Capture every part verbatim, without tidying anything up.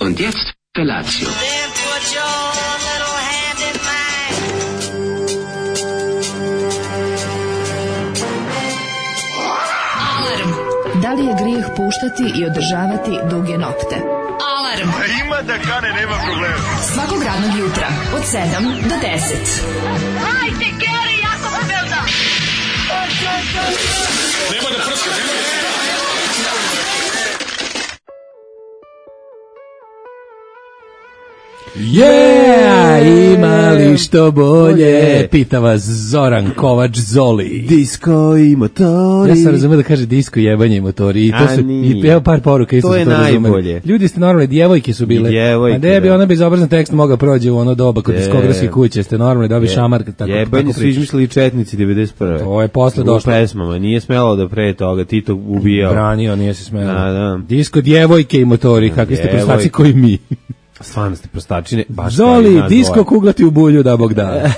Und jetzt Felatio. Then put your little hand in mine. Alarm. Da li je grijeh puštati i održavati duge nokte? Alarm. A ima da kane, nema problema. Svakog radnog jutra od sedam do deset. Hajde, Geri, jako se velda. Nema da prska, nema da prska. Yeah, imali što bolje, pita vas Zoran Kovač Zoli. Disko i motori. Ja sam razumio da kaže disko, jebanje i motori. I to A su, nije. i evo par poruka isto To su je to razumeli. najbolje. Ljudi ste normalni, djevojke su bile. I djevojke, a da bi da. ona bezobrazan tekst mogao prođe u ono doba kod Je. diskografskih kuće, ste normalni, da bi šamar tako. Jebanje tako su pričaš. izmislili četnici devedeset prve. To je posle U došlo. pesmama, nije smelo da pre toga Tito ubijao. Branio, nije se smelo. Da, da. Disko, djevojke i motori, kakvi ste Djevojke. prostaci koji mi. Stvarno ste prostačine. Baš Zoli, kao i nas disko dvoje. kuglati u bulju, da Bog da.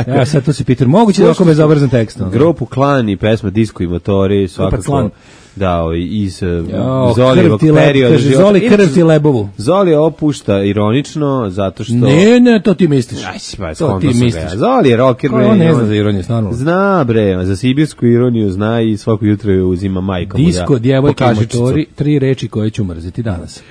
Ja sad tu si Peter, moguće da je oko bezobrazan tekst. ono? Grupu Klan i pesma Disko i motori, svakako. Klan. Da, ovaj, iz Jo, Zolijevog krv ti le- perioda. kaže, života. Zoli, krv Inače, ti lebovu. Zoli opušta ironično, zato što... Ne, ne, to ti misliš. Aj, pa, To skonto ti sam misliš. ga. Zoli je rocker. Ko bre, on ne on- zna za ironiju, stvarno. Zna bre, za sibirsku ironiju zna i svako jutro je uzima majka mu. Disko, da, djevojke i pokažičicu. motori, tri reči koje ću mrziti danas.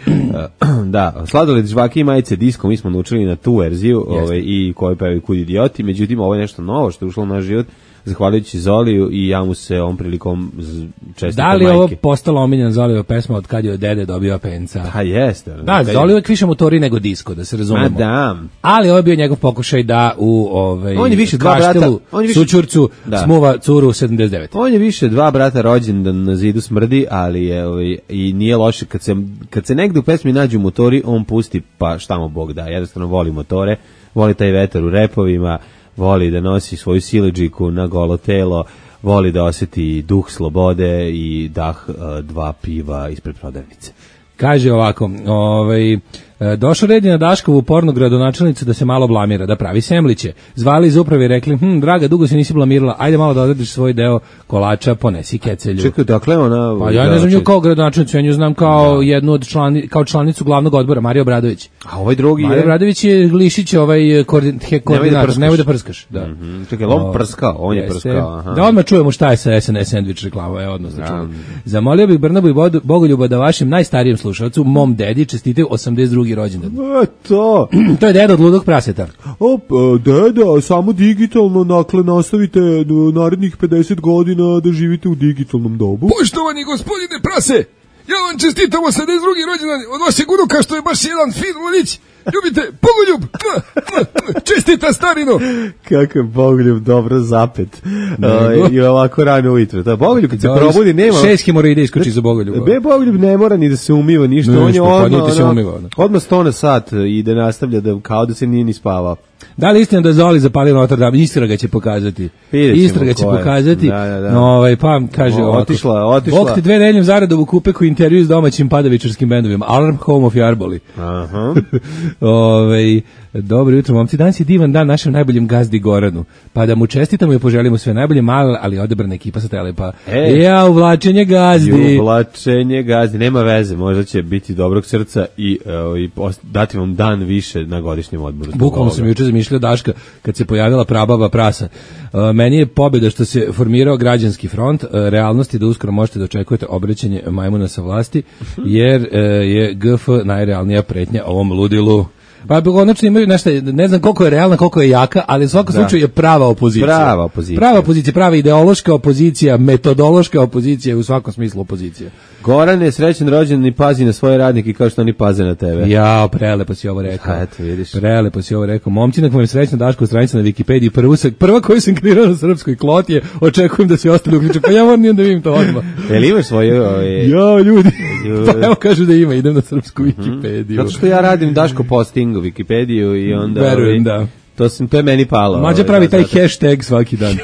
Da, sladoled, žvake i majice Disko, mi smo naučili na tu verziju ovaj, i koju pevaju Kud idioti, međutim ovo je nešto novo što je ušlo u naš život, zahvaljujući Zoliju i ja mu se ovom prilikom z- čestitam Da li je majke. ovo postala omiljena Zolijeva pesma od kad je od dede dobio penca? Pa jeste. Da, Zoli uvek više motori nego disko, da se Ma razumemo. da. Ali ovo je bio njegov pokušaj da u ovaj, On je više dva Kaštelu, brata- on je više- Sućurcu, Da. smuva curu sedamdeset devet. On je više dva brata rođendan na zidu smrdi, ali je ovaj, i nije loše kad se kad se negde u pesmi nađu motori, on pusti pa šta mu Bog da. Jednostavno voli motore, voli taj vetar u repovima, voli da nosi svoju siledžiku na golo telo, voli da osjeti duh slobode i dah uh, dva piva ispred prodavnice. Kaže ovako, ovaj, e, došao red je na Daškovu pornu gradonačelnicu da se malo blamira, da pravi semliće. Zvali iz uprave i rekli, hm, draga, dugo se nisi blamirala, ajde malo da odradiš svoj deo kolača, ponesi kecelju. Čekaj, dakle ona... Pa ja ne znam nju kao gradonačelnicu, ja nju znam kao jednu od člani, kao članicu glavnog odbora, Marija Obradović. A ovaj drugi Marija je... Obradović je Glišić, ovaj koordin, he, koordinator, prskaš. nemoj da prskaš. Da. Mhm, čekaj, on prskao, on je Jeste. prskao. Aha. Da odmah čujemo šta je sa S N S sandvič reklama, je odnos da čujemo. Zamolio bih Brnabu i Bodu- Bogoljuba da vašem najstarijem slušalcu, mom dedi, čestitaju osamdeset drugi rođendan. E, to... To je deda od ludog praseta. Op, deda, samo digitalno, dakle, nastavite narednih pedeset godina da živite u digitalnom dobu. Poštovani gospodine prase, ja vam čestitam osamdeset drugi rođendan od vašeg unuka što je baš jedan fin mladić. Ljubite, Bogoljub, čestita starino. Kakav Bogoljub dobro zapet. Uh, I ovako rano ujutro. Da, Bogoljub kad se Da, probudi nema... Šest hemoroida iskoči za Bogoljuba. Be, Bogoljub ne mora ni da se umiva ništa. Ništa, On je pa odmah, niti se ono, umiva, ono. odmah sto na sat i da nastavlja da, kao da se nije ni spavao. Da li istina da je Zoli zapalio Notre Dame? Istraga će pokazati. Vidjet ćemo Istraga će ko je. pokazati. Da, da, da. No, ovaj, pa, kaže O, ovako. otišla je, otišla. Bog te dve nedeljom zaradom u kupeku intervju s domaćim padavičarskim bendovima. Alarm, Home of Jarboli. Aha. Ovaj, dobro jutro, momci. Danas je divan dan našem najboljem gazdi Goranu. Pa da mu čestitamo i poželimo sve najbolje, malo, ali odebrana ekipa sa Telepa. E. Ja, uvlačenje gazdi. Uvlačenje gazdi, nema veze, možda će biti dobrog srca i, uh, i post- dati vam dan više na godišnjem odmoru. zbog Bukvalno ovoga. sam juče zamišljao Daška kad se pojavila prababa prasa. Uh, meni je pobjeda što se formirao građanski front, uh, realnost je da uskoro možete da očekujete obraćanje majmuna sa vlasti, jer uh, je G F najrealnija pretnja ovom ludilu. Pa konačno imaju nešto, ne znam koliko je realna, koliko je jaka, ali u svakom slučaju je prava opozicija. Prava opozicija. Prava opozicija, prava ideološka opozicija, metodološka opozicija, u svakom smislu opozicija. Gorane, srećan rođendan i pazi na svoje radnike kao što oni paze na tebe. Ja, prelepo si ovo rekao. Ha, eto, vidiš. Prelepo si ovo rekao. Momci, na kojem srećna Daško stranica na Wikipediji, prvu sam, prva koju sam kreirao na srpskoj kloti je, očekujem da svi ostali uključe, pa ja moram da vidim to odmah. Jel imaš svoje... Ove, Ja, ljudi, Ljudi. pa evo kažu da ima, idem na srpsku Wikipediju. zato što ja radim Daško posting u Wikipediju i onda... Verujem, ovi, da. To sam to je meni palo. Mlađa pravi taj hashtag svaki dan.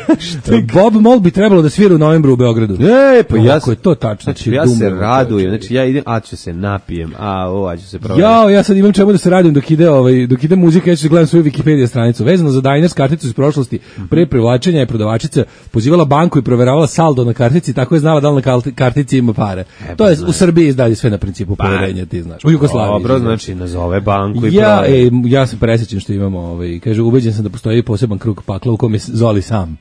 Bob Mould bi trebalo da svira u novembru u Beogradu. E, pa ja Kako je to tačno. Znači, ja se radujem. Znači ja idem, a ću se napijem. A, o, a ću se provjeriti. Ja, ja sad imam čemu da se radim dok ide ovaj dok ide muzika, ja ću gledam svoju Wikipedia stranicu. Vezano za Diners karticu iz prošlosti, pre privlačenja je prodavačica pozivala banku i proveravala saldo na kartici, tako je znala da li na kartici ima pare. E, to je u Srbiji izdalje sve na principu poverenja, ti znaš. U Jugoslaviji. Dobro, znači nazove banku i ja, e, ja se presjećam što imamo, ovaj, kaže, ubeđen sam da postoji poseban krug pakla u kom je Zoli sam.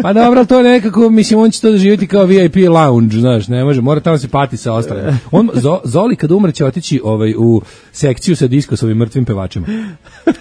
Pa dobro, to je nekako, mislim, on će to doživjeti kao V I P lounge, znaš, ne može, mora tamo se pati sa ostalim. On, Zoli kad umre će otići ovaj, u sekciju sa diskosovim mrtvim pevačima.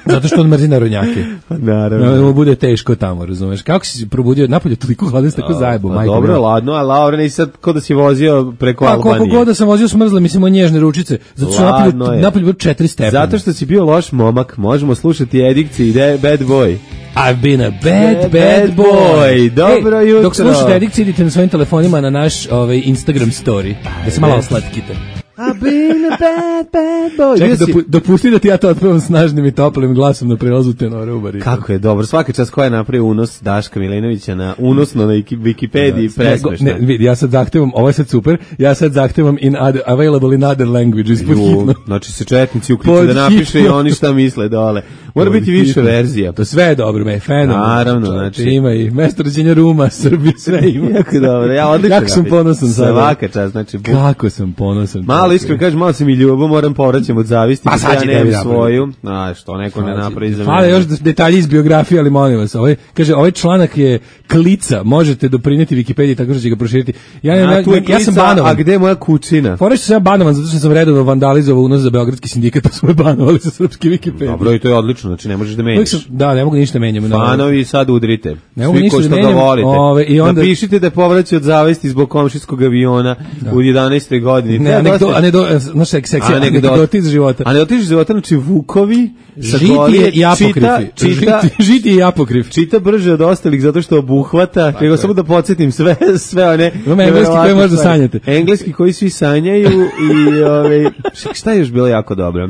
Zato što on mrzi narodnjake. Naravno. No, bude teško tamo, razumeš. Kako si se probudio napolje toliko hladan, tako zajebo, majko. Dobro, moj. Ladno, a Laura i sad ko da si vozio preko pa, Albanije. Koliko god da sam vozio smrzle, mislim, o nježne ručice. Zato što napolje, napolje bilo četiri stepena. Zato što si bio loš momak, možemo slušati Edikci i Bad Boy. I've been a bad, bad, bad boy. Dobro jutro. Dok slušate Edikci, idite na svojim telefonima na naš ovaj, Instagram story. Da se malo oslatkite. I've been a bad, bad boy. Čekaj, dopu, dopusti da ti ja to otpevam snažnim i toplim glasom na prelazu tenore u baritu. Kako je dobro. Svaka čast koja je napravio unos Daška Milinovića na unosno na Wikipediji, da, presmešno. Ne, vidi, ja sad zahtevam, ovo je sad super, ja sad zahtevam in other, available in other languages. Ju, znači se četnici uključu da napiše i oni šta misle dole. Mora biti više verzija. To sve je dobro, me, fenomenalno. Naravno, znači. Ima i mesto rođenja Ruma, Srbije, sve ima. Jako dobro, ja odlično. Kako sam ponosan sada. Svaka čast, znači. Kako sam ponosan. Malo iskreno kažem, malo se mi ljubo, moram povraćam od zavisti, pa ja nemam svoju. A što neko ne napravi za mene. Hvala još detalji iz biografije, ali molim vas. Ovaj kaže, ovaj članak je klica, možete doprineti Wikipediji tako što će ga proširiti. Ja ja, ja, ja sam banovan. A gde je moja kućina? Fore što sam ja banovan zato što sam redovno vandalizovao unos za beogradski sindikat, pa smo je banovali sa srpske Wikipedije. Dobro, i to je odlično, znači ne možeš da menjaš. Da, ne mogu ništa menjam. Fanovi sad udrite. Ne mogu ništa da menjam. Ove, i onda napišite da povraća od zavisti zbog komšijskog aviona da. U jedanaestoj godini. Ne, anegdo, anegdo, znaš, seksija, anegdoti iz života. Anegdoti iz života, znači Vukovi, žitije i apokrifi. Čita, žitije i apokrif. Čita brže od ostalih zato što obuhvata, nego samo da podsjetim sve, sve one. Imamo engleski koje možda sanjate. Engleski koji svi sanjaju i ove, šta je još bilo jako dobro?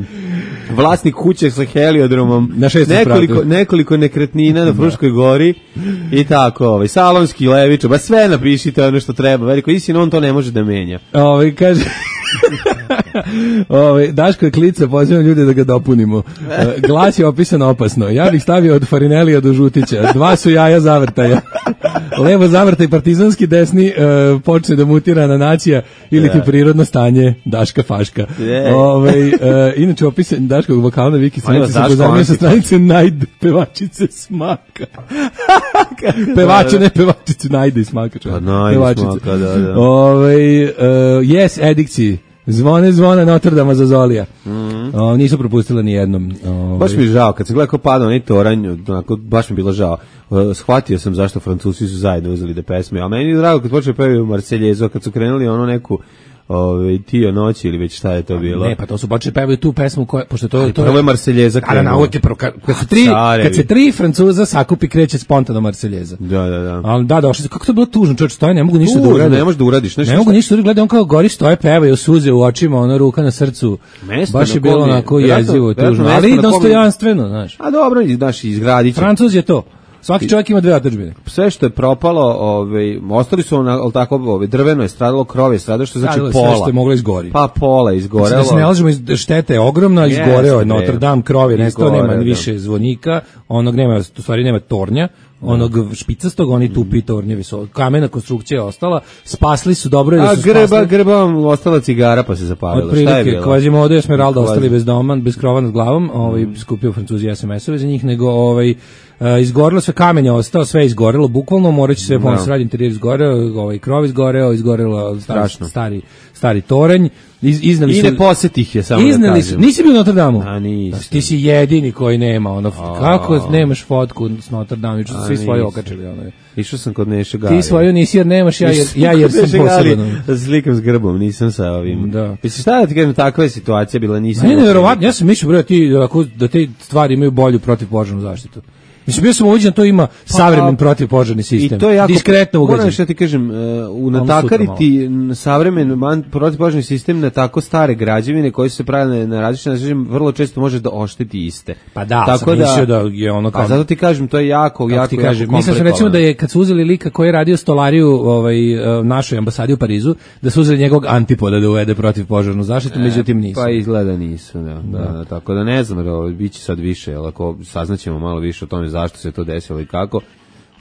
Vlasnik kuće sa heliodromom, na nekoliko, nekoliko nekretnina na Fruškoj gori i tako, ovaj, salonski levič, ba sve napišite ono što treba, veliko istina, on to ne može da menja. Ovaj, kaže... Ove, Daško je klica, pozivam ljude da ga dopunimo. E, glas je opisan opasno. Ja bih stavio od Farinelija do Žutića. Dva su jaja zavrtaja. Levo zavrtaj partizanski, desni e, počne da mutira na nacija ili ti prirodno stanje Daška Faška. Ove, e, inače opisan Daškog vokala na Viki stranici se pozamio sa stranice Najd pevačice Smaka. Pevače, ne pevačice, Najde i Smaka. Pa Najde Smaka, da, da. Ove, e, yes, Edikci. Zvone, zvone Notre Dame za Zolija. Mm-hmm. O, nisu propustila ni jednom. O, baš mi je žao, kad sam gledao kao padao onaj toranj, onako, baš mi je bilo žao. Uh, shvatio sam zašto Francuzi su zajedno uzeli da pesme, a meni je drago kad počeo pevaju Marseljezu, kad su krenuli ono neku Ove, Tio noći ili već šta je to bilo? Ne, pa to su počeli pevaju tu pesmu koja, pošto to je to. Prvo je Marseljeza krenula. Kad su tri, kad se tri Francuza sakupi kreće spontano Marseljeza. Da, da, da. Ali da, došli su, kako to bilo tužno, čovječ, stoje, ne mogu ništa da urade. Ne možeš da uradiš, nešto. Ne mogu ništa da urade, on kao gori stoje, pevaju suze u očima, ona ruka na srcu. Mesto baš je bilo onako jezivo, tužno, ali dostojanstveno, znaš. A dobro, znaš, izgradit će. Francuz je to. Svaki čovjek ima dve otadžbine. Sve što je propalo, ovaj, ostali su na, al tako, ovaj, drveno je stradalo, krov je stradalo, što znači stradalo, pola. Sve što je moglo izgori. Pa pola izgorelo. Znači, da se ne lažemo, šteta je ogromna, izgoreo je Notre Dame, krov je nestao, nema ni više zvonika, onog nema, u stvari nema tornja, onog špicastog, oni tupi tornjevi su, kamena konstrukcija je ostala, spasli su dobro. A su grba, spasli, grba ostala cigara pa se zapalila. Šta je bilo? Quasimodo i Esmeralda ostali bez doma, bez krova nad glavom, ovaj, skupio Francuzi es em esove za njih, nego ovaj, Uh, izgorelo sve, kamenje ostao, sve izgorelo, bukvalno moraće sve pomoći sradi interijer izgoreo, ovaj krov izgoreo, izgorelo strašno stari stari toranj. Iz, iznali I su, ne posjetih je samo iznali da su, nisi bio u Notre Dame-u? A nisi. Ti si jedini koji nema, ono, a, kako nemaš fotku s Notre Dame, što su svi svoje okačili, ono. Išao sam kod Neše Gali. Ti svoju nisi jer nemaš, ja jer, ja jer sam poseban. Slikam s grbom, nisam sa ovim. Da. Mislim, šta da ti kažem, takva je situacija bila, nisam. Ne, nevjerovatno, ja sam mišljio, bre, ti, da te stvari imaju bolju protivpožarnu zaštitu. Mislim, bio sam uviđen, to ima savremen protivpožarni sistem. I to je jako, diskretno ugađen. moram što ti kažem, u natakariti savremen protivpožarni sistem na tako stare građevine koje su se pravile na različite načine, vrlo često može da ošteti iste. Pa da, tako sam mislio da je ono kao... Pa zato ti kažem, to je jako, jako, ti kažem, jako mislim sam recimo da je kad su uzeli lika koji je radio stolariju ovaj, našoj ambasadi u Parizu, da su uzeli njegovog antipoda da uvede protivpožarnu zaštitu, međutim nisu. Pa izgleda nisu, da, da. da tako da ne znam, biće sad više, jel, ako saznaćemo malo više o tome zašto se to desilo i kako,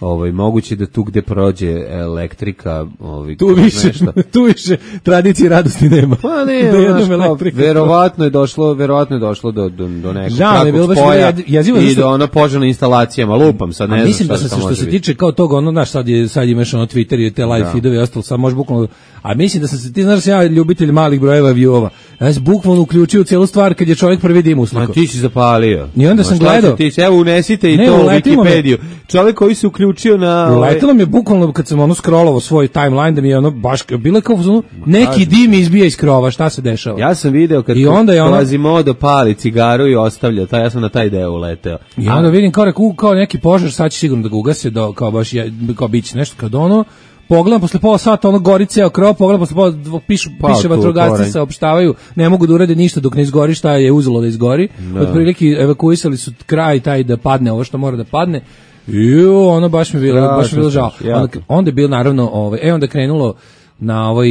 ovaj, moguće da tu gde prođe elektrika, ovaj, tu više, tu više tradicije radosti nema. Pa ne, znaš, verovatno je došlo, verovatno je došlo do, do, do nekog takvog spoja i do ono požarne instalacijama, lupam sad, ne znam mislim da se što se tiče kao toga, ono, znaš, sad, je, sad imaš ono Twitter i te live feedove i ostalo, sad možeš bukvalno, a mislim da sam se, ti znaš da sam ja ljubitelj malih brojeva viewova, ja sam bukvalno uključio cijelu stvar kad je čovjek prvi dim uslikao. Ma ti si zapalio. I onda sam gledao. Ti, evo unesite i ne, to u Wikipediju. Čovjek koji se uključio na... Uletilo mi je bukvalno kad sam ono scrollovao svoj timeline da mi je ono baš, bilo je kao ono, neki dim izbija iz krova, šta se dešava? Ja sam video kad Quasimodo pali cigaru i ostavlja, taj, ja sam na taj deo uleteo. I onda vidim kao, reku, kao neki požar, sad će sigurno da ga ugase, do, kao baš, kao biće nešto, kad ono, pogledam posle pola sata, ono gori ceo krov, pogledam posle pola, pišu, pa, piše vatrogasci, saopštavaju, ne mogu da urade ništa dok ne izgori šta je uzelo da izgori. No. Otprilike evakuisali su kraj taj da padne ovo što mora da padne. Ju, ono baš mi bilo, baš mi bilo žao. Onda, onda je bilo naravno, ovaj, e onda krenulo na ovaj,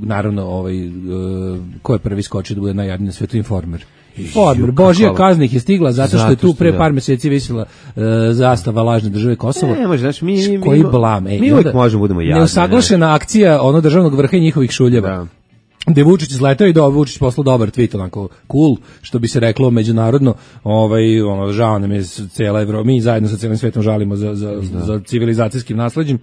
naravno ovaj, uh, ko je prvi skočio da bude najjadniji na svetu, Informer. Informer, Božija kazna ih je stigla zato što je tu pre par meseci visila uh, zastava lažne države Kosovo. Ne, može, znači mi, mi, koji blam, ej, mi uvijek možemo budemo jadni. Neusaglašena akcija ono državnog vrha i njihovih šuljeva. Da. Gde Vučić izletao i da Vučić poslao dobar tweet, onako cool, što bi se reklo međunarodno, ovaj, ono, žao nam je cijela Evropa, mi zajedno sa cijelim svetom žalimo za, za, za civilizacijskim nasleđem.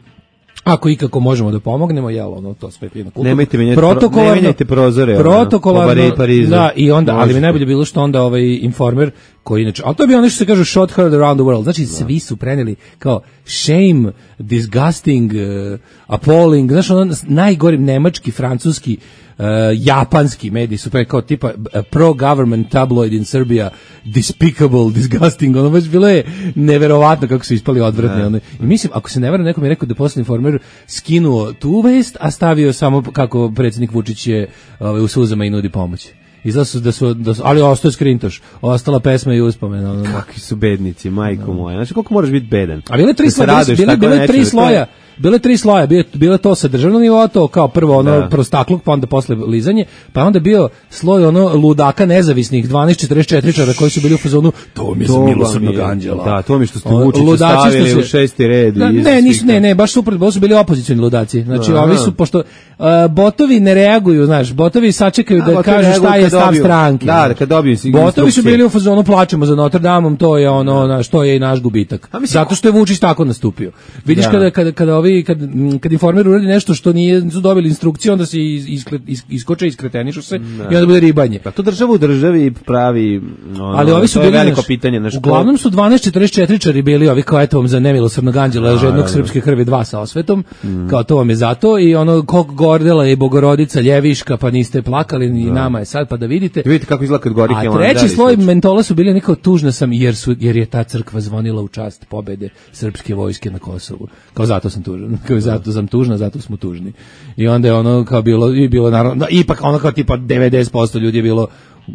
Ako ikako možemo da pomognemo, jel, ono, to sve fino. Nemojte menjati, protokolarno, ne menjajte prozore. Protokolarno, da, i onda, ali mi najbolje bilo što onda ovaj Informer, koji inače, ali to je bio ono što se kaže shot heard around the world, znači da. Svi su preneli kao shame, disgusting, uh, appalling, znaš, ono, najgori nemački, francuski, Uh, japanski mediji su pre kao tipa uh, pro-government tabloid in Serbia, despicable, disgusting, ono već bilo je neverovatno kako su ispali odvratni. Ono. I mislim, ako se ne varam, neko mi je rekao da posle Informer skinuo tu vest, a stavio samo kako predsjednik Vučić je uh, u suzama i nudi pomoć. Izgleda su da su, da su, ali ostao je skrintoš, ostala pesma i uspomena. Ono. Kakvi su bednici, majko moja. Znači, koliko moraš biti bedan? A bile tri, sloja, bile, bile tri sloja. Bile tri sloja, bile, bile to sa državnog nivoa, to kao prvo ono da. Prostakluk, pa onda posle lizanje, pa onda bio sloj ono ludaka nezavisnih dvanaest četrdeset četiri koji su bili u fazonu, to mi je za milosrdnog anđela. Da, to mi što ste Vučića stavili se, u šesti red. Da, ne, nisu, ne, ne, baš super, baš su bili opozicioni ludaci. Znači, da, ovi su, pošto uh, botovi ne reaguju, znaš, botovi sačekaju da, da kažu šta je stav stranke. Da, da, kad dobiju botovi su bili u fazonu, plačemo za Notre Damom, to je ono, naš, to je i naš gubitak. Zato što je Vučić tako nastupio. Vidiš kada kada kada ovi kad kad Informer uradi nešto što nije su dobili instrukciju, onda se iskle, is, iskoče, iskretenišu se no. I onda bude ribanje. Pa to država u državi pravi, ono, ali ovi su bili veliko naš, pitanje na uglavnom su dvanaest četrdeset četiri bili ovi kao eto vam za nemilosrdnog anđela, žednog srpske krvi dva sa osvetom, mm. kao to vam je zato i ono kog Gordela i Bogorodica Ljeviška, pa niste plakali ni da. Nama je sad pa da vidite. Da vidite kako izgleda kad gori Hilandar. A treći sloj mentola su bili neko tužna sam jer su jer je ta crkva zvonila u čast pobede srpske vojske na Kosovu. Kao zato sam tužan. Kao zato sam tužna, zato smo tužni. I onda je ono kao bilo i bilo naravno da, ipak ono kao tipa devedeset posto ljudi je bilo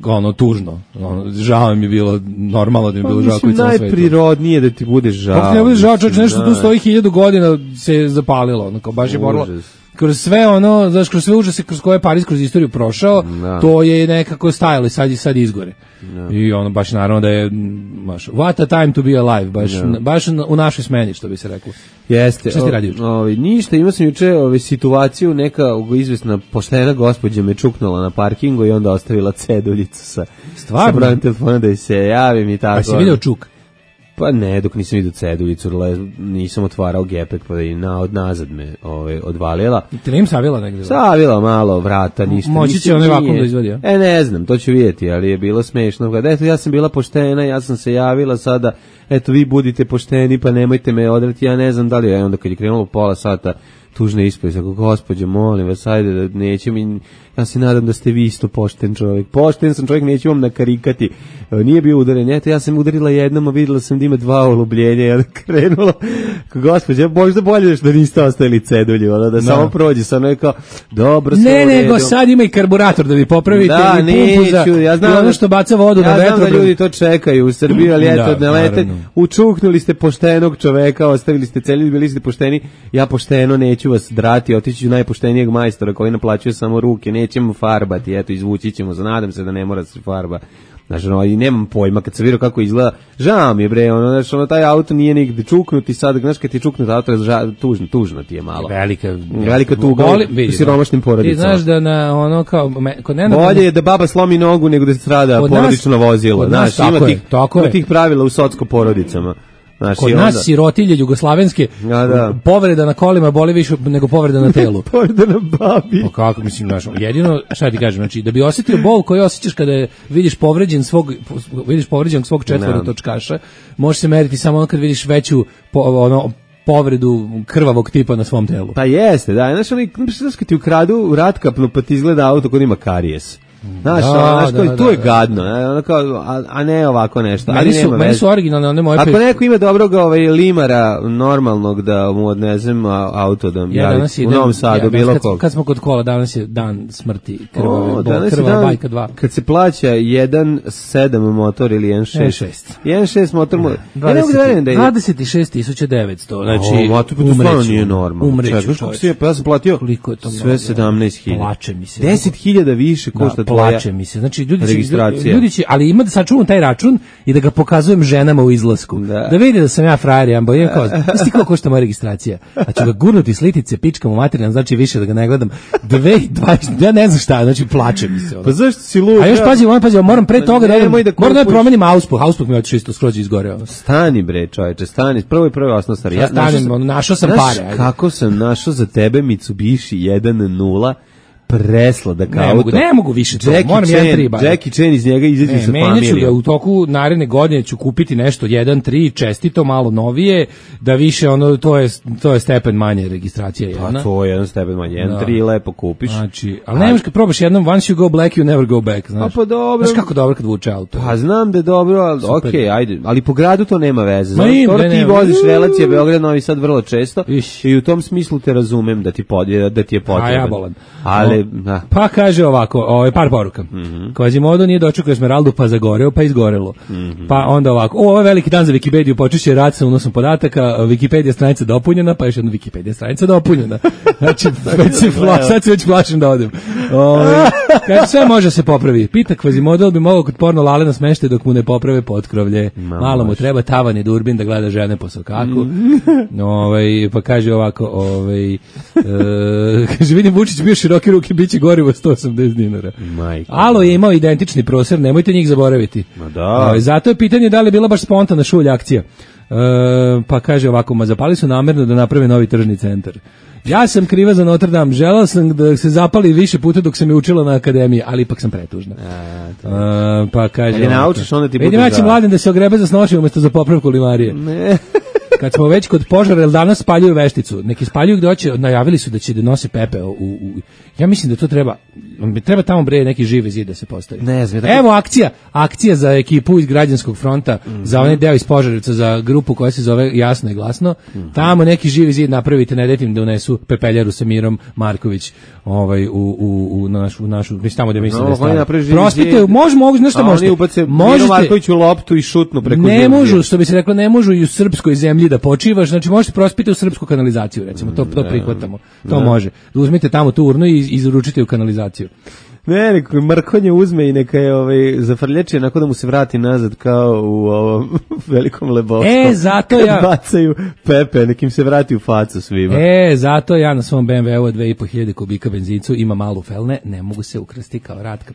ono tužno. Ono, žao mi je bilo normalno da mi je bilo žao koji celom svetu. Najprirodnije da ti budeš žao. Kako ne budeš žao, čovječ, nešto tu stoji hiljadu godina se zapalilo, ono kao baš je moralo. Kroz sve ono, znaš, kroz sve užase kroz koje je Pariz kroz istoriju prošao, no. To je nekako stajalo i sad, sad izgore. No. I ono, baš naravno da je, baš, what a time to be alive, baš, no. Baš u našoj smeni, što bi se reklo. Jeste. Šta ti radio? Ovi, ništa, imao sam juče ovi, situaciju, neka izvesna poštena gospođa me čuknula na parkingu i onda ostavila ceduljicu sa, sa brojem telefona da se javim i tako. A si vidio čuk? Pa ne, dok nisam vidio ceduljicu, nisam otvarao gepek, pa da i na, od nazad me ove, odvalila. I te ne im savila negdje? Savila malo, vrata, ništa. Moći će onaj vakum da izvadi, ja? E, ne znam, to ću vidjeti, ali je bilo smešno. Kada, eto, ja sam bila poštena, ja sam se javila sada, eto, vi budite pošteni, pa nemojte me odrati, ja ne znam da li je, onda kad je krenulo pola sata, tužne ispise, ako gospođe, molim vas, ajde, da neće mi, Ja se nadam da ste vi isto pošten čovjek. Pošten sam čovjek, neću vam nakarikati. Nije bio udaren. Eto, ja sam udarila jednom, a videla sam da ima dva olubljenja. Ja krenula. Gospođe, možda bolje da niste ostavili cedulju, ono, da, da samo prođe. Sam je kao, dobro, sve ne, u redu. nego sad ima i karburator da vi popravite. Da, i pumpu za, neću. Ja znam, i ono što baca vodu ja na vetru. Ja znam da ljudi to čekaju u Srbiji, ali eto, da, ne lete. Učuknuli ste poštenog čoveka, ostavili ste cedulju, bili ste pošteni. Ja pošteno neću vas drati, otići ću najpoštenijeg majstora koji naplaćuje samo ruke, nećemo farbati, eto, izvući ćemo, nadam se da ne mora se farba. Znaš, ono, i nemam pojma, kad sam vidio kako izgleda, žao mi je, bre, ono, znaš, ono, taj auto nije nigde čuknuti, sad, znaš, kad ti čuknuti auto, ža, tužno, tužno ti je malo. Velika, velika tuga u siromašnim porodicama. Ti znaš da na, ono, kao, me, kod Nenada... Bolje je da baba slomi nogu nego da se strada porodično vozilo, znaš, tako ima, je, tih, tako ima je. tih pravila u socko porodicama. Znaš, kod nas onda... sirotilje jugoslavenske, ja, da. Povreda na kolima boli više nego povreda na telu. Povreda na babi. Pa kako, mislim, znaš, jedino, šta ti kažem, znači, da bi osjetio bol koji osjećaš kada vidiš povređen svog, vidiš povređenog svog četvorotočkaša, može se meriti samo ono kad vidiš veću, po, ono, povredu krvavog tipa na svom telu. Pa jeste, da, znaš, oni, znaš, kad ti ukradu ratkapnu, pa ti izgleda auto kod ima karijes. Znaš, da, znaš, da, da, tu je da, gadno, a, a, a ne ovako nešto. Meni su, meni su originalne one moje... Ako pe... neko ima dobrog ovaj, limara normalnog da mu odnezem auto da ja javi u Novom Sadu, ja, bilo kad, kog. Kad smo kod kola, danas je dan smrti krvave, o, bo, krvava bajka dva. Kad se plaća jedan sedam motor ili jedan šest. jedan šest motor... Ja ne mogu da verujem da je... dvadeset šest tisuća devetsto, znači... O, ma to stvarno nije normalno. Umreću, Pa ja sam platio sve sedamnaest hiljada. Plače mi se. deset hiljada više košta tvoja... Plače mi se. Znači, ljudi registracija. Će, ljudi će, ali ima da sačuvam taj račun i da ga pokazujem ženama u izlasku. Da, da vidi da sam ja frajer, ja bojem kao, isti kao košta moja registracija. A ću ga gurnuti slitice, pičkam u materijan, znači više da ga ne gledam. dve dvadeset, ja ne znam šta, znači plače mi se. Ono. Pa zašto si lud? A još pazi, on pazi, moram pre toga da da, da moram da promenim auspuh, auspuh mi je otišao isto skroz izgoreo. Stani bre, čoveče, stani, prvo i prvo osnovna stvar. Ja stanem, našao sam pare. Kako sam našao za tebe Mitsubishi jedan nula presladak auto. Ne mogu, ne mogu više to, moram jedan tri bar. Jackie Chan iz njega izađe sa familijom. Menjaću ga u toku naredne godine, ću kupiti nešto jedan tri čestito, malo novije, da više ono, to je, to je stepen manje registracija jedna. Pa to je jedan stepen manje, jedan tri lepo kupiš. Znači, ali nemaš kad probaš jednom, once you go black, you never go back, znaš. A pa dobro. Znaš kako dobro kad vuče auto. Pa znam da je dobro, ali okej, okay, ajde, ali po gradu to nema veze. Znaš, to ti voziš relacije Beograd, Novi Sad vrlo često Iš. I u tom smislu te razumem da ti, pod, da ti je potreban. A ja bolan. Ali, da. Pa kaže ovako, ovaj par poruka. Mm -hmm. Quasimodo nije dočekao Esmeraldu pa zagoreo, pa izgorelo. Mm -hmm. Pa onda ovako, o, ovo je veliki dan za Wikipediju, počeće rad sa unosom podataka, Wikipedia stranica dopunjena, pa još jedna Wikipedia stranica dopunjena. Znači, već se fla, sad se već plašim da odem. Ovaj kaže, sve može se popravi. Pita Quasimodo bi mogao kod porno Lalena smeštaj dok mu ne poprave potkrovlje. Ma, malo mu treba tavan i durbin da gleda žene po sokaku. Mm. Ovaj, pa kaže ovako, ovaj, e, kaže, vidim Vučić bio široke ruke, biće gorivo sto osamdeset dinara. Majka. Alo je imao identični prostor, nemojte njih zaboraviti. Ma da. O, zato je pitanje da li je bila baš spontana šulja akcija. E, pa kaže ovako, ma zapali su namerno da naprave novi tržni centar. Ja sam kriva za Notre Dame, želao sam da se zapali više puta dok sam je učila na akademiji, ali ipak sam pretužna. A, to e, pa kaže... Ali naučiš, onda ti bude vidim, ja ću mladim da se ogrebe za snošaj umjesto za popravku limarije. Ne. Kad smo već kod požara, jer danas spaljuju vešticu. Neki spaljuju gde hoće, najavili su da će da nose pepeo u, u, ja mislim da to treba, treba tamo bre neki živi zid da se postavi. Ne znam. Tako... Evo akcija, akcija za ekipu iz Građanskog fronta, mm -hmm. za onaj deo iz Požarevca, za grupu koja se zove Jasno i glasno. Mm -hmm. Tamo neki živi zid napravite, ne dajte im da unesu pepeljaru sa Mirom Marković ovaj, u, u, u, našu, našu, mislim tamo gde mislim no, da je stvar. Prospite, može, mogu, nešto možete. Možete Marković u loptu i šutnu preko zemlje. Ne možu, što bi se reklo, ne možu i u srpskoj zemlji da počivaš, znači možete prospiti u srpsku kanalizaciju, recimo, to, to prihvatamo, to ne. Može. Uzmite tamo tu urnu i izručite u kanalizaciju. Ne, neko Mrkonje uzme i neka je ovaj, zafrlječi onako da mu se vrati nazad kao u ovom velikom Lebovskom. E, zato ja... bacaju pepe, nekim se vrati u facu svima. E, zato ja na svom be em ve u dve i po hiljade kubika benzincu ima malu felne, ne mogu se ukrasti kao Ratka.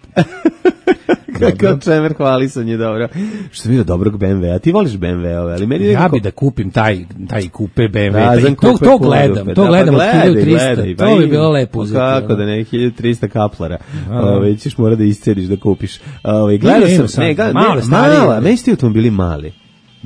Kako čemer hvalisan je dobro. Što mi je dobrog be em ve, a ti voliš be em ve-ove, ali meni ja nekako... bi da kupim taj, taj kupe be em ve, da, to, to, to gledam, to da, gledam pa od hiljadu trista, gledaj, to bi bilo lepo uzeti. Kako da ne, hiljadu trista kaplara, ove, ćeš mora da iscediš da kupiš. Ove, gledao sam, sam, ne, ga, male, ne, mala, meni ste automobili mali.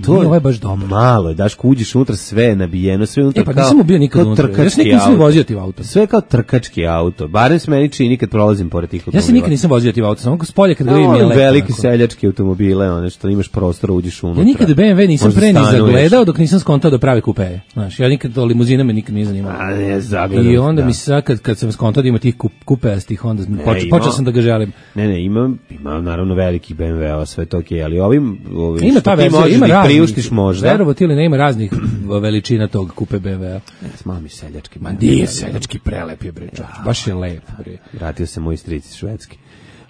To nije ovaj baš dobro. Malo, daš uđeš unutra, sve je nabijeno, sve unutra E pa kao, nisam bio nikad kao unutra. Ja se trkački nikad nisam auto. vozio tim autom. Sve je kao trkački auto. Barem se meni čini kad prolazim pored tih automobila. Ja se nikad nisam vozio tim autom, samo s polja kad ga No, vidim je ono lepo. veliki onako. seljački automobile, one što imaš prostora, uđeš unutra. Ja nikad B M W nisam Možda pre ni stanuješ. zagledao dok nisam skontao da pravi kupeje. Znaš, ja nikad to limuzina me nikad nije zanimalo. A ne, zagledam. I onda da. mi se sad kad, kad sam skontao da ima tih kup, kupejastih, onda Ne, počeo, ima- počeo sam da ga želim. Ne, ne, imam, imam naravno velikih B M W-a, sve to okej, ali ovim, ovim Ima što ta ti verzija, možeš ima da ih raznih. priuštiš možda. Verovatno ili ne, ima raznih veličina tog kupe B M W-a. Malo mi seljački. Ma nije seljački prelep je bre, čovječe, baš je lep bre. Vratio se moj stric iz Švedske.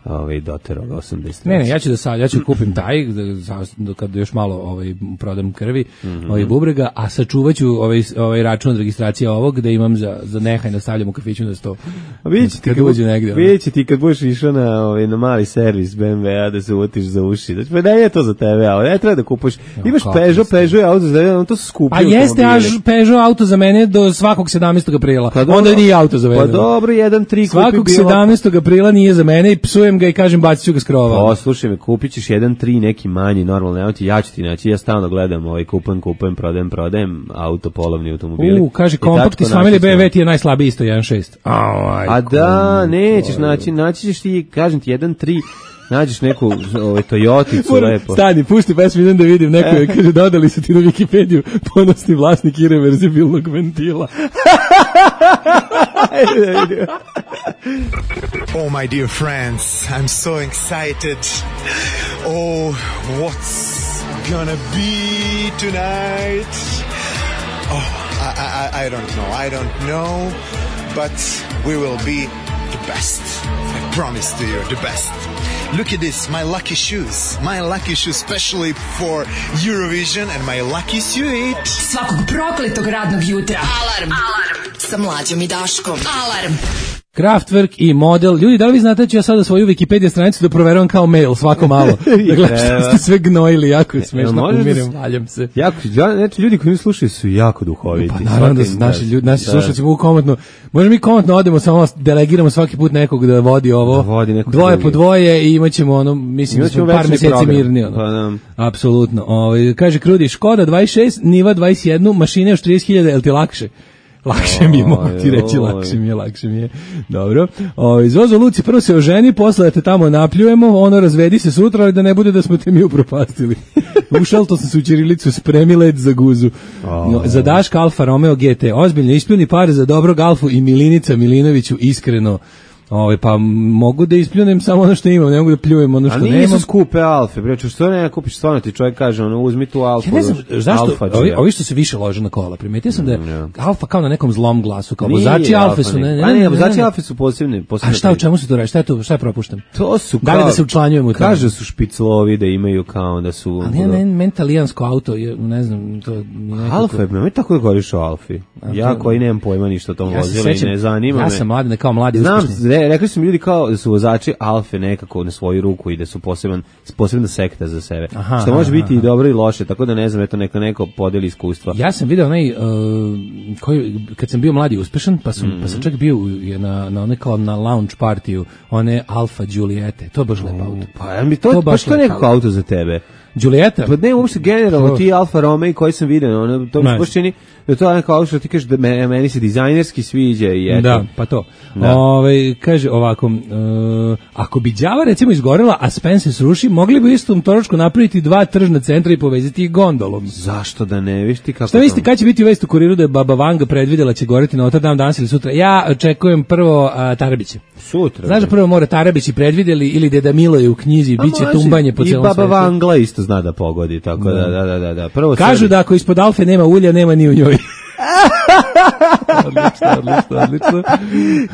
Ovaj doterao ga osamdeset. Ne, ne, ja ću da sad, ja ću kupim taj da, za- da kad još malo ovaj prodam krvi, Mhm. ovaj bubrega, a sačuvaću ovaj ovaj račun od registracije ovog da imam za za nehaj da stavljam u kafiću na sto. A vidjet će ti kad kad, uđe negde, ono. vidjet će ti kad budeš išao na, ovaj, na mali servis B M W-a da se uvotiš za uši. Znači, pa ne je to za tebe, ali ne treba da kupuješ. Imaš kako Peugeot, ste. Peugeot je auto za tebe, to su skupi A jeste automobili. až Peugeot auto za mene do svakog sedamnaestog aprila. Pa dobro. Onda nije auto za mene. Pa dobro, jedan tri kupi Svakog bilo. sedamnaestog aprila nije za mene i psujem ga i kažem bacit ću ga s krova. Poslušaj me, kupit ćeš jedan tri neki manji, normalno, evo ti, ja ću ti naći, ja stalno gledam, ovaj, kupujem, kupujem, prodajem, prodajem, auto, polovni automobili. U, kaže I kompakt iz tačko familije naći B M W sve. ti je najslabiji isto jedan šest. Aj, A da, nećeš naći, naći ćeš ti, kažem ti, jedan tri, nađeš neku ovaj, Toyoticu lepo. Stani, pusti pesmu, idem da vidim neko je, kaže, dodali su ti na Wikipediju ponosni vlasnik irreverzibilnog ventila. Oh, my dear friends, I'm so excited. Oh, what's gonna be tonight? Oh, I, I, I don't know. I don't know, but we will be the best. I promise to you, the best. Look at this, my lucky shoes. My lucky shoes, especially for Eurovision, and my lucky suit. Svakog prokletog radnog jutra. Alarm. Alarm. Sa Mlađom i Daškom. Alarm. Kraftwerk i model. Ljudi, da li vi znate da ću ja sada svoju Wikipedia stranicu da proveravam kao mail svako malo? Da gledam što ste sve gnojili, jako je smešno, možeš da umirem, s- valjam se. Jako, ja, znači, ljudi koji mi slušaju su jako duhoviti. Pa naravno da su Svaka im naši čast. ljudi, naši Da. slušalci mogu komotno, možemo mi komotno odemo, samo delegiramo svaki put nekog da vodi ovo, Da vodi nekog dvoje drugi. po dvoje i imaćemo ono, mislim da Imaćemo smo par večni meseci program. mirni. Ono. Pa da. Apsolutno. Ovaj, kaže Krudi, Škoda dvadeset šest, Niva dvadeset jedan, mašine još trideset hiljada, jel ti lakše? Lakše mi je, mogu ti reći, Oj. lakše mi je, lakše mi je. Dobro. O, Zozo Luci, prvo se oženi, posle da te tamo napljujemo, ono razvedi se sutra, ali da ne bude da smo te mi upropastili. Ušal, to sam se u ćirilicu, spremi led za guzu. No, za Daška Alfa Romeo G T, ozbiljno, ispljuni pare za dobrog Alfu i Milinica Milinoviću, iskreno. Ovaj pa mogu da ispljunem samo ono što imam, ne mogu da pljujem ono što A nemam. nisu skupe Alfe, bre, što ne kupiš, stvarno ti čovjek kaže, ono, uzmi tu Alfu. Ja ne znam znaš, zašto Alfa ovi, džija. ovi što se više lože na kola. Primetio sam da je Alfa kao na nekom zlom glasu, kao Nije vozači Alfe Alfa, su ne, ne, pa ne, vozači Alfe su posebni, posebni. A šta u čemu se to radi? Šta je to? Šta je propuštam? To su Da li kao- da se učlanjujemo u to? Kaže su špiclovi da imaju kao da su... Ali ja ne, meni talijansko auto, je, ne znam, to mi nekako... Alfa je, ne tako da govoriš o Alfi. Ja koji nemam pojma ništa o tom Ja se vozilu i sećam, ne zanima ja me. sam mladen, kao mladi Znam, uspešni. re- rekli su mi ljudi kao da su vozači Alfe nekako na svoju ruku i da su poseban, posebna sekta za sebe. Aha, što može aha, biti i aha. dobro i loše, tako da ne znam, eto neka neko podeli iskustva. Ja sam video onaj, uh, koji, kad sam bio mladi i uspešan, pa sam, pa sam čak bio u- je na, na one kao na lounge partiju, one Alfa Giuliette, to je baš lep auto. Pa ja mi to, To to baš baš to je lep nekako auto. auto za tebe. Giulietta? Pa ne, uopšte generalno To- ti Alfa Romeo koji sam vidio, ono, to mi se Ne. baš čini da to je neko auto što ti kažeš da me- meni se dizajnerski sviđa i eto. Da, pa to. Da. Ovaj kaže ovako, e, ako bi đava recimo izgorela, a Spen se sruši, mogli bi u istom točku napraviti dva tržna centra i povezati ih gondolom. Zašto da ne, viš ti kako... Šta mislite, to- kad će biti vest u kuriru da je Baba Vanga predvidela će goreti Notre Dame danas ili sutra? Ja očekujem prvo a, Tarabiće. Sutra. Znaš da bre. prvo mora Tarabići predvideli ili Deda Milo je u knjizi, A bit će može, tumbanje po celom I Baba svetu. Vangla isto zna da pogodi, tako da, da, da, da. da. Prvo Kažu sebi- da ako ispod Alfe nema ulja, nema ni u njoj. odlično, odlično, odlično.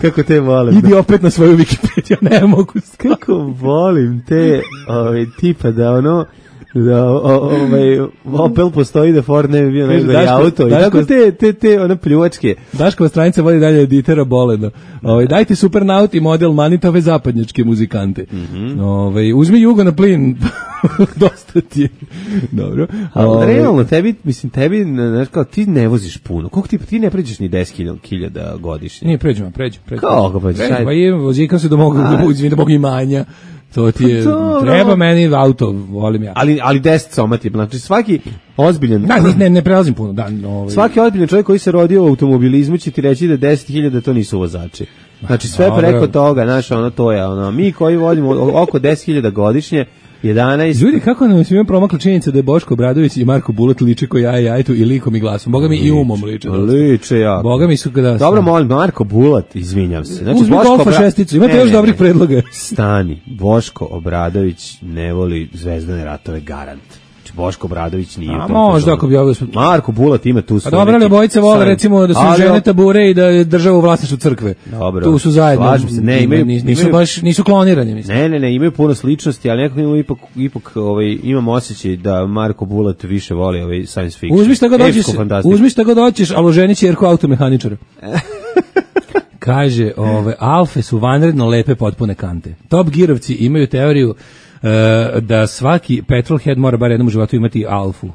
Kako te volim. Idi opet na svoju Wikipediju, ne mogu. Kako volim te ovaj, tipa da ono da o- o- ovaj Opel postoji da Ford ne bi bio Kaže, najgori Daško- auto i Daško- tako te, te, te one pljuvačke. Daškova stranica vodi dalje editera Bolena. Ovaj dajte Supernaut i model manitove zapadnjačke muzikante. Ovaj uzmi Jugo na plin. Dosta ti je. Dobro. Ali Ovaj, realno tebi, mislim tebi, znaš kao ti ne voziš puno. Koliko ti, ti ne pređeš ni deset hiljada godišnje? Nije, pređemo, pređemo. pređemo. Kako pređeš? Pređemo, Ajde. pa je, vozikam se do mog, do, izvini, do mog imanja. To ti je, Dobro. treba meni auto, volim ja. Ali, ali deset somati, znači svaki ozbiljan... Da, ne, ne, ne prelazim puno, da. Ovaj. Svaki ozbiljan čovjek koji se rodio u automobilizmu će ti reći da deset hiljada to nisu vozači. Znači sve Dobro. preko toga, znaš, ono to je, ono, mi koji vodimo oko deset hiljada godišnje, jedanaest... Ljudi, kako nam svima promakla činjenica da je Boško Obradović i Marko Bulat liče ko ja i Ajtu i likom i glasom. Boga mi i umom liče. Liče jako. Boga mi su kada... Dobro, molim, Marko Bulat, izvinjam se. Znači, Uzmi Boško golfa Obra- šesticu, imate Ne, još ne, dobrih ne. predloga. Stani, Boško Obradović ne voli Zvezdane ratove, garant. Znači, Boško Obradović nije... A u tom možda fazonu. ako bi ovo... Marko Bulat ima tu A svoj dobro, ali neki obojice vole sajn. recimo da su Ali, žene tabure i da je država u vlasništvu crkve. Dobro. Tu su zajedno. Slažem se, ne, imaju- nisu imaju- baš, nisu klonirani, mislim. Ne, ne, ne, imaju puno sličnosti, ali nekako imamo ipak, ipak ovaj, imam osjećaj da Marko Bulat više voli ovaj science fiction. Uzmi šta god hoćeš, Epsku fantastiku. uzmi šta god hoćeš, ali oženi ćerku automehaničara. Kaže, ove, alfe su vanredno lepe potpune kante. Top Gearovci imaju teoriju e, da svaki petrolhead mora bar jednom u životu imati alfu.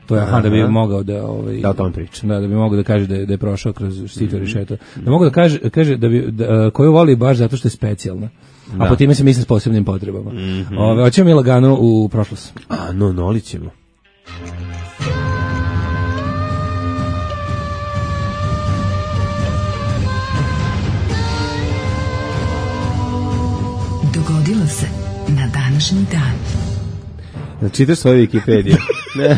To je aha, da bi mogao da ovaj Da o tome priča. Da, da bi mogao da kaže da je, da je prošao kroz sito rešeto. Da mogu da kaže kaže da bi da, koju voli baš zato što je specijalna. A po time se misli s posebnim potrebama. Mhm. Ove, hoćemo mi lagano u prošlost. A, no, noli ćemo. Dogodilo se na današnji dan. Čitaš svoju Wikipediju. Ne.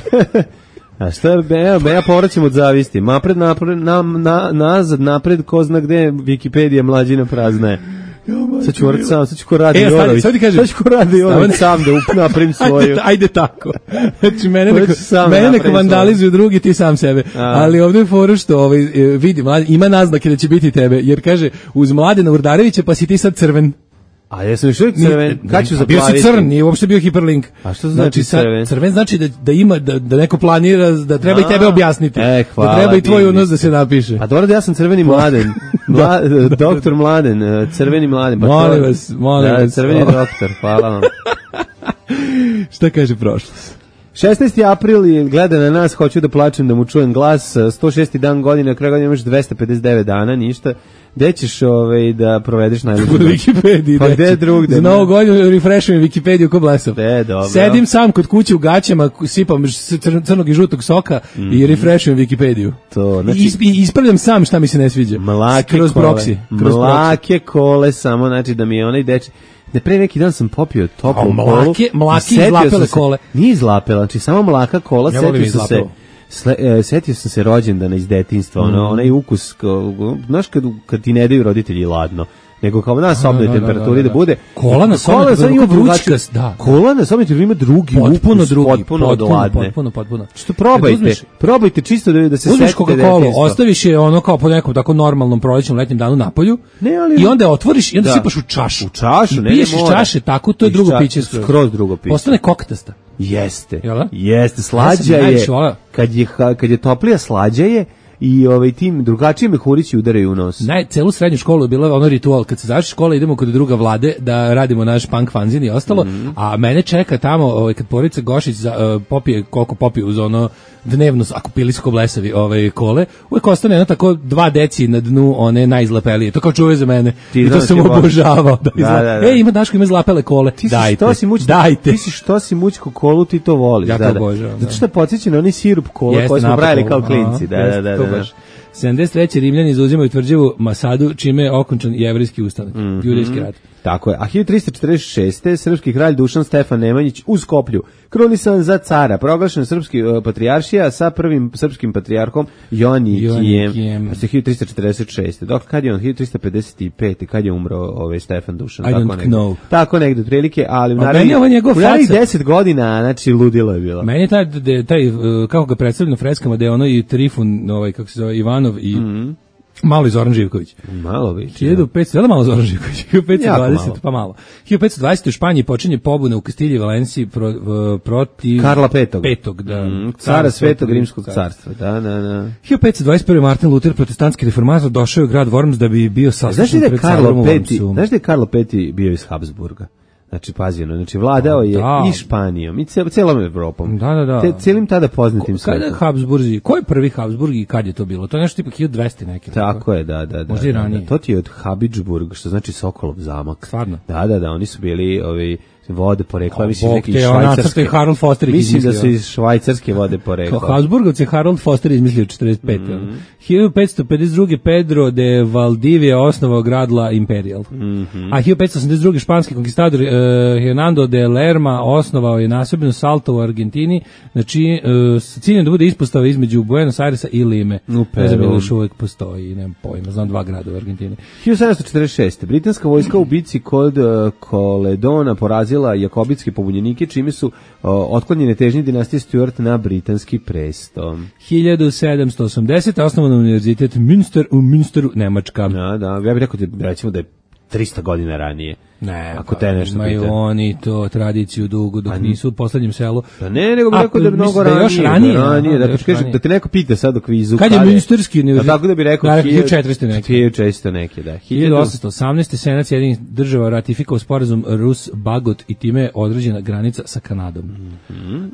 A šta, evo, ja povraćam od zavisti. Napred, napred, na, na, nazad, napred, ko zna gde Wikipedija mlađina prazna je. Sad ću morat sam, sad ću ko radi E, sad- Jorović. sad ti kažem. Sad ću ko radi Jorović sam da up- napravim svoju. Ajde, ajde tako. Znači, mene Hoću neka, sam mene napravim neka vandalizuju drugi, ti sam sebe. A. Ali ovdje je fora što ovaj, e, vidi, mlad, ima naznake da će biti tebe, jer kaže, uz Mladena Urdarevića pa si ti sad crven. A ja sam još uvijek crven. Kad ću A bio si zaplaviti? crn, nije uopšte bio hiperlink. A što znači sad, crven? Crven znači da, da ima, da, da neko planira, da treba A, i tebe objasniti. e, hvala, da treba i tvoj divni unos da ste. se napiše. A dobro da ja sam crveni mladen. Mla, doktor Mladen, eh, crveni mladen. Pa to- Molim vas, molim da, vas. crveni doktor, hvala vam. Šta kaže prošlost? šesnaesti april je gleda na nas, hoću da plačem da mu čujem glas, sto šesti dan godine, na kraju godine imaš dvesta pedeset devet dana, ništa. Gde ćeš ovaj, da provedeš najluđu U noć? Wikipediji. Pa deci. gde drugde? Za novu godinu refreshujem Wikipediju ko blesav. E, dobro. Sedim sam kod kuće u gaćama, sipam cr- crnog i žutog soka i refreshujem Wikipediju. To, znači- I is- i ispravljam sam šta mi se ne sviđa. Mlake kroz kole. proksi. Kroz proksi. Mlake kole, samo znači da mi je onaj deči... Ne, pre neki dan sam popio toplu A, kolu. mlake- mlake i setio izlapele sam se- kole. Nije izlapela, znači samo mlaka kola, Ja volim setio sam se... izlapelu. Sle, e, setio sam se rođendana iz detinjstva, ono, Mm. onaj ukus, kao, znaš kad, kad ti ne daju roditelji ladno, nego kao na sobnoj da, da, temperaturi da, da, da. bude. Kola na sobnoj Kola temperaturi, ima kao drugačiju- vrućkast, da. Kola na sobnoj temperaturi ima drugi Potpuno ukus, drugi. potpuno, od ladne. Potpuno, potpuno. Što probajte, Kad uzmeš- probajte čisto da, da se Uzmeš setite Coca-Cola, detinjstva. ostaviš je ono kao po nekom tako normalnom prolećnom letnjem danu na polju Ne, ali- i onda je otvoriš i onda Da. sipaš u čašu. U čašu, I ne, ne piješ iz mora. čaše tako, to je Iz drugo ča- piće skroz. skroz drugo piće. Postane koktasta. Jeste. Jel da? Jeste, Ja slađa sam je. najviše voleo. Kad je ha- kad je toplija, slađa je i ovaj tim drugačije mehurići udaraju u nos. Naj, celu srednju školu je bila ono ritual, kad se završi škola idemo kod druga Vlade da radimo naš punk fanzin i ostalo, Mhm. a mene čeka tamo ovaj, kad Porica Gošić za, uh, popije, koliko popije uz ono dnevno, ako pili su ko blesavi ovaj, kole, uvijek ostane jedno tako dva deci na dnu one najzlapelije, to kao čuje za mene. Ti I to znaš sam ti voliš. obožavao. Da, Da, izla... da, da. E, ima Daško, ima zlapele kole. Ti si Dajte, što si muć, dajte. Ti si što si mućko kolu, ti to voliš. Ja to da, da. obožavam, Zato da. što je podsjeća na onaj sirup kola Jeste, koji smo napad brali kola. kao klinci. Da, Aha, da, jeste, da, to da, da. baš. sedamdeset treće Rimljani zauzimaju tvrđavu Masadu, čime je okončan jevrijski ustanak, Mhm. judejski rat. Tako je. A hiljadu tristo četrdeset šeste. srpski kralj Dušan Stefan Nemanjić u Skoplju krunisan za cara, proglašen srpski uh, patrijaršija sa prvim srpskim patrijarhom Joanikijem. Joanikijem. Znači hiljadu tristo četrdeset šeste. Dok kad je on hiljadu tristo pedeset pet. Kad je umro ovaj Stefan Dušan? I tako don't negde. know. Tako negde otprilike, ali u A meni naravni je ovo njegov u naravnih faca. deset godina, znači ludilo je bilo. Meni je taj, de, taj uh, kako ga predstavljaju na freskama, da je ono i Trifun, ovaj, kako se zove, Ivanov i Mhm. malo i Zoran Živković. Malo više. hiljadu petsto, je li malo Zoran Živković? hiljadu petsto dvadeset, malo. pa malo. hiljadu petsto dvadeset u Španiji počinje pobuna u Kastilji i Valenciji pro, uh, protiv... Karla petog. Petog, da. Mm, cara Svetog Rimskog carstva. Da, da, da. hiljadu petsto dvadeset prvi. Martin Luther, protestantski reformator, došao je u grad Worms da bi bio Znaš li saslušan da je pred Karlo carom u peti, Wormsu. znaš da je Karlo peti bio iz Habsburga? Znači, pazi, ono, znači, vladao je Da. i Španijom, i cel, celom Evropom. Da, da, da. Te, celim tada poznatim Kada je svetom. Habsburzi? Ko je prvi Habsburg i kad je to bilo? To je nešto tipa hiljadu dvesta neki. Tako je, da, da, da. Možda i da, ranije. da. To ti je od Habsburg, što znači Sokolov zamak. Stvarno? Da, da, da, oni su bili ovi vode porekla, A, mislim, Bog neki te, iz on nacrta švajcarske. je Harold Foster ih Mislim da su izmislio. iz švajcarske vode Kao porekla. Habsburgovci Harold Foster izmislio četrdeset pete Mhm. hiljadu petsto pedeset druge. Pedro de Valdivia osnovao grad La Imperial. Mhm. A hiljadu petsto osamdeset druge. španski konkistador uh, Hernando de Lerma osnovao je nasobinu Salto u Argentini, znači uh, s ciljem da bude ispostava između Buenos Airesa i Lime. U Ne znam Peru. ili još uvijek postoji, nemam pojma, znam dva grada u Argentini. hiljadu sedamsto četrdeset šeste. Britanska vojska u bici kod uh, Koledona porazila jakobitske pobunjenike, čime su uh, otklonjene težnje dinastije Stuart na britanski presto. hiljadu sedamsto osamdesete. osnovan univerzitet Münster u Münsteru, Nemačka. Da, da, ja bih rekao da, recimo da je trista godina ranije. Ne, Ako pa te nešto imaju pita. oni to tradiciju dugu dok nisu u poslednjem selu. Pa ne, nego bih A, rekao da je mnogo mislim da je ranije. još ranije, ranije, aha, da, da je ti još kažem, ranije. da te neko pita sad u kvizu. Kad je Münsterski univerzitet? Pa tako da bi rekao Da, hiljadu- hiljadu četiristo neki. hiljadu četiristo neki, da. hiljadu osamsto osamnaeste. Senat Sjedinjenih država ratifikovao sporazum Rus-Bagot i time je određena granica sa Kanadom.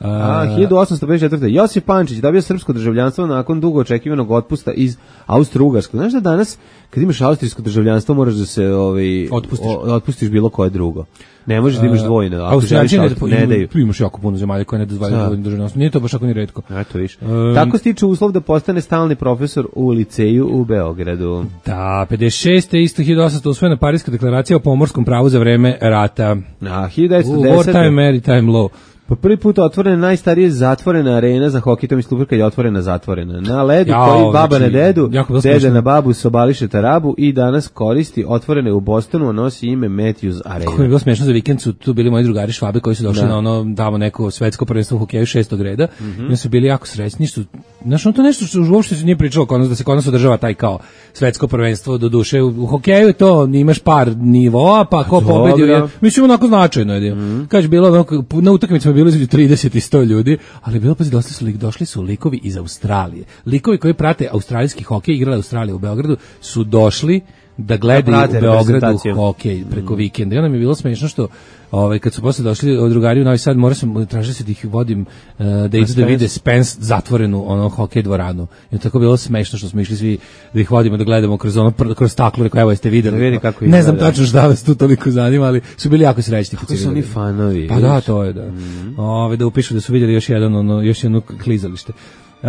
A, hiljadu osamsto pedeset četvrte. Josip Pančić dobio srpsko državljanstvo nakon dugo očekivanog otpusta iz Austro-Ugarskog. Znaš da danas, kad imaš austrijsko državljanstvo, moraš da se ovaj, Otpustiš. o- otpustiš bilo koje drugo. Ne možeš da imaš dvojno. Ako Austrijanci želiš, ne, auto- ne daju. Tu imaš jako puno zemalja koje ne dozvoljaju Da. dvojno državljanstvo. Nije to baš ako ni retko. Eto, viš. Um, Tako stiče uslov da postane stalni profesor u liceju u Beogradu. Da, pedeset šeste. isto hiljadu osamsto usvojena Pariska deklaracija o pomorskom pravu za vreme rata. A, hiljadu devetsto U desete. wartime, maritime law. Po prvi put otvorena najstarije zatvorena arena za hokej, to mi sluper kad je otvorena zatvorena. Na ledu Jao, koji baba znači, na dedu, jako bilo deda smešno. na babu sobališe tarabu i danas koristi otvorene u Bostonu, a nosi ime Matthews Kako mi je Arena. bilo smešno, za vikend su tu bili moji drugari Švabe koji su došli Da. na ono tamo neko svetsko prvenstvo u hokeju šestog reda. Mhm. I oni su bili jako srećni što znaš, ono to nešto što uopšte se nije pričalo kod nas, da se kod nas održava taj kao svetsko prvenstvo, do duše u, u hokeju je to, imaš par nivoa, pa ko dobro. pobedi je, mislim onako značajno je. Mhm. Kaže bilo onako, na utakmicama je bilo između trideset i sto ljudi, ali bilo pazi došli su lik, došli su likovi iz Australije. Likovi koji prate australijski hokej, igrali Australija u Beogradu, su došli da gledaju prate u Beogradu reprezentaciju. hokej preko vikenda. I onda mi je bilo smešno što ovaj kad su posle došli od drugari u Novi Sad, morao sam tražiti se da ih vodim uh, da idu da vide Spence zatvorenu ono hokej dvoranu. I tako bilo smešno što smo išli svi da ih vodimo da gledamo kroz ono pr- kroz staklo, rekao evo jeste videli. Da vidi kako ne znam izgleda. tačno šta vas tu toliko zanima, ali su bili jako srećni kad Kako su oni fanovi. Pa da, to je da. Ove, da upišu da su vidjeli još jedan ono još jedno klizalište. E,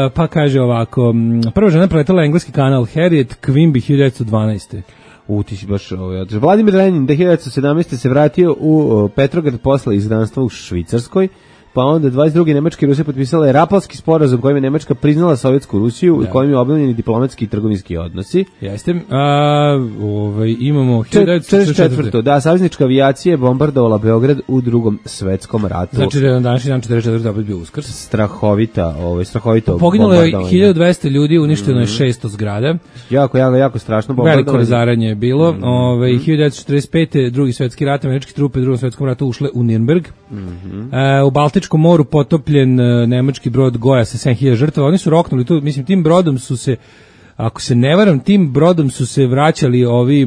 pa kaže ovako, m, prva žena preletela engleski kanal Harriet Quimby hiljadu devetsto dvanaeste. U, ti si baš ovaj, održao. Vladimir Lenin devenaeste devetsto sedamnaeste. se vratio u o, Petrograd posle izgnanstva u Švicarskoj, pa onda dvadeset druge Nemačke i Rusije potpisale Rapalski sporazum kojim je Nemačka priznala Sovjetsku Rusiju i kojim je obnovljeni diplomatski i trgovinski odnosi. Jeste. A, ovaj, imamo hiljadu devetsto četrdeset četvrte. četrdeset četvrte. Da, saveznička avijacija je bombardovala Beograd u drugom svetskom ratu. Znači da je na današnji dan četrdeset četvrte opet bio Uskrs. strahovita, ovaj strahovito Poginulo je bombardovanje. hiljadu dvesta ljudi, uništeno je šesto zgrada. Jako, jako, jako strašno Veliko bombardovanje. razaranje je bilo. Ovaj hiljadu devetsto četrdeset pete. drugi svetski rat, američke trupe u drugom svetskom ratu ušle u Nürnberg. E, u Baltičkom moru potopljen e, nemački brod Goja sa sedam hiljada žrtava. Oni su roknuli tu, mislim tim brodom su se, ako se ne varam, tim brodom su se vraćali ovi, e,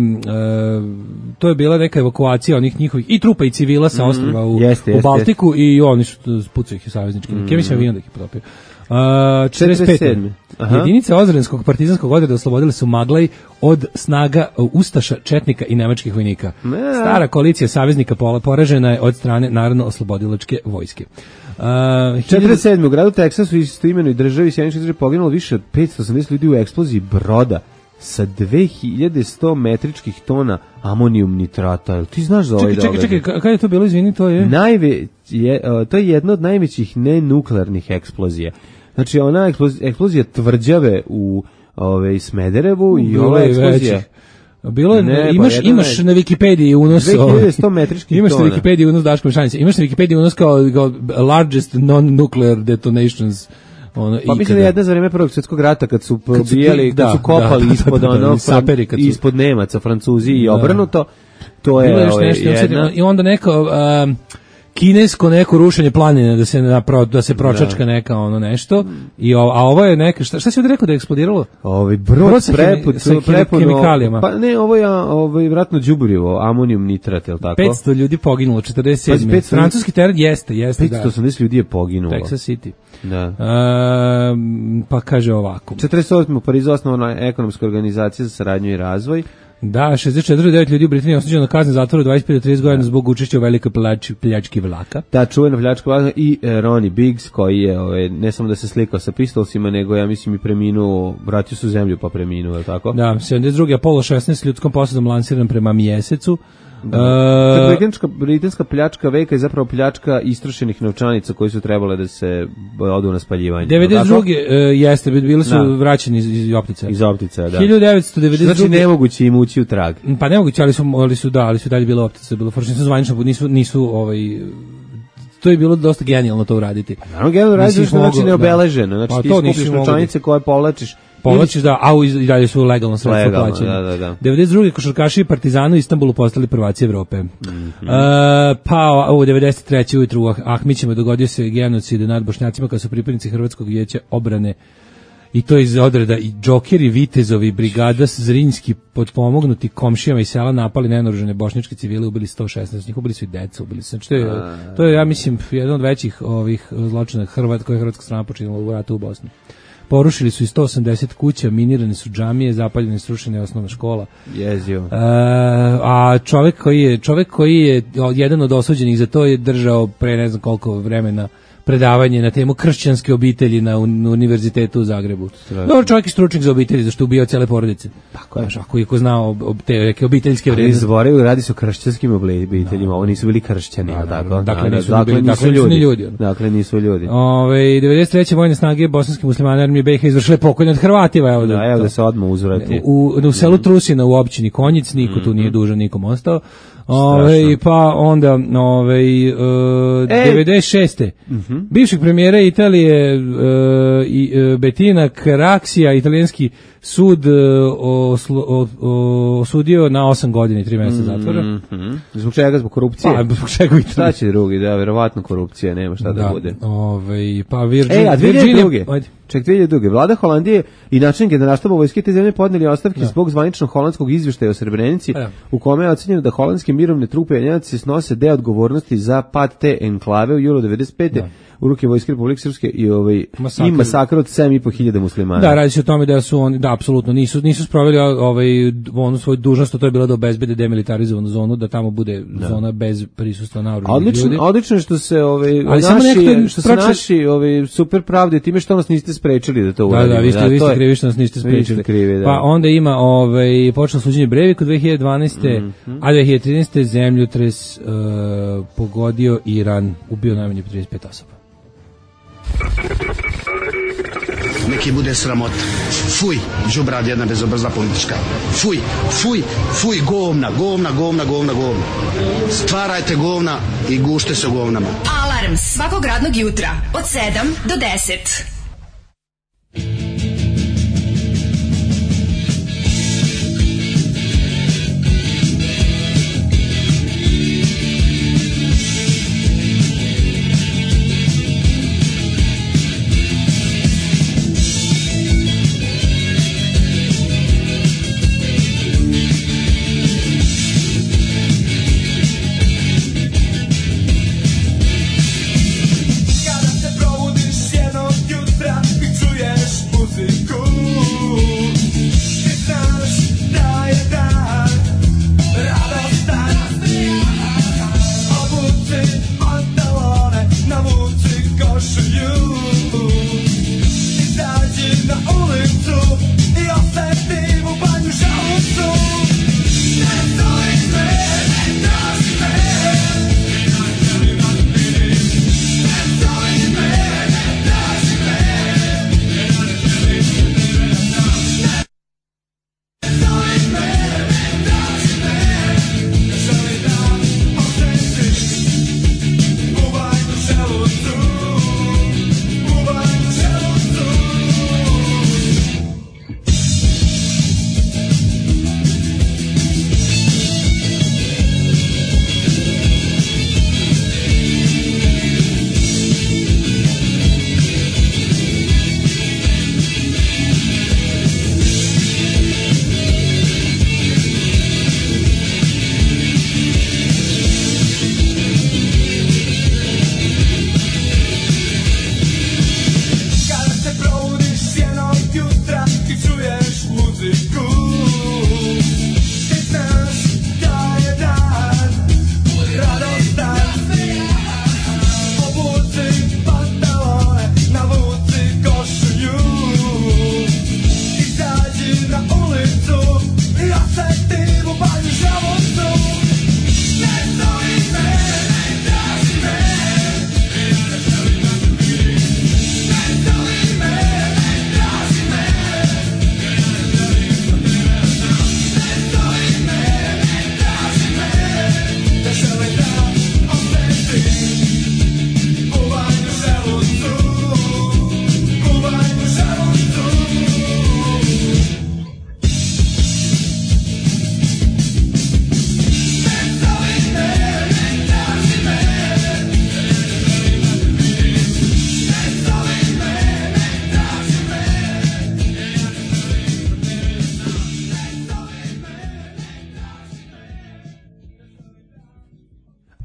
to je bila neka evakuacija onih njihovih i trupa i civila sa ostrva u, Jeste, u jeste, Baltiku i oni su pucaju ih saveznički. Mm. Ja mislim da ih je potopio. Uh, četrdeset pete. četrdeset sedme. Aha. Jedinice Ozrenskog partizanskog odreda oslobodile su Maglaj od snaga uh, Ustaša, Četnika i nemačkih vojnika. Ne. Stara koalicija saveznika pola poražena je od strane Narodno-oslobodilačke vojske. Uh, četrdeset sedme. u gradu Teksasu istoimenoj državi Sjedinjenih država poginulo više od petsto osamdeset ljudi u eksploziji broda sa dve hiljade sto metričkih tona amonijum nitrata. Jel ti znaš za ovaj Čekaj, čekaj, događaj? čekaj, kada je to bilo, izvini, to je... Najve, je, uh, to je jedna od najvećih nenuklearnih eksplozija. Znači, ona eksplozija, eksplozija tvrđave u ove, Smederevu i Bilo ova je eksplozija... većih. Bilo je, Ne, pa imaš, jedna imaš je- na Wikipediji unos... dve hiljade sto metričkih Imaš na tona. Wikipediji unos Daško Mešanice. Imaš na Wikipediji unos kao, kao largest non-nuclear detonations. Ono, Pa mislim da je jedna za vreme Prvog svjetskog rata kad su Kad su probijali, ti- kad da, su kopali da, ispod da, da, ono, da, saperi kad su- ispod Nemaca, Francuzi i Da. obrnuto, to Bilo je je još ovaj, nešto, jedna... i onda neko... Um, kinesko neko rušenje planine da se napro, da se pročačka neka ono nešto i o, a ovo je neka šta šta si ovdje rekao da je eksplodiralo? Ovaj brod, brod sa, preput, sa prepuno hemikalijama. Pa ne, ovo je ovaj vratno đubrivo, amonijum nitrat, je l' tako? petsto ljudi poginulo četrdeset sedme. petsto Francuski teren jeste, jeste da. petsto osamdeset ljudi je poginulo. Texas City. Da. Um, pa kaže ovako. četrdeset osme u Parizu osnovana ekonomska organizacija za saradnju i razvoj. Da, šezdeset četiri zarez devet ljudi u Britaniji osuđeno na kaznu zatvora dvadeset pet do trideset godina zbog učešća u velikoj pljač, pljački vlaka. Da, čuvena pljačka vlaka i e, Ronnie Biggs koji je ove, ne samo da se slikao sa pistolsima, nego ja mislim i preminuo, vratio se u zemlju pa preminuo, je li tako? Da, sedamdeset druge Apollo šesnaest ljudskom posadom lansiran prema mjesecu. Da. Uh, britanska, britanska pljačka veka je zapravo pljačka istrošenih novčanica koji su trebale da se odu na spaljivanje. devedeset druge Uh, jeste, bili su da. vraćeni iz, iz optica. Iz optica, da. hiljadu devetsto devedeset druge Znači nemoguće im ući u trag. Pa nemoguće, ali su, ali su da, ali su dalje bilo optica, bilo forčno, nisu zvanično, nisu, nisu ovaj, to je bilo dosta genijalno to uraditi. Naravno, genijalno radiš na način neobeleženo, znači pa ti to skupiš novčanice koje povlačiš. Povlačiš da, a i dalje su legalno sredstvo plaćene. Da, da, da. devedeset druge košarkaši i Partizanu u Istanbulu postali prvaci Evrope. Mm-hmm. Uh, pa u devedeset treće ujutru u Ahmićima dogodio se genocid nad Bošnjacima kada su pripadnici Hrvatskog vijeća obrane i to iz odreda i džokeri, vitezovi, brigada Zrinjski potpomognuti komšijama iz sela napali nenaoružane bošnjačke civile, ubili sto šesnaest njih, ubili su i decu, ubili su. Znači, to je, to je, ja mislim, jedan od većih ovih zločina Hrvat, koje je hrvatska strana počinila u ratu u Bosni. Porušili su i sto osamdeset kuća, minirane su džamije, zapaljene srušene osnovna škola. Jezio. E, a čovjek koji je čovjek koji je jedan od osuđenih za to je držao pre ne znam koliko vremena predavanje na temu kršćanske obitelji na univerzitetu u Zagrebu. Dobar čovjek i stručnjak za obitelji, zašto je ubio cijele porodice. Tako je. Ako je ko znao ob, te neke obiteljske vrednosti. Izboraju, radi se o kršćanskim obiteljima, ovo nisu bili kršćani, da, tako? Dakle, nisu, dakle, bili, nisu dakle, ljudi. nisu ljudi. Dakle, nisu ljudi. Ove, devedeset treće vojne snage bosanske muslimane armije B iH izvršile pokolj nad Hrvatima. Evo da, da, evo da se odmah uzvrati. U, u selu Trusina u općini Konjic, niko tu nije dužan, nikom ostao. Ove, pa onda ove, uh, e. devedeset šeste Uh-huh. bivšeg premijera Italije uh, i, uh, Bettina Craxia, italijanski sud uh, oslo, o, o, osudio na osam godina i tri mjeseca zatvora. Mm-hmm. Zbog čega? Zbog korupcije? Pa, zbog čega šta će drugi? Da, verovatno korupcija, nema šta da, da bude. Ove, pa Virgin, e, a Virginia... Ček, dvije hiljade druge Vlada Holandije i načelnik generalštaba vojske te zemlje podneli ostavke da. zbog zvaničnog holandskog izvještaja o Srebrenici, da. u kome je ocenjeno da holandske mirovne trupe Njemaci snose deo odgovornosti za pad te enklave u julu devedeset pete Da. u ruke vojske Republike Srpske i ovaj masakr. i masakr od sedam i po hiljada muslimana. Da, radi se o tome da su oni da apsolutno nisu nisu sproveli ovaj onu svoju dužnost, to je bilo da obezbede demilitarizovanu zonu, da tamo bude da. zona bez prisustva naoružanih ljudi. Odlično, odlično što se ovaj ali naši što se naši ovaj super pravde time što nas niste sprečili da to uradimo. Da, da, vi ste, da, vi ste krivi što nas niste sprečili. Krivi, da. Pa onda ima ovaj počelo suđenje Breivik u dve hiljade dvanaeste Mm-hmm. a dve hiljade trinaeste zemljotres uh, pogodio Iran, ubio najmanje trideset pet osoba. Neki bude sramota. Fuj, đubrad jedna bezobrazna politička. Fuj, fuj, fuj, govna, govna, govna, govna, govna. Stvarajte govna i gušte se govnama. Alarm svakog radnog jutra od sedam do deset.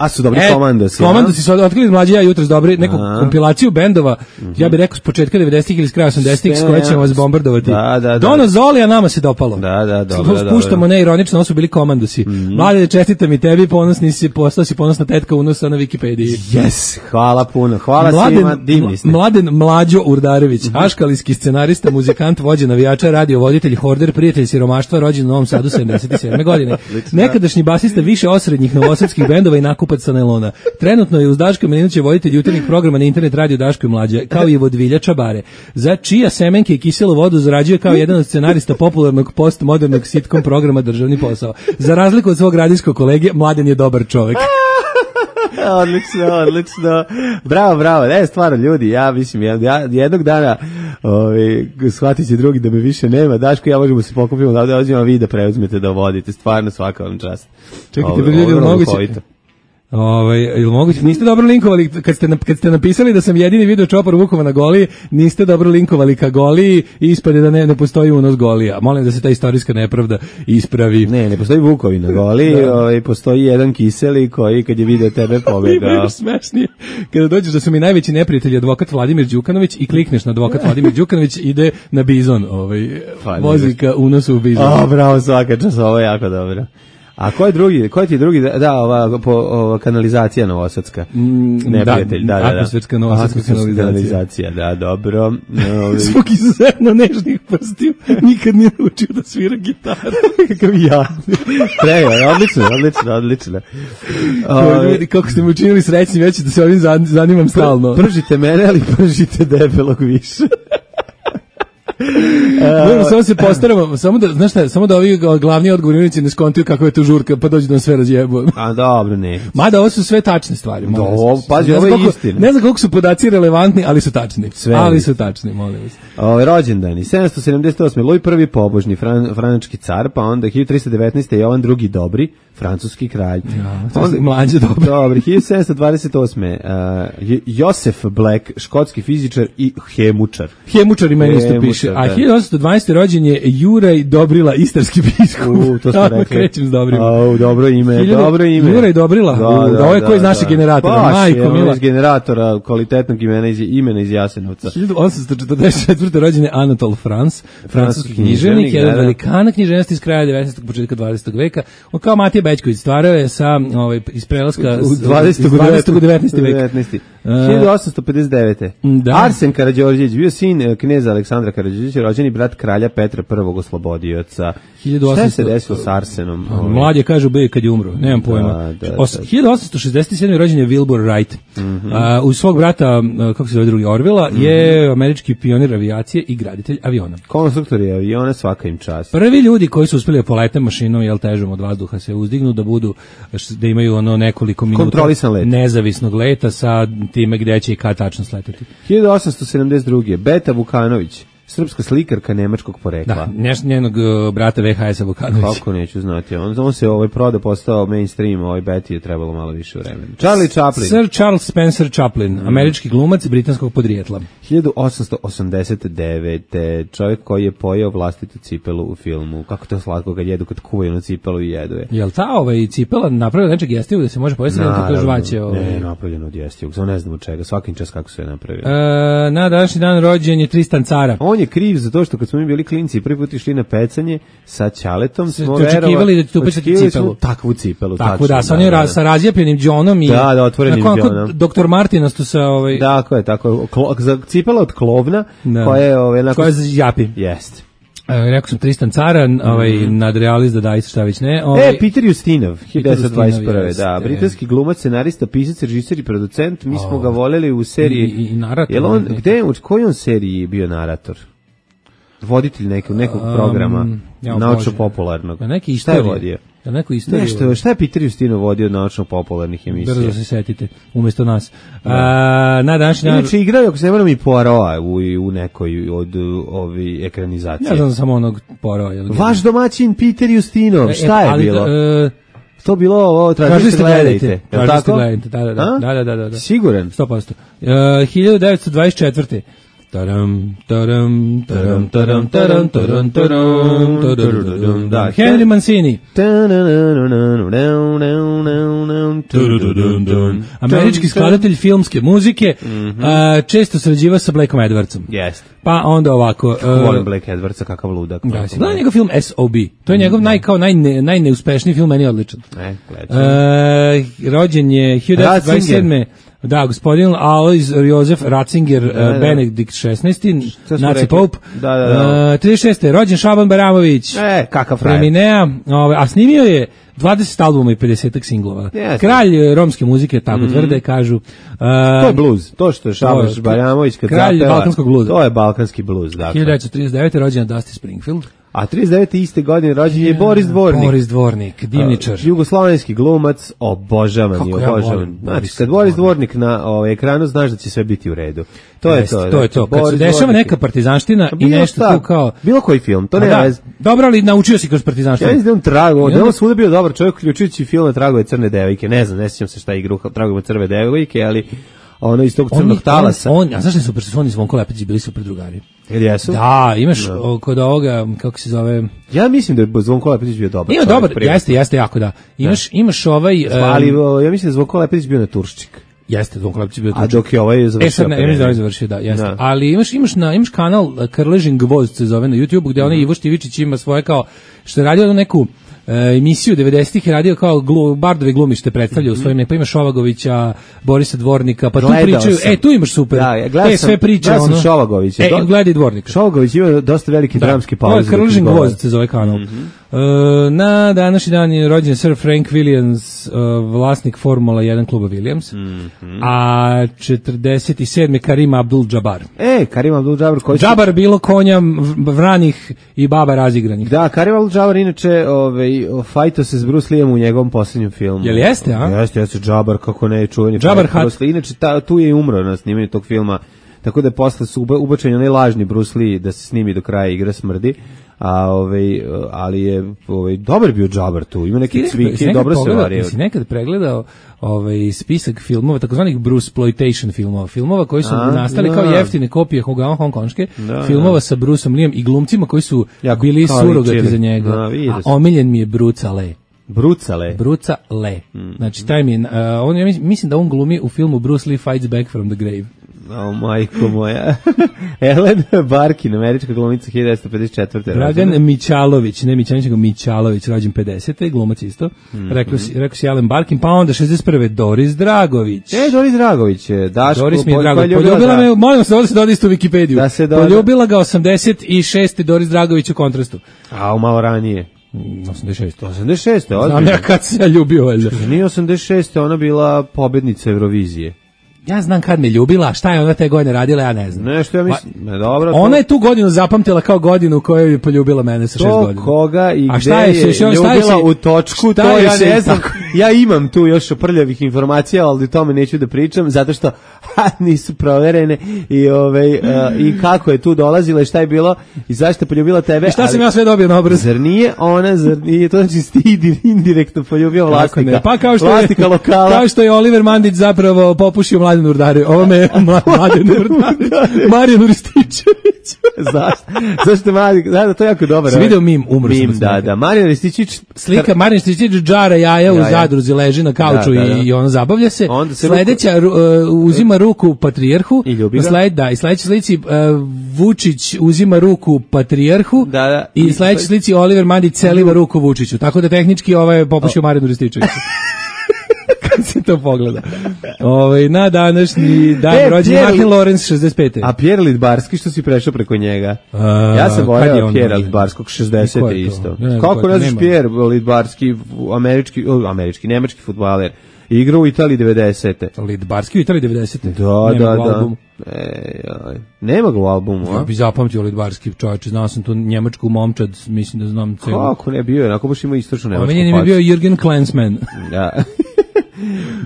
A su dobri E, komandosi. Komandosi su otkrili mlađi ja jutros dobri neku A. kompilaciju bendova, ja bih rekao s početka devedesetih ili s kraja osamdesetih s koje ćemo vas bombardovati. Da, da, da. Dono Zoli, a nama se dopalo. Da, da, dobro, dobro. Spuštamo neironično, ovo su bili komandosi. Mm-hmm. Mlade, čestitam i tebi, ponosni si, postao si ponosna tetka unosa na Wikipediji. Yes, hvala puno. Hvala Mladen, svima, divni ste. Mladen Mlađo Urdarević, aškalijski scenarista, muzikant, vođa navijača, radio voditelj, horder, prijatelj siromaštva, rođen u Novom Sadu sedamdeset sedme godine. Nekadašnji basista više osrednjih novosadskih bendova i nakupac sa nailona. Trenutno je uz Daška Milinovića voditelj jutarnjih programa na internet radio Daško i Mlađe, kao i vodvilja Čabare, za čija semenke i kiselu vodu zarađuje kao jedan od scenarista popularnog postmodernog sitcom programa Državni posao. Za razliku od svog radijskog kolege, Mladen je dobar čovek. Odlično, odlično. Bravo, bravo. Ne, stvarno, ljudi, ja mislim, ja, ja jednog dana ovaj, shvatit će drugi da me više nema. Daško i ja možemo se pokupiti, da ovdje vi da preuzmete da vodite. Stvarno, svaka vam čast. Čekajte, bre, ljudi, moguće... Ovaj, ili moguće, niste dobro linkovali kad ste kad ste napisali da sam jedini video čopor Vukova na Goliji, niste dobro linkovali ka Goliji i ispade da ne ne postoji unos Golija. Molim da se ta istorijska nepravda ispravi. Ne, ne postoji Vukovi na Goliji, ovaj postoji jedan kiseli koji kad je video tebe pobegao. Smešnije. Kada dođeš da su mi najveći neprijatelji advokat Vladimir Đukanović i klikneš na advokat Vladimir Đukanović, ide na Bizon, ovaj vozi ka unosu u Bizon. A, bravo, svaka čast, ovo je jako dobro. A ko je drugi? Ko je ti drugi? Da, ova, po, ova kanalizacija novosadska. Mm, Neprijatelj, da, da, da. Atmosferska novosadska kanalizacija. kanalizacija. Da, dobro. Zbog izuzetno nežnih prstiju nikad nije naučio da svira gitaru. Kakav ja. Treba, odlično, odlično, odlično. Ljudi, kako ste mi učinili srećni, već da se ovim zanimam stalno. Pržite mene, ali pržite debelog više. Moramo samo se postaramo, samo da, znaš šta, samo da ovi glavni odgovornici ne skontuju kako je to žurka, pa dođu da nam sve razjebu. A dobro, ne. Mada ovo su sve tačne stvari. Do, ovo, pazi, ovo je istina. Ne znam koliko su podaci relevantni, ali su tačni. Sve ali su tačni, molim vas. Ovo, rođendani, sedamsto sedamdeset osme Luj prvi pobožni, fran, franački car, pa onda hiljadu tristo devetnaeste Jovan drugi dobri, francuski kralj. Ja, onda, mlađe dobro. Dobri, hiljadu sedamsto dvadeset osme Uh, Josef Black, škotski fizičar i hemučar. Hemučar i meni isto piše. A hiljadu osamsto dvanaeste rođen je Juraj Dobrila, istarski biskup. U, to smo rekli. Krećem s Dobrima. Au, dobro ime, Hiljadu, dobro ime. Juraj Dobrila, da, u, da, ovo je ko iz našeg generatora. Baš Majko, je, mila. iz generatora kvalitetnog imena iz, imena iz Jasenovca. hiljadu osamsto četrdeset četvrte rođen je Anatol France, francuski književnik, jedan velikana književnosti iz kraja devetnaestog početka dvadesetog veka. On kao Matija Bećković stvarao je sa ovaj iz prelaska u dvadesetog u devetnaesti vek. hiljadu osamsto pedeset devete Da. Arsen Karađorđević bio sin kneza Aleksandra Karađorđevića, rođeni brat kralja Petra prvog oslobodioca. Šta se desilo s Arsenom? Mlađe kažu B kad je umro, nemam pojma. Da, da, Os, da. hiljadu osamsto šezdeset sedme rođen je Wilbur Wright. Mm-hmm. Uh, uz svog brata, uh, kako se zove drugi, Orvela, mm-hmm. je američki pionir avijacije i graditelj aviona. Konstruktori aviona, svaka im čast. Prvi ljudi koji su uspeli da polete mašinom, jel težom od vazduha, se uzdignu, da budu, da imaju ono nekoliko minuta let. nezavisnog leta sa time gde će i kad tačno sleteti. hiljadu osamsto sedamdeset druge Beta Vukanović, srpska slikarka nemačkog porekla. Da, neš, njenog uh, brata V H S-a Vukanović. Kako neću znati. On, on se ovaj proda postao mainstream, ovaj Betty je trebalo malo više vremena. Charlie Chaplin. Sir Charles Spencer Chaplin, mm. američki glumac britanskog podrijetla. hiljadu osamsto osamdeset devete čovjek koji je pojeo vlastitu cipelu u filmu. Kako to slatko kad jedu, kad kuvaju na cipelu i jedu je. Jel ta ovaj cipela napravila nečeg jestivog da se može pojesti na to žvaće? Ovaj... Ne, napravljeno od jestivog. Samo ne znam od čega. Svakim čas kako se je napravio. E, na današnji dan rođen je Tristan Cara. On je kriv za to što kad smo mi bili klinci i prvi put išli na pecanje sa ćaletom smo očekivali da će tu pecati cipelu. Takvu cipelu. Tako da, sa onim sa razjepljenim džonom i da, da, otvorenim džonom. doktor Martinastu sa ovaj... Tako je, tako za cipela od klovna da. koja je... Ovaj, koja je japi. Jest. E, rekao sam Tristan Cara, ovaj, mm. nadrealist da dajte šta već ne. Ovaj, e, Peter Justinov, hiljadu devetsto dvadeset prve da, britanski glumac, scenarista, pisac, režiser i producent, mi smo oh. ga voljeli u seriji... I, i narator. Jel on, gde, u kojoj on seriji bio narator? Voditelj nekog, nekog programa, um, ja, naučno-popularnog. Ja, neki šta je vodio? Ja, neko istoriju. Nešto, šta je Peter Justinov vodio od naučno-popularnih emisija? Brzo se setite, umjesto nas. A, na današnji dan... Inače igrao, ako se ne moram, i Poirot u, u nekoj od ovi ekranizacije. Ja znam samo onog Poirot. Vaš domaćin Peter Justinov, šta je ali, bilo? E, to bilo ovo, tražite gledajte. Tražite gledajte, da, da, da, da, da, da, da. Siguran? sto posto. Uh, hiljadu devetsto dvadeset četvrte Taram, taram, taram, taram, taram, taram, taram, taram, da, Henry Mancini. Američki skladatelj filmske muzike, a, često sarađivao sa Blackom Edwardsom. Jeste. Pa onda ovako... Volim Black Edwardsa, kakav ludak. Da, si gledao njegov film S O B. To je njegov naj, kao najne, najneuspešniji film, meni je odličan. E, gledam. Rođen je hiljadu devetsto dvadeset sedme. Da, gospodin Alois Josef Ratzinger, da, da. Benedikt šesnaesti, Naci Pope. Da, da, da. Uh, trideset šeste. Rođen Šaban Baramović. E, kakav frajer. Preminea, ove, a snimio je dvadeset albuma i pedeset singlova. Yes. Kralj romske muzike, tako mm-hmm. tvrde, kažu. Uh, to je bluz, to što je Šaban Baramović kad kralj zapeva. balkanskog bluza. To je balkanski bluz, dakle. hiljadu devetsto trideset devete. rođen Dusty Springfield. A trideset devete iste godine rođen je Boris Dvornik. Boris Dvornik, divničar. Uh, jugoslovenski glumac, obožavan je, obožavan. Znači, kad Boris Dvornik na ovaj ekranu, znaš da će sve biti u redu. To je Jest, to. To je to. Kad se dešava neka partizanština i nešto tu kao... Bilo koji film, to nema veze. Dobro, ali naučio si kroz partizanštinu. Ja mislim da on trago, da on svuda bio dobar čovjek, uključujući film Tragove crne devojke. Ne znam, ne sjećam se šta je igra Tragove crne devojke, ali ono iz tog crnog talasa. On, a znaš li super, su oni Zvonko Lepić bili super drugari? Ili jesu? Da, imaš no. kod ovoga, kako se zove... Ja mislim da je Zvonko Lepić bio dobar. Ima dobar, privatno. Jeste, jeste jako da. Imaš, da. imaš ovaj... Um, ali ja mislim da je Zvonko Lepić bio na Turščik. Jeste, Zvonko Lepić bio Turščik. A dok je ovaj završio... E sad, ne, ja mislim da je završio, da, jeste. Da. Ali imaš, imaš, na, imaš kanal Krležin Gvozd se zove na YouTubeu, gde mm. onaj Ivo Štivičić ima svoje kao, što je radio neku E, emisiju devedesetih je radio kao glu, Bardove glumište predstavlja u svojim ne, pa imaš Šovagovića, Borisa Dvornika, pa gledao tu pričaju, sam. e tu imaš super. Da, ja gledao e, sve priče sam, ono. Šovagovića. E, do... gledaj Dvornika. Šovagović ima dosta veliki da. dramski pauze. To je Krležin Gvozd se zove kanal. Mm-hmm. E, na današnji dan je rođen Sir Frank Williams, uh, vlasnik Formula jedan kluba Williams. Mm-hmm. A četrdeset sedme Karim Abdul-Jabbar. E, Karim Abdul-Jabbar koji Džabar bilo konja vranih i baba razigranih. Da, Karim Abdul-Jabbar inače ovaj fajto se s Bruce Leeom u njegovom posljednjem filmu. Jel jeste, a? Jeste, jeste Džabar, kako ne, čuveni Džabar Bruce Lee. Inače, ta, tu je i umro na snimanju tog filma, tako da je posle su ubačeni onaj lažni Bruce Lee da se snimi do kraja Igra smrdi, a ovaj, ali je ovaj, dobar bio Džabar tu, ima neke cvike i dobro se vario. Si nekad pregledao ovaj, spisak filmova, takozvanih Bruceploitation filmova, filmova koji su a, nastali da. kao jeftine kopije hongkonške, da, filmova da. sa Bruceom Leeom i glumcima koji su jako, bili surogati za njega. Da, a omiljen mi je Bruce Lee. Bruce Lee. Bruce Lee. Mm. Znači, taj mi je, uh, on, ja mislim da on glumi u filmu Bruce Lee Fights Back from the Grave. O, majko moja. Ellen Barkin, američka glumica hiljadu devetsto pedeset četvrte. Dragan rođena. Mićalović, ne Mićanić, nego Mićalović, rođen pedesete. glumac isto. Mm-hmm. Rekao si, rekao si Ellen Barkin, pa onda šezdeset prve. Doris Dragović. E, Doris Dragović je. Daško, Doris mi je drago. Poljubila me, molim vas da se doda isto u Wikipediju. Da se doda. Poljubila ga osamdeset šeste. Doris Dragović u Kontrastu. A, malo ranije. osamdeset šeste. osamdeset šeste, ozbiljno. Znam ja kad se ja ljubio, valjda. Nije osamdeset šeste. ona bila pobednica Eurovizije. Ja znam kad me ljubila, šta je ona te godine radila, ja ne znam. Nešto ja mislim, ne, dobro. Ona to... je tu godinu zapamtila kao godinu u kojoj je poljubila mene sa šest godina. To koga i a gde je, je ljubila je u točku, to ja ne znam. Ja imam tu još prljavih informacija, ali o tome neću da pričam, zato što ha, nisu proverene i, ovaj, uh, i kako je tu dolazila i šta je bilo i zašto je poljubila tebe. I šta ali, sam ja sve dobio na obraz? Zar nije ona, zar nije, to znači ti indirektno poljubio vlasnika, pa kao što vlasnika je, lokala. Kao što je Oliver Mandić zapravo popušio Mladen Urdarev. Ovo me Mladen Urdarev. Marijan Rističević. Zašto? Zašto Marijan? Da, da, to je jako dobro. Si video mim, umro mim, da, da. Marijan Rističević. Slika Marijan Rističević džara jaja u Zadruzi, leži na kauču da, da, da. i on zabavlja se. se Sledeća ruku, uh, uzima ruku patrijarhu. I ljubi ga. Sled, da, i sledeća slici uh, Vučić uzima ruku patrijarhu. Da, da. I, I sledeća slici Oliver Mandić celiva ruku Vučiću. Tako da tehnički ovaj je popušio Marijanu Rističeviću. Kad se to pogleda. Ovaj na današnji dan e, rođen Martin Lorenz šezdeset pete. A Pierre Lidbarski što si prešao preko njega? Uh, ja sam voleo Pierre Lidbarskog šezdesete isto. Ne, kako ne znaš Pierre Lidbarski, američki, američki, nemački fudbaler. Igrao u Italiji devedesete. Lidbarski u Italiji devedesete. Da, nema da, da. E, aj. Nema ga u albumu, a? Ja bi zapamtio Lidbarski čovječe, znao sam tu njemačku momčad, mislim da znam celu. Kako ne bio, onako baš ima istočno nemačku. Omenjen mi je bio Jürgen Klinsmann. Da.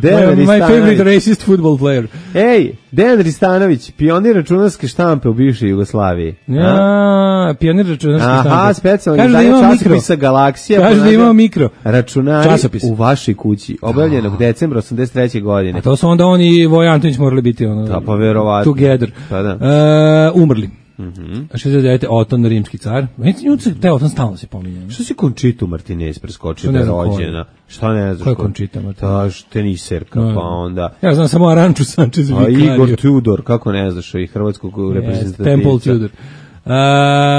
Dejan My favorite Ristanović. racist football player. Ej, Dejan Ristanović, pionir računarske štampe u bivšoj Jugoslaviji. Ja, pionir računarske štampe. Aha, specijalno Kaže da izdanje imamo časopisa mikro. Galaksija. Kaže da imamo mikro. Računari Časopis. u vašoj kući, objavljenog decembra osamdeset treće godine. A to su onda oni i Voja Antonić morali biti ono, Da, pa verovatno. together. Pa da. Uh, umrli. Mm-hmm. šezdeset devete. Oton, rimski car. Nju se taj Oton stalno se pominje. Što si Končitu Martinez preskočio da je rođena? Šta ne znaš? Ko je Končita Martinez? Ta teniserka, No. pa onda... Ja znam samo Aranču Sančez A Vicario. Igor Tudor, kako ne znaš, i hrvatskog reprezentativca. Temple Tudor. Uh,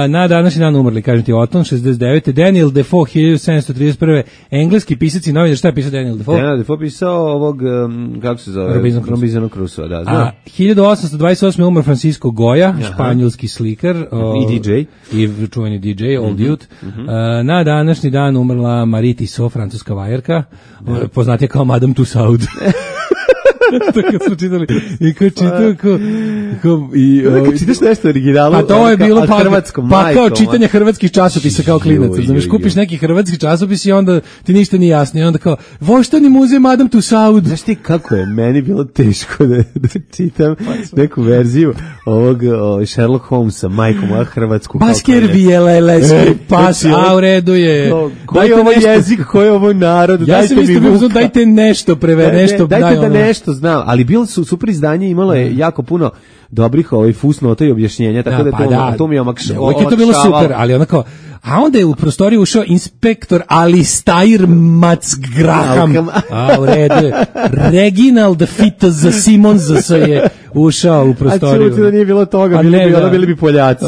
na današnji dan umrli, kažem ti, Oton, šezdeset devete. Daniel Defoe, hiljadu sedamsto trideset prve. Engleski pisac i novinar. Šta je pisao Daniel Defoe? Daniel Defoe pisao ovog, um, kako se zove? Robinson Crusoe. Robinson Crusoe, da, znam. A hiljadu osamsto dvadeset osme. umr Francisco Goya, španjolski slikar. O, I D J. I čuveni D J, Old Mm-hmm. Youth. Uh, na današnji dan umrla Marie Tissot, francuska vajerka. Yeah. Poznatija kao Madame Tussaud. To kad smo čitali i kad čitao ko, ko i Kad čitaš nešto originalu, pa to je bilo pa, hrvatskom pa majkom, kao čitanje hrvatskih časopisa kao klinac, znaš, kupiš neki hrvatski časopis i onda ti ništa nije jasno i onda kao Voštani muzej Madame Tussaud. Znaš ti kako je meni bilo teško da, da čitam neku verziju ovog o, Sherlock Holmesa, majkom moja hrvatsku. Basker Bijeleski pas, a u redu je. Koji je ovo jezik, koji je ovo narod, ja dajte sam isto mi bio, dajte nešto preve, nešto, dajte daj da ono. nešto znam, ali bilo su super izdanje, imalo je jako puno dobrih ovaj fusnota i objašnjenja, tako da, pa to, da, to mi je omakšalo. Uvijek je to bilo super, ali onako, a onda je u prostoriju ušao inspektor Alistair Matsgraham, a u redu je, Reginald Fitz Simons je ušao u prostoriju. A čuti da nije bilo toga, pa bili, ne, bi, da. ono bili bi Poljaci.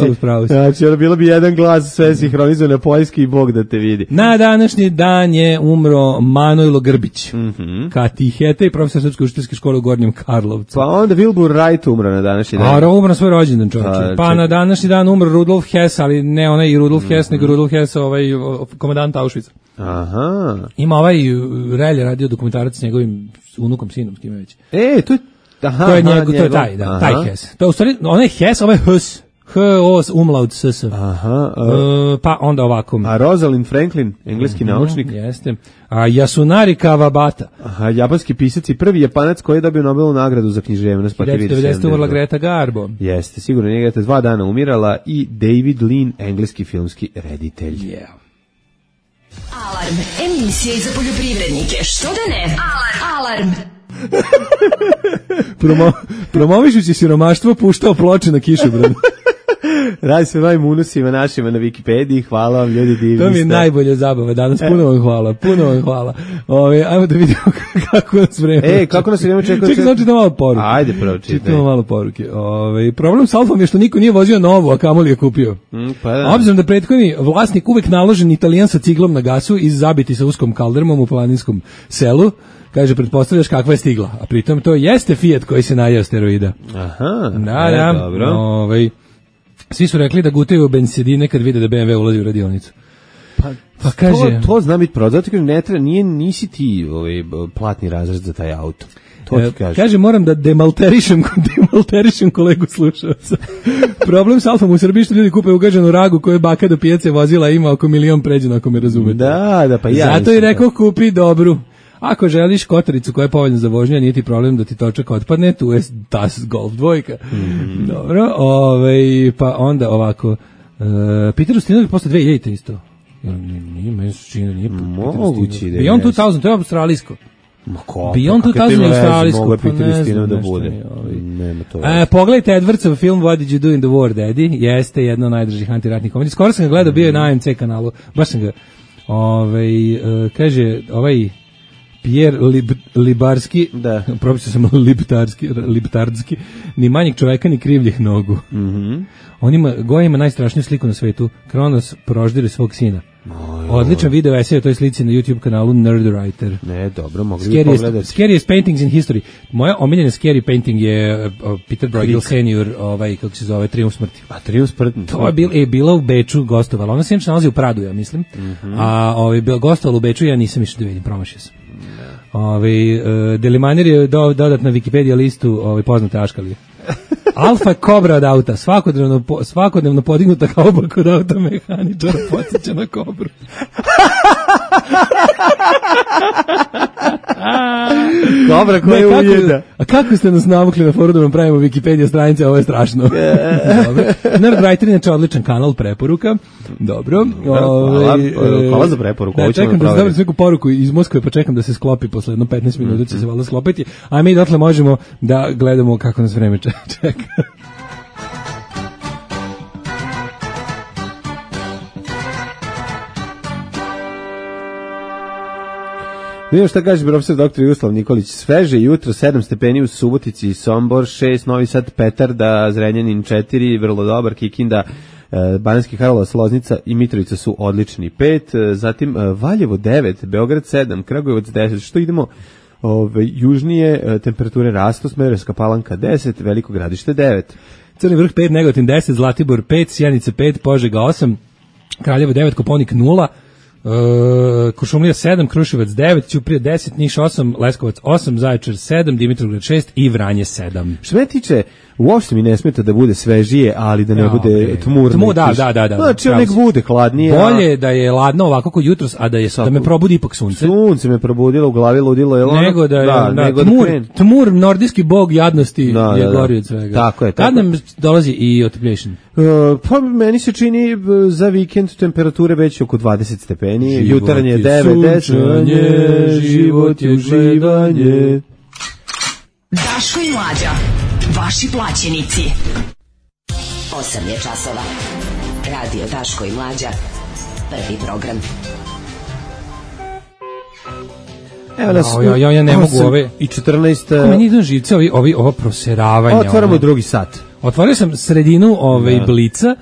Znači, ono bilo bi jedan glas sve sinhronizo na poljski i Bog da te vidi. Na današnji dan je umro Manojlo Grbić, Mm-hmm. katihete i profesor srpske učiteljske škole u Gornjem Karlovcu. Pa onda Wilbur Wright umro na današnji dan. A, umro na svoj rođendan, čovječe. A, Pa čekaj. na današnji dan umro Rudolf Hess, ali ne onaj Rudolf mm-hmm. Hess, nego Rudolf Hess, ovaj o, komandant Auschwitza. Aha. Ima ovaj uh, Relje radio dokumentarac s njegovim unukom, sinom, s kime već. E, to je... Aha, To je aha, njegov, to je taj, da, taj Hess. To je u stvari, onaj Hess, ovaj Hus, H-O, umlaut S-S. Aha. A, Uh, pa onda ovako. a Rosalind Franklin, engleski Mhm, naučnik. Jeste. A Yasunari Kawabata. Aha, japanski pisac i prvi Japanac koji je dobio Nobelovu nagradu za književnost. Pa ti vidiš, devetsto devedeste. umrla sedamdeset. Greta Garbo. Jeste, sigurno njega je dva dana umirala i David Lean, engleski filmski reditelj. Yeah. Alarm. Emisija i za poljoprivrednike. Što da ne? Alarm. Alarm. Promo, promovišući siromaštvo puštao ploče na kišobranu. Radi se novim unusima našima na Wikipediji, hvala vam ljudi, divni To mi je ste. najbolja zabava danas, puno vam hvala, puno vam hvala. Ove, ajmo da vidimo kako nas vreme. E, kako nas vreme čeka? Čekaj, znači da malo poruke. Ajde, prvo čitaj. Čitamo malo poruke. Ove, problem s Alfom je što niko nije vozio novu, a kamoli je kupio. Mm, pa da. Obzirom da prethodni vlasnik uvek naložen Italijan sa ciglom na gasu i zabiti sa uskom kaldermom u planinskom selu, kaže, pretpostavljaš kakva je stigla. A pritom to jeste Fiat koji se najeo steroida. Aha, Da, e, da. dobro. Ovaj, svi su rekli da gutaju bensedine kad vide da B M W ulazi u radionicu. Pa, Pa kaže- to, to zna biti pravo, zato kažem, ne treba, nije, nisi ti ovaj, platni razred za taj auto. To E, ti kažem. kaže, moram da demalterišem, demalterišem kolegu slušalca. Problem s Alfom u Srbiji što ljudi kupe ugaženu ragu koju je baka do pijace vozila, ima oko milion pređeno, ako me razumete. Da, da, pa ja. Zato i nisam rekao kupi dobru. Ako želiš kotaricu koja je povoljna za vožnju, a nije ti problem da ti točak otpadne, tu je Das Golf dvojka. Mhm. Dobro, ovaj, pa onda ovako. Uh, Peter Ustinović posle dve hiljadite isto. Jel, Nije, nije, meni se čini da nije Peter Moguće Ustinović. da je, Beyond jeste. dve hiljade, to je australijsko. Ma ko? Beyond pa kakve to dve hiljade ima je veze, australijsko, mogu je pa Peter ne znam, Ustinov da nešto bude. mi je, ovaj. Nema to. E, pogledajte Edwardsov film What Did You Do in the War, Daddy. Jeste jedno od najdražih antiratnih komedija. Skoro sam ga gledao, bio je na A M C kanalu. Baš sam ga, ovaj, e, kaže, ovaj Pierre Lib, Libarski, Da. propisao sam Liptarski, Liptardski, ni manjeg čoveka, ni krivljih nogu. Mhm. On ima, Goja ima najstrašniju sliku na svetu. Kronos proždire svog sina. Odličan video esej o toj slici na YouTube kanalu Nerdwriter. Ne, dobro, mogli bi Scariest, pogledati. scariest paintings in history. Moja omiljena scary painting je uh, Peter Bruegel senior, ovaj, kako se zove, Triumf smrti. A Triumf smrti. To je bil, e, bila u Beču, gostovala. Ona se inače nalazi u Pradu, ja mislim. Mhm. A ovaj, bila gostovala u Beču, ja nisam išao da vidim, promašio sam. Ovaj, uh, Delimanir je do, dodat na Wikipedia listu ovaj, poznate aškalije. Alfa kobra od auta, svakodnevno, po, svakodnevno podignuta kauba kod auta mehaničara, podsjeća na kobru. Dobra, koja je ujeda. A kako ste nas navukli na foru da vam pravimo Wikipedia stranice, ovo je strašno. Dobro. Nerdwriter je inače odličan kanal preporuka. Dobro. Hvala, hvala za preporuku. Da, čekam da se dobiti neku poruku iz Moskve, pa čekam da se sklopi posle jedno petnaest minuta će se valjda sklopiti, a mi dotle možemo da gledamo kako nas vreme čeka. Vidimo šta kaže profesor doktor Jugoslav Nikolić. Sveže jutro, sedam stepeni u Subotici, Sombor šest, Novi Sad, Petarda, Zrenjanin četiri, vrlo dobar, Kikinda, Banatski Karlovac, Loznica i Mitrovica su odlični pet, zatim Valjevo devet, Beograd sedam, Kragujevac deset, što idemo ove, južnije, temperature rastu, Smederevska Palanka deset, Veliko Gradište devet. Crni Vrh pet, Negotin deset, Zlatibor pet, Sjenica pet, Požega osam, Kraljevo devet, Koponik nula, Uh, Kuršumlija sedam, Kruševac devet, Ćuprija deset, Niš osam, Leskovac osam, Zaječar sedam, Dimitrovgrad šest i Vranje sedam. Što me tiče, uopšte mi ne smeta da bude svežije, ali da ne ja, bude tmurno. Tmu, da, da, da, da. Znači, nek bude hladnije. Bolje je da je ladno ovako kod jutros, a da je da me probudi ipak sunce. Sunce me probudilo, u glavi ludilo. Je ono? Nego da je da, da, nego tmur, da tmur, nordijski bog jadnosti da, je da, gori da. od svega. Tako je. Tako. Kad nam dolazi i otopljation? Uh, pa meni se čini za vikend temperature već oko dvadeset stepeni, jutarnje devet, deset, život je uživanje. Daško i Mlađa, vaši plaćenici. osam je časova. Radio Daško i Mlađa, prvi program. Evo nas, ja, ja, ja ne mogu ove i četrnaest. Kako meni idu živce ovi, ovi, ovo proseravanja. Otvaramo ono. drugi sat. Otvorio sam sredinu ovaj Blica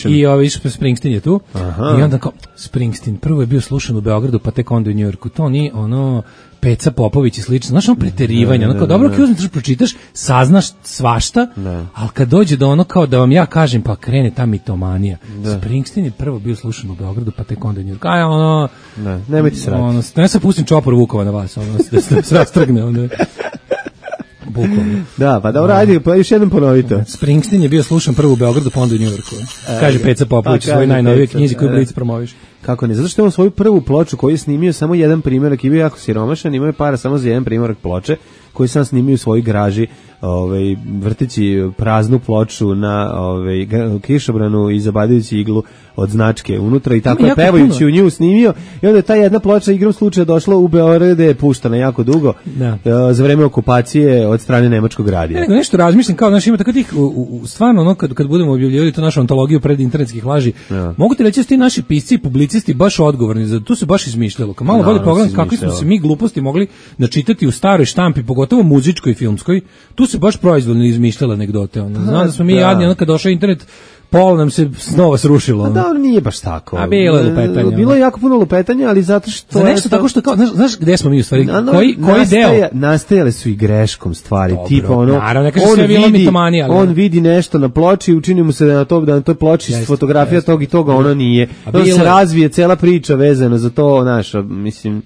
i, i ovaj Springsteen je tu. Aha. I onda kao Springsteen prvo je bio slušan u Beogradu, pa tek onda u Njujorku. To ni ono Peca Popović i slično. Znaš, ono preterivanje, ono kao dobro kad uzmeš pročitaš, saznaš svašta, ne. Ali kad dođe do ono kao da vam ja kažem, pa krene ta mitomanija. Da. Springsteen je prvo bio slušan u Beogradu, pa tek onda u Njujorku. Aj ono, ne, nemojte srati. Ono, ne sad pustim čopor Vukova na vas, ono da se rastrgne onda. Bukvalno. Da, pa dobro, ajde, pa još jednom ponovite. Springsteen je bio slušan prvo u Beogradu, pa onda u Njujorku. Kaže Peca Popović u svojoj najnovijoj knjizi koju Blic promoviš. Kako ne? Zato što je on svoju prvu ploču koju je snimio samo jedan primjerak i bio jako siromašan, imao je para samo za jedan primjerak ploče koji sam snimio u svojoj graži, ovaj, vrteći praznu ploču na ovaj, kišobranu i zabadajući iglu od značke unutra i tako je pevajući u nju snimio i onda je ta jedna ploča igrom slučaja došla u Beograd gde je puštana jako dugo da. Za vreme okupacije od strane nemačkog radija. Ja, nego nešto razmišljam kao, znaš, ima tako tih, u, u, stvarno, ono, kad, kad budemo objavljivali tu našu antologiju pred internetskih laži, ja. Mogu ti reći da su ti naši pisci i publicisti baš odgovorni, za tu se baš izmišljalo. Kao malo no, bolje pogledam kakvi smo se mi gluposti mogli načitati u staroj štampi, pogotovo muzičkoj i filmskoj, tu se baš proizvoljno izmišljala anegdote. Ono. Znam da smo mi da. Jadni, ono kad došao internet, pol nam se snova srušilo. A da, nije baš tako. A bilo je lupetanja. Bilo je jako puno lupetanja, ali zato što... Za nešto to... tako što, kao, znaš, znaš gde smo mi u stvari? No, koji, koji nastaja, deo? Nastajale su i greškom stvari. Dobro, tipa ono, naravno, ne kaže sve bilo mitomanija. On vidi nešto na ploči i učini mu se da na, to, da na toj ploči jest, fotografija jest. Tog i toga, ono nije. Onda se razvije cela priča vezana za to, znaš, mislim...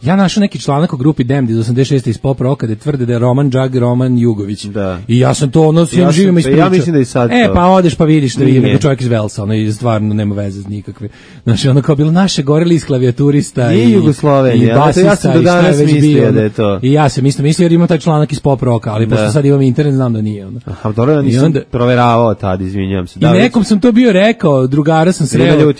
Ja našao neki članak u grupi Damned iz osamdeset šeste iz pop roka gde tvrde da je Roman Džag Roman Jugović. Da. I ja sam to ono svim ja živima ispričao. Ja mislim da i sad E, to. pa odeš pa vidiš da je neko čovjek iz Velsa, ono i stvarno nema veze nikakve. Znači ono kao bilo naše goreli iz klavijaturista i, i Jugoslovenija. I basista, ja sam do danas mislio da je to. I ja sam isto mislio jer ima taj članak iz pop roka, ali da. Pošto sad imam internet znam da nije. Ono. Aha, dobro, ja nisam onda, proveravao tad, izvinjam se. Da, I nekom sam to bio rekao, drugara sam sreo.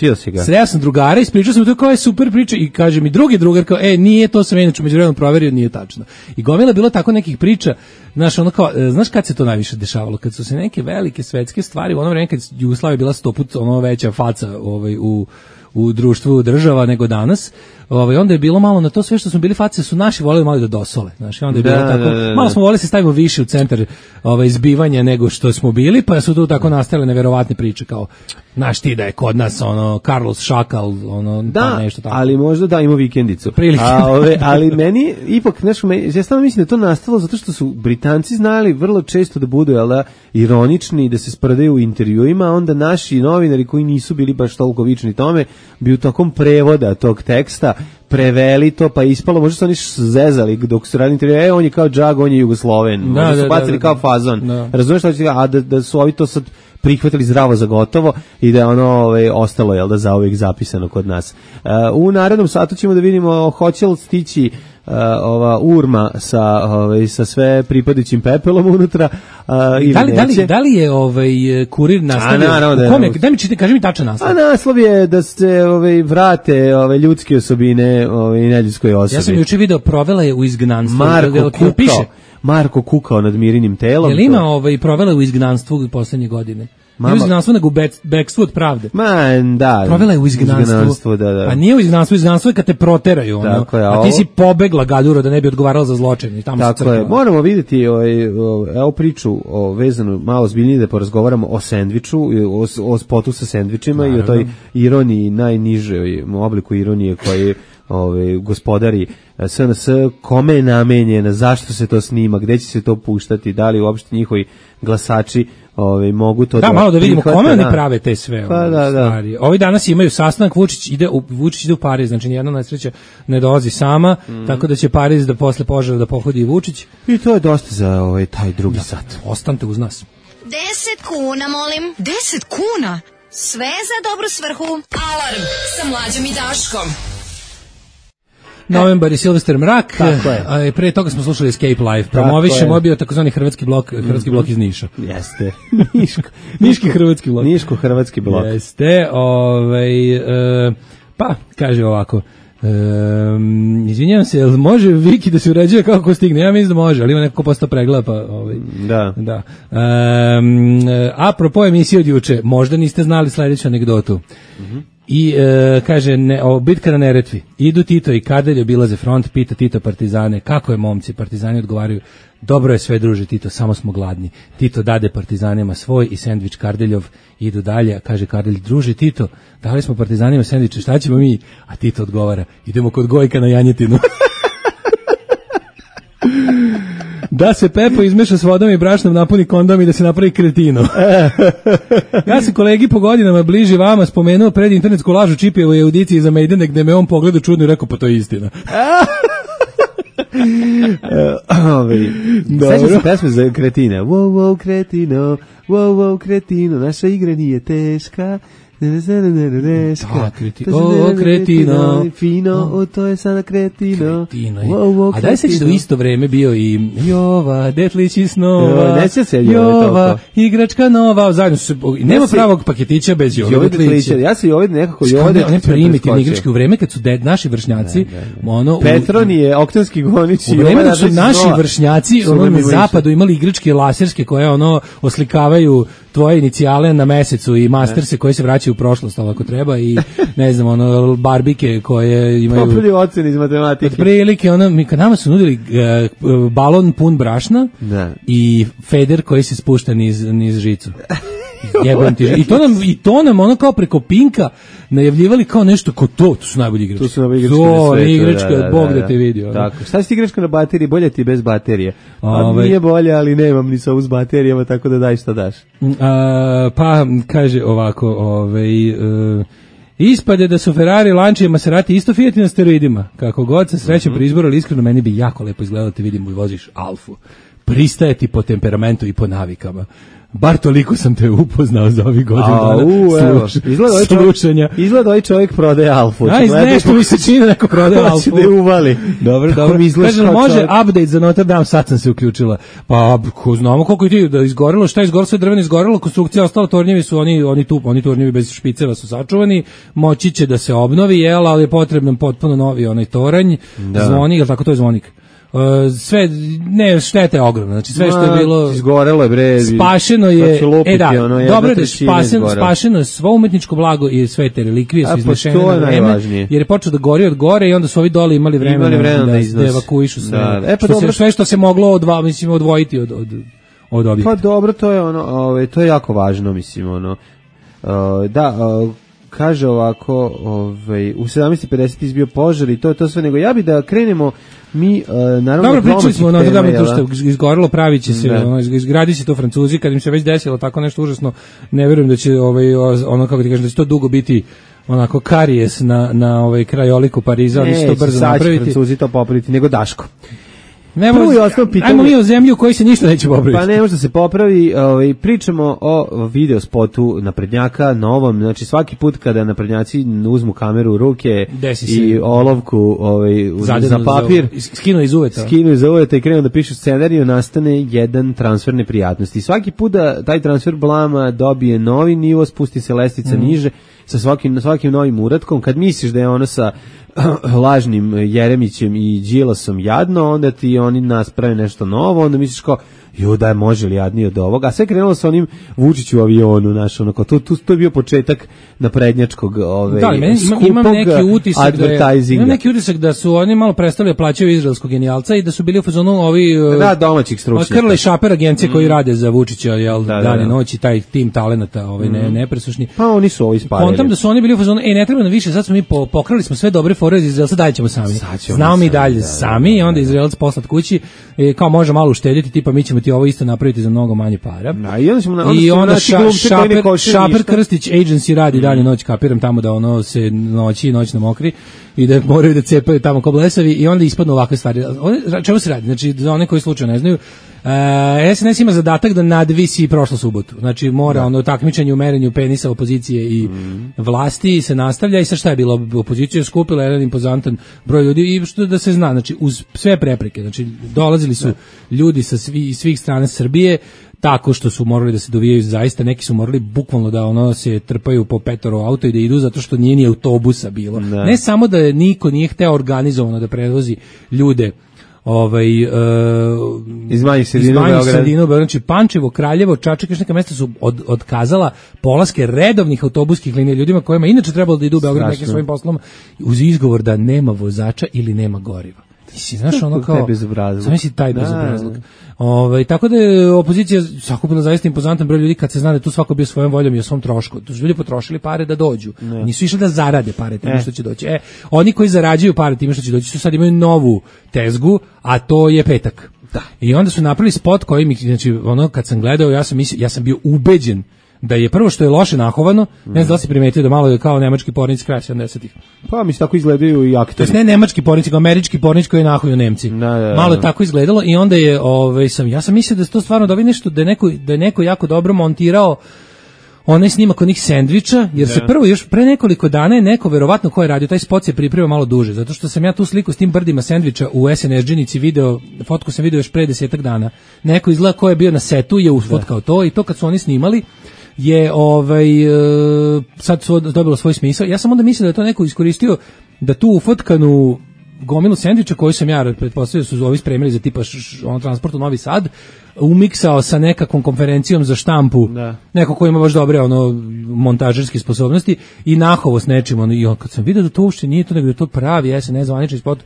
Sreo sam drugara, ispričao sam to kao je super priča i kaže mi drugi drugar kao e nije to sam inače međuvremeno proverio, nije tačno. I gomila bilo tako nekih priča, znaš, ono kao, znaš kad se to najviše dešavalo? Kad su se neke velike svetske stvari, u ono vreme kad Jugoslavija bila sto put ono veća faca ovaj, u, u društvu država nego danas, ovaj, onda je bilo malo na to sve što smo bili face, su naši voleli malo da dosole. Znaš, onda je bilo da, tako, da, da. Malo smo voleli se stavimo više u centar ovaj, izbivanja nego što smo bili, pa su tu tako nastale neverovatne priče kao, znaš ti da je kod nas ono Carlos Šakal, ono da, pa nešto tako. Ali možda da ima vikendicu. Prilike. A, ove, ali meni ipak nešto, ja stvarno mislim da to nastalo zato što su Britanci znali vrlo često da budu jel da, ironični i da se sprdaju u intervjuima, a onda naši novinari koji nisu bili baš toliko vični tome, bi u takom prevoda tog teksta preveli to, pa ispalo, možda su oni zezali dok su radili intervju, e, on je kao Džag, on je Jugosloven, možda Da, su da, bacili da, kao da. fazon, Da. razumiješ što ću ti, a da, da su ovi to sad prihvatili zdravo za gotovo i da je ono ovaj, ostalo, jel da, zauvijek zapisano kod nas. Uh, u narednom satu ćemo da vidimo hoće li stići Uh, ova urma sa ovaj sa sve pripadajućim pepelom unutra uh, ili Da li, da li, neće. da li je ovaj kurir nastavio? A, naravno da je. U kome? Daj mi čite, kaži mi tačan naslov. A naslov je da se ovaj vrate ove ljudske osobine ovaj neljudskoj osobi. Ja sam juče video, provela je u izgnanstvu. Marko Jel- jel- jel piše? kukao, Marko kukao nad Mirinim telom. Jel ima ovaj provela je u izgnanstvu poslednje godine? Mama- Nije u izgnanstvu, nego u bek- bekstvu od pravde. Ma, da. Provela je u izgnanstvu. izgnanstvu, da, da. Pa nije u izgnanstvu, izgnanstvo je kad te proteraju, ono. Tako je, a a ti ovo- si pobegla gaduro da ne bi odgovarala za zločin i tamo se Tako je. crkla. Moramo vidjeti ovaj o, evo priču o vezanu malo zbiljnije da porazgovaramo o sendviču, i o, o spotu sa sendvičima i o toj ironiji, najnižoj obliku ironije koji ovaj gospodari S N S, kome je namenjena, zašto se to snima, gde će se to puštati, da li uopšte njihovi glasači ovaj mogu to Da, da malo da vidimo prihvate, kome oni da. prave te sve Pa, ove da, da. stvari. Ovi danas imaju sastanak, Vučić ide u, Vučić ide u Pariz, znači nijedna nesreća ne dolazi sama, Mhm. tako da će Pariz da posle požara da pohodi i Vučić. I to je dosta za ovaj taj drugi sat. Ostanite uz nas. Deset kuna, molim. Deset kuna? Sve za dobru svrhu. Alarm sa mlađom i Daškom. Novembar i Silvester Mrak, Tako je. a i pre toga smo slušali Escape Live. Promovišemo, je bio takozvani hrvatski blok, hrvatski blok iz Niša. Jeste. Niško. Niški hrvatski blok. Niško-hrvatski blok. Jeste, ovaj, e, pa, kaže ovako, Um, izvinjavam se, jel može Viki da se uređuje kako ko stigne? Ja mislim da može, ali ima neko ko posta pregleda, pa ovaj, Da. da. Um, apropo emisije od juče, možda niste znali sledeću anegdotu. I e, kaže, ne, o, bitka na Neretvi. Idu Tito i Kardelj obilaze front, pita Tito partizane, kako je momci? Partizani odgovaraju, dobro je sve druže Tito, samo smo gladni. Tito dade partizanima svoj i sendvič Kardeljov, idu dalje, a kaže Kardelj, druže Tito, dali smo partizanima sendviče, šta ćemo mi? A Tito odgovara, idemo kod Gojka na janjetinu. Da se Pepo izmeša s vodom i brašnom, napuni kondom i da se napravi kretino. Ja sam kolegi po godinama bliži vama spomenuo pred internetsku lažu Čipijevo je audiciji za Majdene, gde me on pogledao čudno i rekao, pa to je istina. Ovaj sećam se pesme za kretine. Wow, wow, kretino, wow, wow, kretino, naša igra nije teška. Da, kreti, o, kretino. Fino, o, to je sada kretino. Kretino je. Wow, wow, A da li sećaš da u isto vreme bio i Jova, detlići snova, Joj, neće se Jove Jova, toliko. igračka nova, zajedno su se, nema Ja si- pravog paketića bez Jove, Jove detlića. detlića. Ja se i ovdje nekako One, Jove one primitivne igračke u vreme kad su de, naši vršnjaci, ono, u- Petronije, Oktanski gonić u i vreme ovaj dok su Radnić naši Nova vršnjaci su ono, nam na išli. zapadu imali igračke laserske koje ono oslikavaju tvoje inicijale na mesecu i masterse koje se vraćaju u prošlost, ali ako treba, i ne znam, ono, barbike koje imaju Popolji ocen iz matematike. otprilike, ono, mi kad nama su nudili uh, balon pun brašna Da. i feder koji se spušta niz, niz žicu. Jebem ti. I to nam, i to nam ono kao preko Pinka najavljivali kao nešto ko to, to su najbolji igračke. Tu su najbolji igračke To, na svetu. igračka, Bog da te vidi. ono. Tako. Šta si ti igračka na bateriji? Bolje ti je bez baterije. Pa Ovaj. nije bolje, ali nemam ni sa uz baterijama, tako da daj šta daš. A, pa kaže ovako, ovaj uh, ispade da su Ferrari, Lancia i Maserati isto Fiati na steroidima. Kako god se sreće pri izboru, ali iskreno meni bi jako lepo izgledalo te vidim i voziš Alfu. Pristaje ti po temperamentu i po navikama. Bar toliko sam te upoznao za ovih godina A, dana u, evo, sluš- izgleda ovaj čovjek, slušanja. izgleda ovaj čovjek prodaje Alfu. Aj, nešto mi se čini da neko prodaje Hoće Alfu. da je uvali. Dobro, Tako dobro. mi izgledaš Kaže, kao može čovjek. update za Notre Dame, sad sam se uključila. Pa, ko znamo koliko je ti da izgorelo, šta je izgorelo, sve drveno izgorelo, konstrukcija ostala, tornjevi su oni, oni tu, oni tornjevi bez špiceva su sačuvani, moći će da se obnovi, jel, ali je potrebno potpuno novi onaj toranj, Da. zvonik, jel tako to je zvonik? Uh, sve, ne, šteta je ogromna, znači sve što je Ma, bilo... izgorelo je, bre. Spašeno Sad je, će lupiti, e da, ono, jedna dobro je da je trećina spašeno, izgorela. spašeno je svo umetničko blago i sve te relikvije A, su pa iznešene to na je vreme, najvažnije. jer je počeo da gori od gore i onda su ovi dole imali vremena, Imali vremena da, da da, iznose. evakuišu sve, Da, e, pa što dobro. se, sve što se moglo odva, mislim, odvojiti od, od, od objekta. Pa dobro, to je ono, ovaj to je jako važno, mislim, ono. Uh, da, uh, kaže ovako, ovaj, u sedamnaest pedeset izbio požar i to je to sve, nego ja bi da krenemo mi, uh, naravno... Dobro, pričali smo, no, tema, to što izgorilo, pravi će se, ono, izgradi se to Francuzi, kad im se već desilo tako nešto užasno, ne verujem da će, ovaj, ono, kako ti kažem, da će to dugo biti onako karijes na, na ovaj krajoliku Pariza, oni će to brzo napraviti. Ne, Francuzi to popraviti, nego Daško. Prvo i osnovno pitanje. Ajmo mi o zemlju u kojoj se ništa neće popraviti. Pa ne može da se popravi, ovaj, pričamo o video spotu naprednjaka, novom, znači svaki put kada naprednjaci uzmu kameru u ruke i olovku ovaj, za papir, skinu iz uveta. Skinu iz uveta i krenu da pišu scenariju, nastane jedan transfer neprijatnosti. Svaki put da taj transfer blama dobije novi nivo, spusti se lestica mm. niže, sa svakim, svakim novim uratkom, kad misliš da je ono sa lažnim Jeremićem i Đilasom jadno, onda ti oni nas prave nešto novo, onda misliš kao, jo da je može li jadnije od ovoga, a sve krenulo sa onim Vučić u avionu, znaš, ono, to, to, to je bio početak naprednjačkog ove, da, meni, skupog imam neki utisak da je, imam neki utisak da su oni malo prestali da plaćaju izraelskog genijalca i da su bili u fazonu ovi da, domaćih stručnjaka. Krle Šaper agencije mm. koji rade za Vučića, jel, da, dan i da, noć i taj tim talenata, ovaj, mm. ne, nepresušni. Pa oni su ovi spalili. Kontam da su oni bili u fazonu, ej, ne treba nam više, sad smo mi po, pokrali smo sve dobre fore iz Izraelca, dalje ćemo sami. Znamo mi dalje da, sami i onda Izraelac poslat kući, e, kao može malo uštediti, tipa mi ćemo ti ovo isto napraviti za mnogo manje para. Da, i onda, ćemo, onda, I onda ša, Šaper, Šaper Krstić Agency radi mm. dalje noć, kapiram tamo da ono se noći i noć na mokri i da moraju da cepaju tamo ko blesavi i onda ispadnu ovakve stvari. Čemu se radi? Znači, za one koji slučajno ne znaju, e, S N S ima zadatak da nadvisi prošlu subotu. Znači, mora da. ono takmičenje u merenju penisa opozicije i mm. vlasti se nastavlja i sa šta je bilo? Opozicija je skupila jedan impozantan broj ljudi i što da se zna, znači, uz sve prepreke. Znači, dolazili su da. ljudi sa svi, svih strana Srbije, tako što su morali da se dovijaju zaista, neki su morali bukvalno da ono se trpaju po petoro auto i da idu zato što nije ni autobusa bilo. Ne, ne samo da je niko nije hteo organizovano da prevozi ljude ovaj uh, iz manjih sredina u Beogradu, znači Pančevo, Kraljevo, Čačak, još neka mesta su od, otkazala polaske redovnih autobuskih linija ljudima kojima inače trebalo da idu u Beograd nekim svojim poslom uz izgovor da nema vozača ili nema goriva. Ti si, znaš, ono kao... Sam misli taj bezobrazluk. Ovaj, tako da je opozicija sakupila zaista impozantan broj ljudi kad se zna da tu svako bio svojom voljom i o svom trošku. Tu su ljudi potrošili pare da dođu. Ne. Nisu išli da zarade pare time e. što će doći. E, oni koji zarađuju pare time što će doći su sad imaju novu tezgu, a to je petak. Da. I onda su napravili spot koji mi, znači, ono, kad sam gledao, ja sam, mislio, ja sam bio ubeđen da je prvo što je loše nahovano, mm. ne znam da li si primetio da malo je kao nemački pornici kraja sedamdesetih. Pa mi se tako izgledaju i aktori. To jest ne nemački pornici, nego američki pornici koji nahuju Nemci. Da, da, da. Malo je tako izgledalo i onda je, ovaj, sam, ja sam mislio da je to stvarno da vi nešto, da je neko, da je neko jako dobro montirao onaj snimak onih sendviča, jer da. se prvo još pre nekoliko dana je neko, verovatno ko je radio, taj spot se pripremio malo duže, zato što sam ja tu sliku s tim brdima sendviča u S N S džinici video, fotku sam video još pre desetak dana. Neko izgleda ko je bio na setu je usfotkao to i to kad su oni snimali je ovaj sad su dobilo svoj smisao. Ja sam onda mislio da je to neko iskoristio da tu ufotkanu gomilu sendviča koju sam ja pretpostavio su ovi spremili za tipa on transport u Novi Sad, umiksao sa nekakvom konferencijom za štampu, da. Neko ko ima baš dobre ono montažerske sposobnosti i nahovo s nečim, ono, i on, kad sam vidio da to uopšte nije to, nego da je to pravi S N S zvanični spot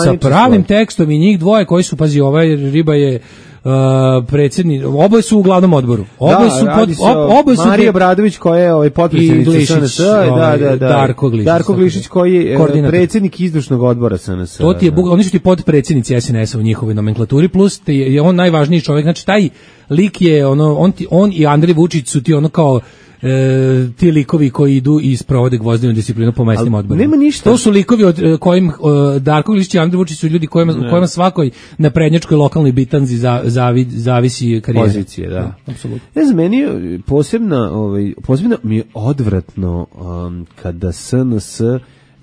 sa pravim spot. Tekstom i njih dvoje koji su, pazi, ovaj riba je Uh, predsjednik, oboje su u glavnom odboru. Oboje da, su pod, ob, oboje su Marija Obradović koja je ovaj potpredsjednica S N S, da, da, da. Darko Glišić. Darko Glišić koji je predsjednik izvršnog odbora S N S. To ti je, da. Oni su ti potpredsjednici S N S-a u njihovoj nomenklaturi, plus ti je on najvažniji čovjek. Znači taj lik je ono, on, ti, on i Andrej Vučić su ti ono kao E, ti likovi koji idu i sprovode gvozdenu disciplinu po mesnim odborima. Nema ništa. To su likovi od kojim uh, Darko Glišić i Andrej Vučić su ljudi kojima, kojima svakoj naprednjačkoj lokalnoj bitanzi za, zavi, zavisi karijera. Pozicije, da. da apsolutno. Ne znam, meni je posebna, ovaj, posebno mi je odvratno um, kada S N S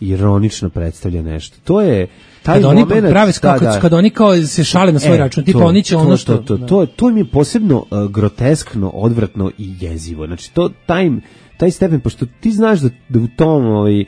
ironično predstavlja nešto. To je taj kad moment, oni prave da, da. Kad oni kao se šale na svoj e, račun, tipa oni će ono što to, to, to, to mi je posebno uh, groteskno, odvratno i jezivo. Znači to taj taj stepen, pošto ti znaš da, da u tom ovaj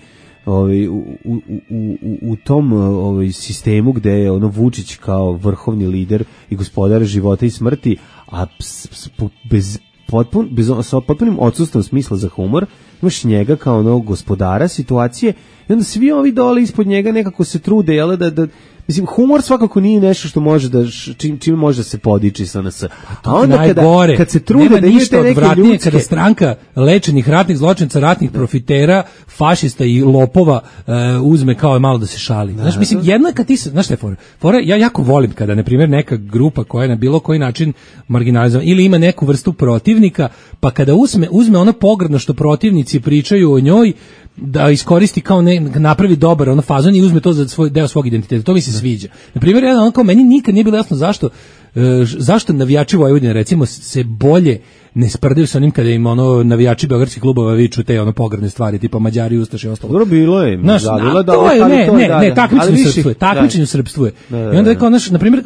ovaj u, u, u, u tom ovaj sistemu gde je ono Vučić kao vrhovni lider i gospodar života i smrti, a ps, ps, bez potpun bez sa potpunim odsustvom smisla za humor, imaš njega kao onog gospodara situacije i onda svi ovi dole ispod njega nekako se trude, jel, da, da mislim, humor svakako nije nešto što može da, čim, čim može da se podiči sa nas. A onda kada, najgore. kad se trude da imaju te neke ljudske... Kada stranka lečenih ratnih zločinaca, ratnih profitera, fašista i lopova uh, uzme kao malo da se šali. Da, znaš, mislim, jedna kad ti se, znaš šta je fora? Fora, ja jako volim kada, na primjer, neka grupa koja je na bilo koji način marginalizovana ili ima neku vrstu protivnika, pa kada uzme, uzme ono pogrdno što protivnici pričaju o njoj, da iskoristi kao ne, napravi dobar ono fazon i uzme to za svoj deo svog identiteta. To mi se sviđa. Na primjer, jedan onako, meni nikad nije bilo jasno zašto e, zašto navijači Vojvodine recimo se bolje ne sprdaju sa onim kada im ono navijači beogradskih klubova viču te ono pogrdne stvari tipa Mađari, Ustaše i ostalo. Dobro bilo je. Znaš, da, bilo da, to je, ali ne, to ne, da, ne, da, takmičenju više, srpstvuje, takmičenju srpstvuje. Da, da, I onda je da. kao, naš, na primjer,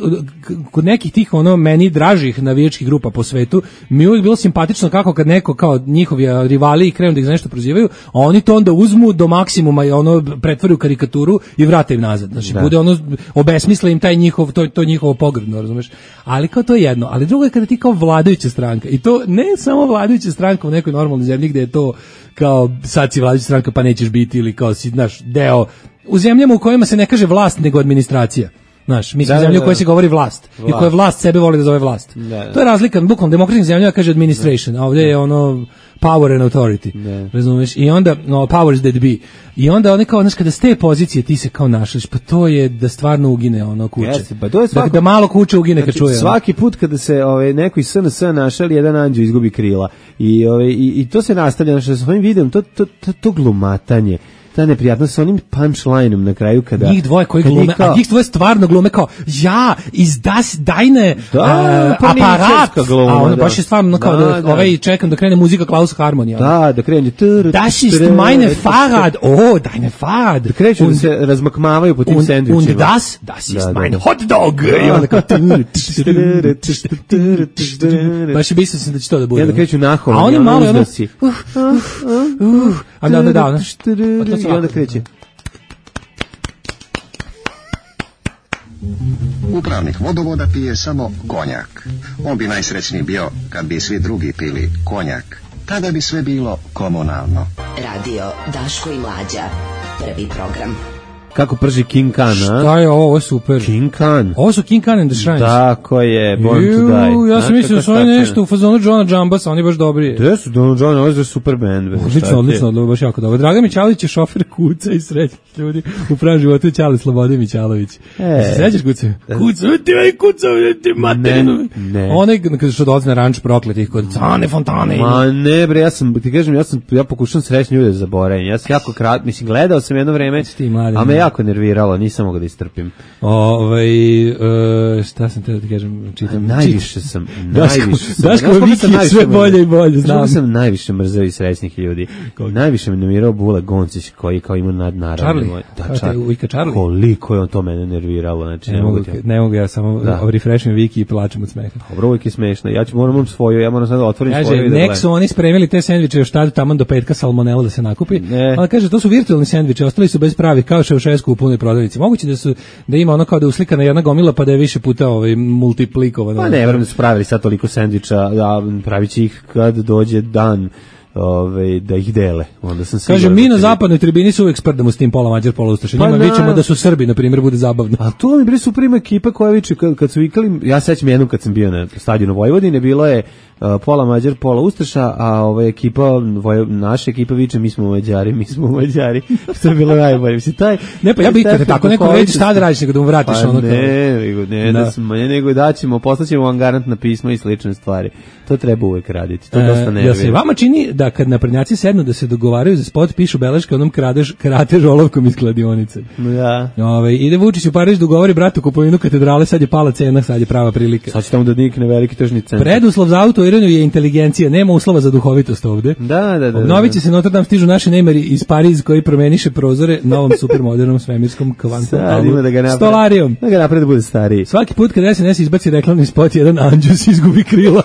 kod nekih tih ono meni dražih navijačkih grupa po svetu, mi je uvijek bilo simpatično kako kad neko kao njihovi rivali krenu da ih za nešto prozivaju, a oni to onda uzmu do maksimuma i ono pretvore u karikaturu i vrate im nazad. Znači, Da. bude ono, obesmisle im taj njihov, to, to njihovo pogrdno, razumeš? Ali kao to je jedno. Ali drugo je kada ti kao vladajuća stranka, i to ne samo vladajuća stranka u nekoj normalnoj zemlji gde je to kao sad si vladajuća stranka pa nećeš biti ili kao si, znaš, deo u zemljama u kojima se ne kaže vlast nego administracija. Znaš, mi smo Da, zemlja da, u kojoj se govori vlast, i u Vlast. kojoj vlast sebe voli da zove vlast. Da, da. To je razlika, bukvalno demokratskim zemljama kaže administration, a ovdje je ono power and authority. Da. Razumeš? I onda no, powers that be. I onda one kao, znaš, kada s te pozicije ti se kao našliš, pa to je da stvarno ugine ono kuće. Jeste, pa to je svako- da, da malo kuće ugine kad Znači, čuje. ono. svaki put kada se ovaj neko iz S N S našali, jedan anđeo izgubi krila. I ovaj i, i to se nastavlja, znači sa ovim videom, to to to, to glumatanje, ta neprijatnost sa onim punchlineom na kraju kada Njih dvoje koji kad glume, kao- a njih dvoje stvarno glume kao ja, iz das dajne Da, uh, pa aparat, ničarska gluma, a ono da. baš je stvarno kao da, Da, da. ovaj čekam da krene muzika Klaus Harmonija. Da, da krene. Das ist meine Fahrrad, oh, deine Fahrrad. Da kreću da Und- se razmakmavaju po tim und, sendvičima. und das, das ist Da, da, mein da. hot dog. I onda kao baš je mislio sam da će to da bude. I onda kreću naholo. A oni malo ono, uzdasi. a da, da, da, ono. I onda kreće. Upravnik vodovoda pije samo konjak. On bi najsrećniji bio kad bi svi drugi pili konjak. Tada bi sve bilo komunalno. Radio Daško i Mlađa. Prvi program. Kako prži King Khan, a? Šta je ovo, ovo je super. King Khan. Ovo su King Khan and the Shrines. Tako je, Born to Ju, Die. ja sam Znaš mislio da kako su oni stačeno? nešto u fazonu Johna Jambasa, oni baš dobri. Gde su Don John, ovo je super band. be, šta ti Odlično, je? odlično, odlično, baš jako dobro. Dragan Mićalović je šofer kuca i srećnih ljudi u pravom životu je Ćale Slobode Mićalović. E. Se sećaš kuce? Kuca, ti vej kuca, ti materinu. Ne, ne. Onaj kada što dolazi na ranč prokletih kod Cane Fontane. Ma ne bre, ja sam, ti kažem, ja sam, ja pokušam srećni ljude da zaboravim. Ja sam jako krat, mislim, gledao sam jedno vreme, Ti mladi, a me ne. jako nerviralo, nisam mogao da istrpim. Ovaj e, šta sam te da ti kažem, čitam. Najviše sam, Daško- najviše sam. Daško Znaš koga Viki sam je najviše sve mrzeo? bolje i bolje, Znaš koga znam. sam najviše mrzeo iz srećnih ljudi. Najviše me namirao Bula Goncić koji kao ima nadnaravno. Charlie? Da, Kao te Charlie. Vika Charlie? Koliko je on to mene nerviralo, znači Ne mogu, ti- ne mogu ja samo Da. refreshim Viki i plačem od smeha. Dobro, uvijek je smešno. Ja ću moram imam svoju, ja moram sad da otvorim Kaže, svoju i da nek gledam. su oni spremili te sendviče još tada taman do petka salmonela da se nakupi. Ne. Ali kaže, to su virtualni sendviče, ostali su bez pravih, kao Ševšesku u punoj prodavnici. Moguće da su da ima ono kao da je uslikana jedna gomila pa da je više puta ovaj multiplikovano. Pa ne, verujem da su pravili sad toliko sendviča, da pravit će ih kad dođe dan ove, da ih dele. Onda sam Kaže, siguran mi da na će zapadnoj tribini su uvijek sprdamo s tim pola Mađar, pola Ustaša. Pa Njima na- vićemo da su Srbi, na primjer, bude zabavno. A to mi bre super ima ekipa koja viče kad, kad su vikali, ja sećam jednom kad sam bio na stadionu Vojvodine, bilo je uh, pola Mađar, pola Ustaša, a ova ekipa, Voj, naša ekipa viče mi smo Mađari, mi smo Mađari. To je bilo najbolje. Mislim, taj, Ne, pa ja bih, kada tako neko reći, šta da radiš, nego da mu vratiš pa ono kao... ne, nego, ne, da. Da. smo, ne, nego da ćemo, poslaćemo vam garantna pisma i slične stvari. To treba uvek raditi. To E, dosta jel nervira. se vama čini da kad naprednjaci sednu da se dogovaraju za spot, pišu beleške onom kradež, kratež olovkom iz kladionice? Da. Ove, ide Vučić u Pariz da ugovori bratu kupovinu katedrale, sad je pala cena, sad je prava prilika. Sad će tamo da nikne veliki tržni centar. Preduslov za autoiranu je inteligencija, nema uslova za duhovitost ovde. Da, da, da. da. Obnovit će se Notre Dame, stižu naši nemeri iz Pariz koji promeniše prozore novom supermodernom svemirskom kvantom Sad ima da ga napravi. stolarijom. Da ga napravi da bude stariji. Svaki put kad S N S izbaci reklamni spot, jedan anđus izgubi krila.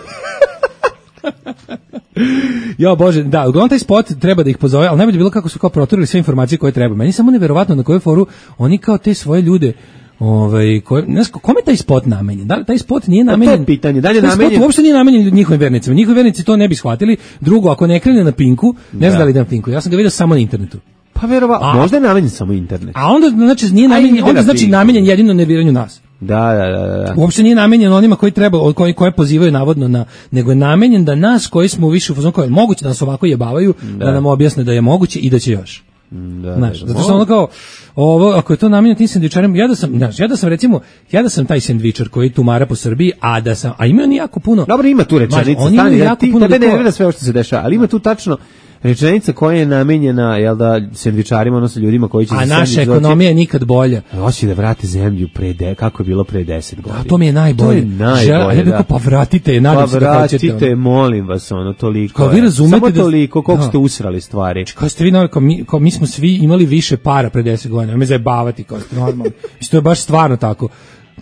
Jo bože, da, uglavnom taj spot treba da ih pozove, ali najbolje je bilo kako su kao proturili sve informacije koje treba. Meni je samo neverovatno na koju foru oni kao te svoje ljude, ovaj, koje, ne znam, kome je taj spot namenjen? Da li taj spot nije to je namenjen? pitanje, da li je taj namenjen- spot uopšte nije namenjen njihovim vernicima. Njihovi vernici to ne bi shvatili. Drugo, ako ne krene na Pinku, ne znam Da. da li ide na Pinku. Ja sam ga vidio samo na internetu. Pa verovatno, možda je namenjen samo internet. A onda znači nije namenjen, onda znači namenjen jedino nerviranju nas. Da, da, da, da. Uopšte nije namenjen onima koji treba, koji koje pozivaju navodno na, nego je namenjen da nas koji smo više u fazonu kao moguće da nas ovako jebavaju, da. da nam objasne da je moguće i da će još. Da, znaš, da, zato što ono kao ovo, ako je to namenjeno tim sendvičarima, ja da sam, znaš, ja da sam recimo, ja da sam taj sendvičar koji tumara po Srbiji, a da sam, a ima on jako puno. Dobro, ima tu rečenica, stani, da ti tebe ne nervira sve ovo što se dešava, ali ima tu tačno rečenica koja je namenjena, jel da, sendvičarima, odnosno ljudima koji će a naša ekonomija je nikad bolja. Hoće da vrate zemlju pre de, kako je bilo pre deset godina. A to mi je najbolje. To je najbolje, Žel, ja bih da. Pa vratite, nadam pa se da hoćete. Pa vratite, molim vas, ono, toliko. Kao vi razumete samo da, toliko, koliko da. ste usrali stvari. Kao ste vi, kao mi, kao mi smo svi imali više para pre deset godina, me zajebavati, kao ste normalno. I to je baš stvarno tako.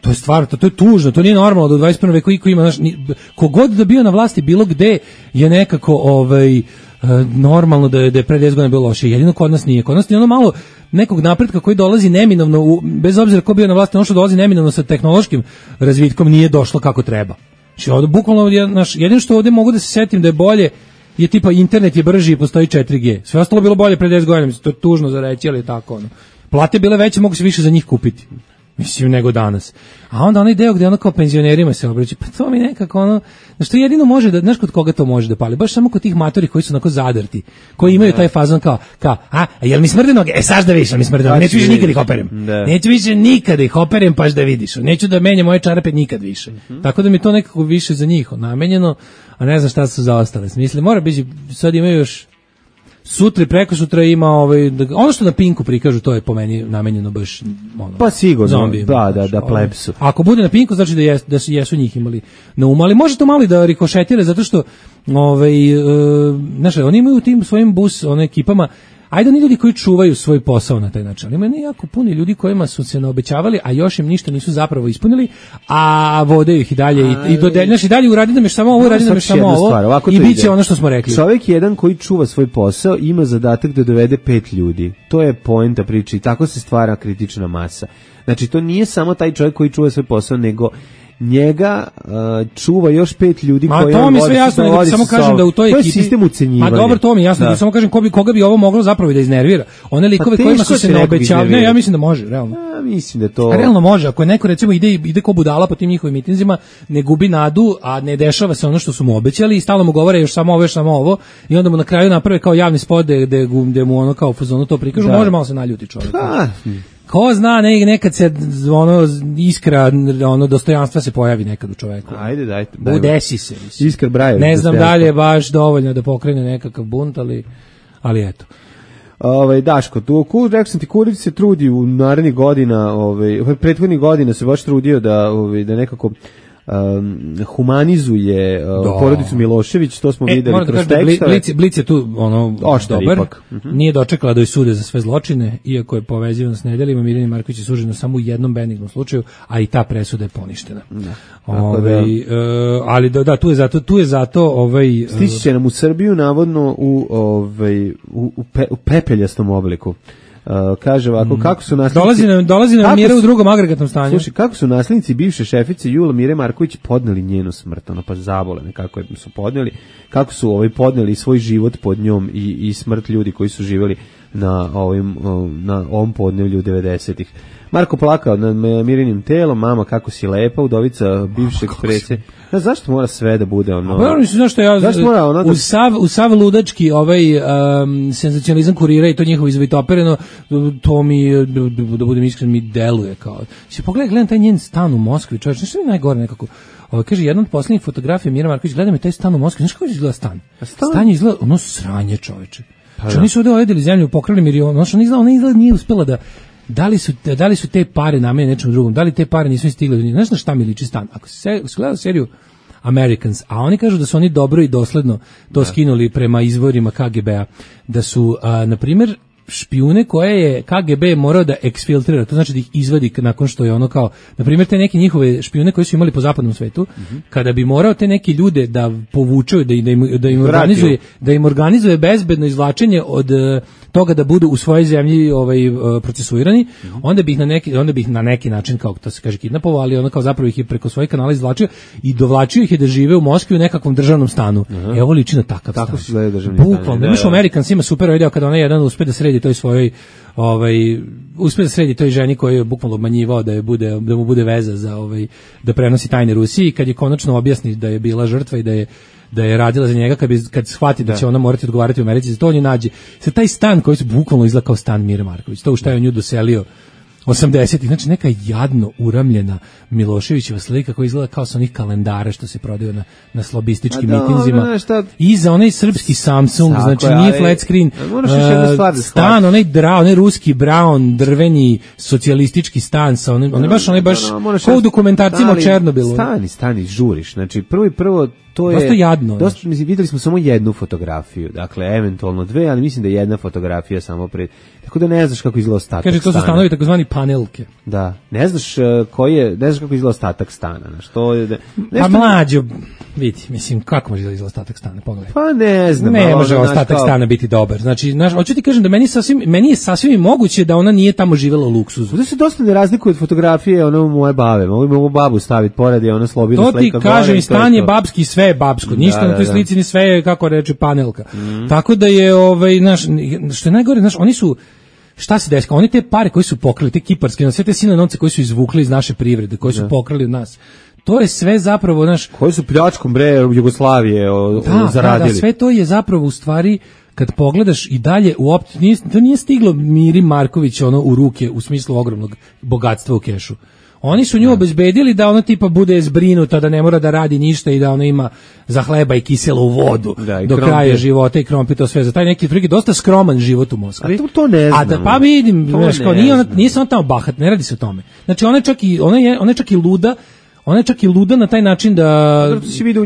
To je stvarno, to, to je tužno, to nije normalno da u dvadeset prvom veku iko ima, znaš, kogod da bio na vlasti bilo gde je nekako ovaj normalno da je, da je pre deset godina bilo loše. Jedino kod nas nije. Kod nas nije ono malo nekog napretka koji dolazi neminovno, u, bez obzira ko bio na vlasti, ono što dolazi neminovno sa tehnološkim razvitkom nije došlo kako treba. Znači, ovdje, bukvalno, naš, jedino što ovdje mogu da se setim da je bolje je tipa internet je brži i postoji četiri G. Sve ostalo bilo bolje pre deset godina. Mislim, to je tužno za reći, ali je tako. Ono. Plate bile veće, mogu se više za njih kupiti. Mislim, nego danas. A onda onaj deo gde ono kao penzionerima se obraća, pa to mi nekako ono, znaš, to jedino može da, znaš kod koga to može da pali, baš samo kod tih matori koji su onako zadrti, koji imaju taj fazon kao, kao, a, a jel mi smrde noge? E, saš da vidiš, mi smrde noge, neću više nikad ih operem. Da. Neću više nikad ih operem, paš da vidiš. Neću da menjam moje čarape nikad više. Mm-hmm. Tako da mi to nekako više za njih namenjeno, a ne znam šta su za ostale. Mislim, mora biti, sad imaju još sutra i preko sutra ima ovaj, ono što na Pinku prikažu, to je po meni namenjeno baš ono, pa sigurno, zombijima, da, da, znaš, da, plebsu. Ako bude na Pinku, znači da, jes, da su jesu njih imali na umu, ali može to malo i da rikošetire, zato što ovaj, uh, znaš, oni imaju u tim svojim bus, one ekipama, ajde oni ljudi koji čuvaju svoj posao na taj način, ali ima jako puno ljudi kojima su se naobećavali, a još im ništa nisu zapravo ispunili, a vode ih i dalje i, i dodeljaš i dalje uradi nam još samo ovo, uradi nam još samo ovo i bit će ono što smo rekli. Čovjek jedan koji čuva svoj posao ima zadatak da dovede pet ljudi. To je poenta priče i tako se stvara kritična masa. Znači to nije samo taj čovjek koji čuva svoj posao, nego njega uh, čuva još pet ljudi ma, koji to mi sve jasno, nego samo kažem da u toj ekipi to je sistem ucenjivanja. Ma dobro, to mi jasno, da samo kažem ko bi, koga bi ovo moglo zapravo da iznervira. One likove pa kojima su se naobećavali, ne, ja mislim da može, realno. Ja mislim da to. A realno može, ako je neko recimo ide ide ko budala po tim njihovim mitinzima, ne gubi nadu, a ne dešava se ono što su mu obećali i stalno mu govore još samo ovo, još samo ovo i onda mu na kraju naprave kao javni spot gde gde mu ono kao u fazonu to prikažu, da. Može malo se naljuti čovjek. Pa. Ko zna, ne, nekad se ono iskra, ono dostojanstva se pojavi nekad u čoveku. Ajde, dajte. Udesi se. Mislim. Iskra Brajević. Ne znam da li je baš dovoljno da pokrene nekakav bunt, ali, ali eto. Ovaj Daško, tu rekao sam ti, Kurić se trudi u narednih godina, ovaj prethodnih godina se baš trudio da ovaj da nekako Um, humanizuje uh, porodicu Milošević, to smo e, videli kroz da tekstove. Blic, Blic je tu ono oštar dobar, ipak. Uh-huh. Nije dočekala da joj sude za sve zločine, iako je povezivan s nedeljima. Mirjana Marković je suđena samo u jednom benignom slučaju, a i ta presuda je poništena. Da. Ove, uh, ali da, da, tu je zato, tu je zato ovaj, stići će nam u Srbiju navodno u, ovaj, u, u, pe, u pepeljastom obliku. Uh, kaže ovako, kako su naslednici... Dolazi nam, dolazi nam Mira u drugom agregatnom stanju. Slušaj, kako su naslednici bivše šefice Jule Mire Marković podneli njenu smrt, ono pa zabolene, kako je su podneli, kako su ovaj podneli svoj život pod njom i, i smrt ljudi koji su živjeli na ovim, na ovom podnevlju devedesetih. Marko plakao nad Mirinim telom, mama kako si lepa, udovica bivšeg predsje. Da, zašto mora sve da bude ono? Pa mislim zašto ja mora, ono da... u sav u sav ludački ovaj um, senzacionalizam kurira i to njihovo izvitopereno, to mi da, da budem iskren mi deluje kao. Se pogledaj, gledam taj njen stan u Moskvi, čovjek, što je najgore nekako. Ovaj kaže jedan od poslednjih fotografija Mira Marković, gleda me taj stan u Moskvi, znaš kako izgleda stan? Stan, stan je izgleda ono sranje, čoveče. Pa što nisu ovde ojedili zemlju, pokrali milion, ono što ne izgleda, ona izgleda nije uspela da Da li, su, da li su te pare namenjene nečemu drugom, da li te pare nisu stigle, znaš na šta mi liči stan, ako se gleda seriju Americans, a oni kažu da su oni dobro i dosledno to da. Skinuli prema izvorima K G B-a, da su, a, na primjer, špijune koje je K G B morao da eksfiltrira, to znači da ih izvadi nakon što je ono kao, na primjer te neke njihove špijune koje su imali po zapadnom svetu, mm-hmm. kada bi morao te neke ljude da povučaju, da, da, im, da, im organizuje, da im organizuje bezbedno izvlačenje od toga da budu u svojoj zemlji ovaj procesuirani, mm-hmm. onda bi ih na neki onda bi ih na neki način, kao to se kaže, kidnapovao, ali ono kao zapravo ih je preko svojih kanala izvlačio i dovlačio ih je da žive u Moskvi u nekakvom državnom stanu. Mm-hmm. Evo liči na takav Tako stan. Tako se gleda državni stan. Bukvalno, imaš u Americans ima super video kada ona jedan uspe da sredi sredi toj svojoj ovaj uspeo da sredi toj ženi koju je bukvalno obmanjivao da je bude da mu bude veza za ovaj da prenosi tajne Rusiji, kad je konačno objasni da je bila žrtva i da je da je radila za njega, kad bi kad shvati da, da će ona morati odgovarati u Americi, za to on je nađe. Se taj stan koji se bukvalno izgleda kao stan Mire Marković, to u šta je on nju doselio osamdesetih, znači neka jadno uramljena Miloševićeva slika koja izgleda kao sa onih kalendara što se prodaju na, na slobističkim da, mitinzima. I za onaj srpski Samsung, Sako, znači nije flat screen, uh, stan, onaj, dra, onaj ruski brown, drveni, socijalistički stan, sa onim, onaj baš, onaj baš, no, no, kao u dokumentarcima o Černobilu. Stani, stani, žuriš, znači prvo i prvo to je dosta jadno. Dosta, mislim, videli smo samo jednu fotografiju, dakle, eventualno dve, ali mislim da je jedna fotografija samo pred. Tako da ne znaš kako izgleda ostatak Kaže, to su stanovi takozvani panelke. Da, ne znaš uh, koji je, ne znaš kako izgleda ostatak stana, znaš, to je... Pa mlađo, vidi, mislim, kako može izgleda ostatak stana, pogledaj. Pa ne znam. Ne može ostatak kao... stana biti dobar, znači, znaš, hoću ti kažem da meni, sasvim, meni je sasvim moguće da ona nije tamo živela u luksuzu. Ovdje se dosta ne razlikuje od fotografije, ono moje babe, mogu mogu babu staviti pored i ona slobina slika. To ti kažem, stan je babski, sve je babsko, ništa da, na toj slici ni sve je, kako reče, panelka. Mm. Tako da je, ovaj, znaš, što je najgore, znaš, oni su, šta se desilo? Oni te pare koji su pokrali, te kiparske, sve te silne novce koji su izvukli iz naše privrede, koji su da. pokrali od nas. To je sve zapravo, znaš, koji su pljačkom bre Jugoslavije o, da, zaradili. Da, da, sve to je zapravo u stvari kad pogledaš i dalje uopšte nije, to nije stiglo Miri Marković ono u ruke u smislu ogromnog bogatstva u kešu. Oni su nju obezbedili da ona tipa bude zbrinuta, da ne mora da radi ništa i da ona ima za hleba i kiselu vodu da, do krompir. Kraja života i krompir, to sve za taj neki triki dosta skroman život u Moskvi. A to, to ne znam. A da pa vidim, znaš, kao nije ona, nije samo tamo bahat, ne radi se o tome. Znači ona je čak i ona je ona je čak i luda. Ona je čak i luda na taj način da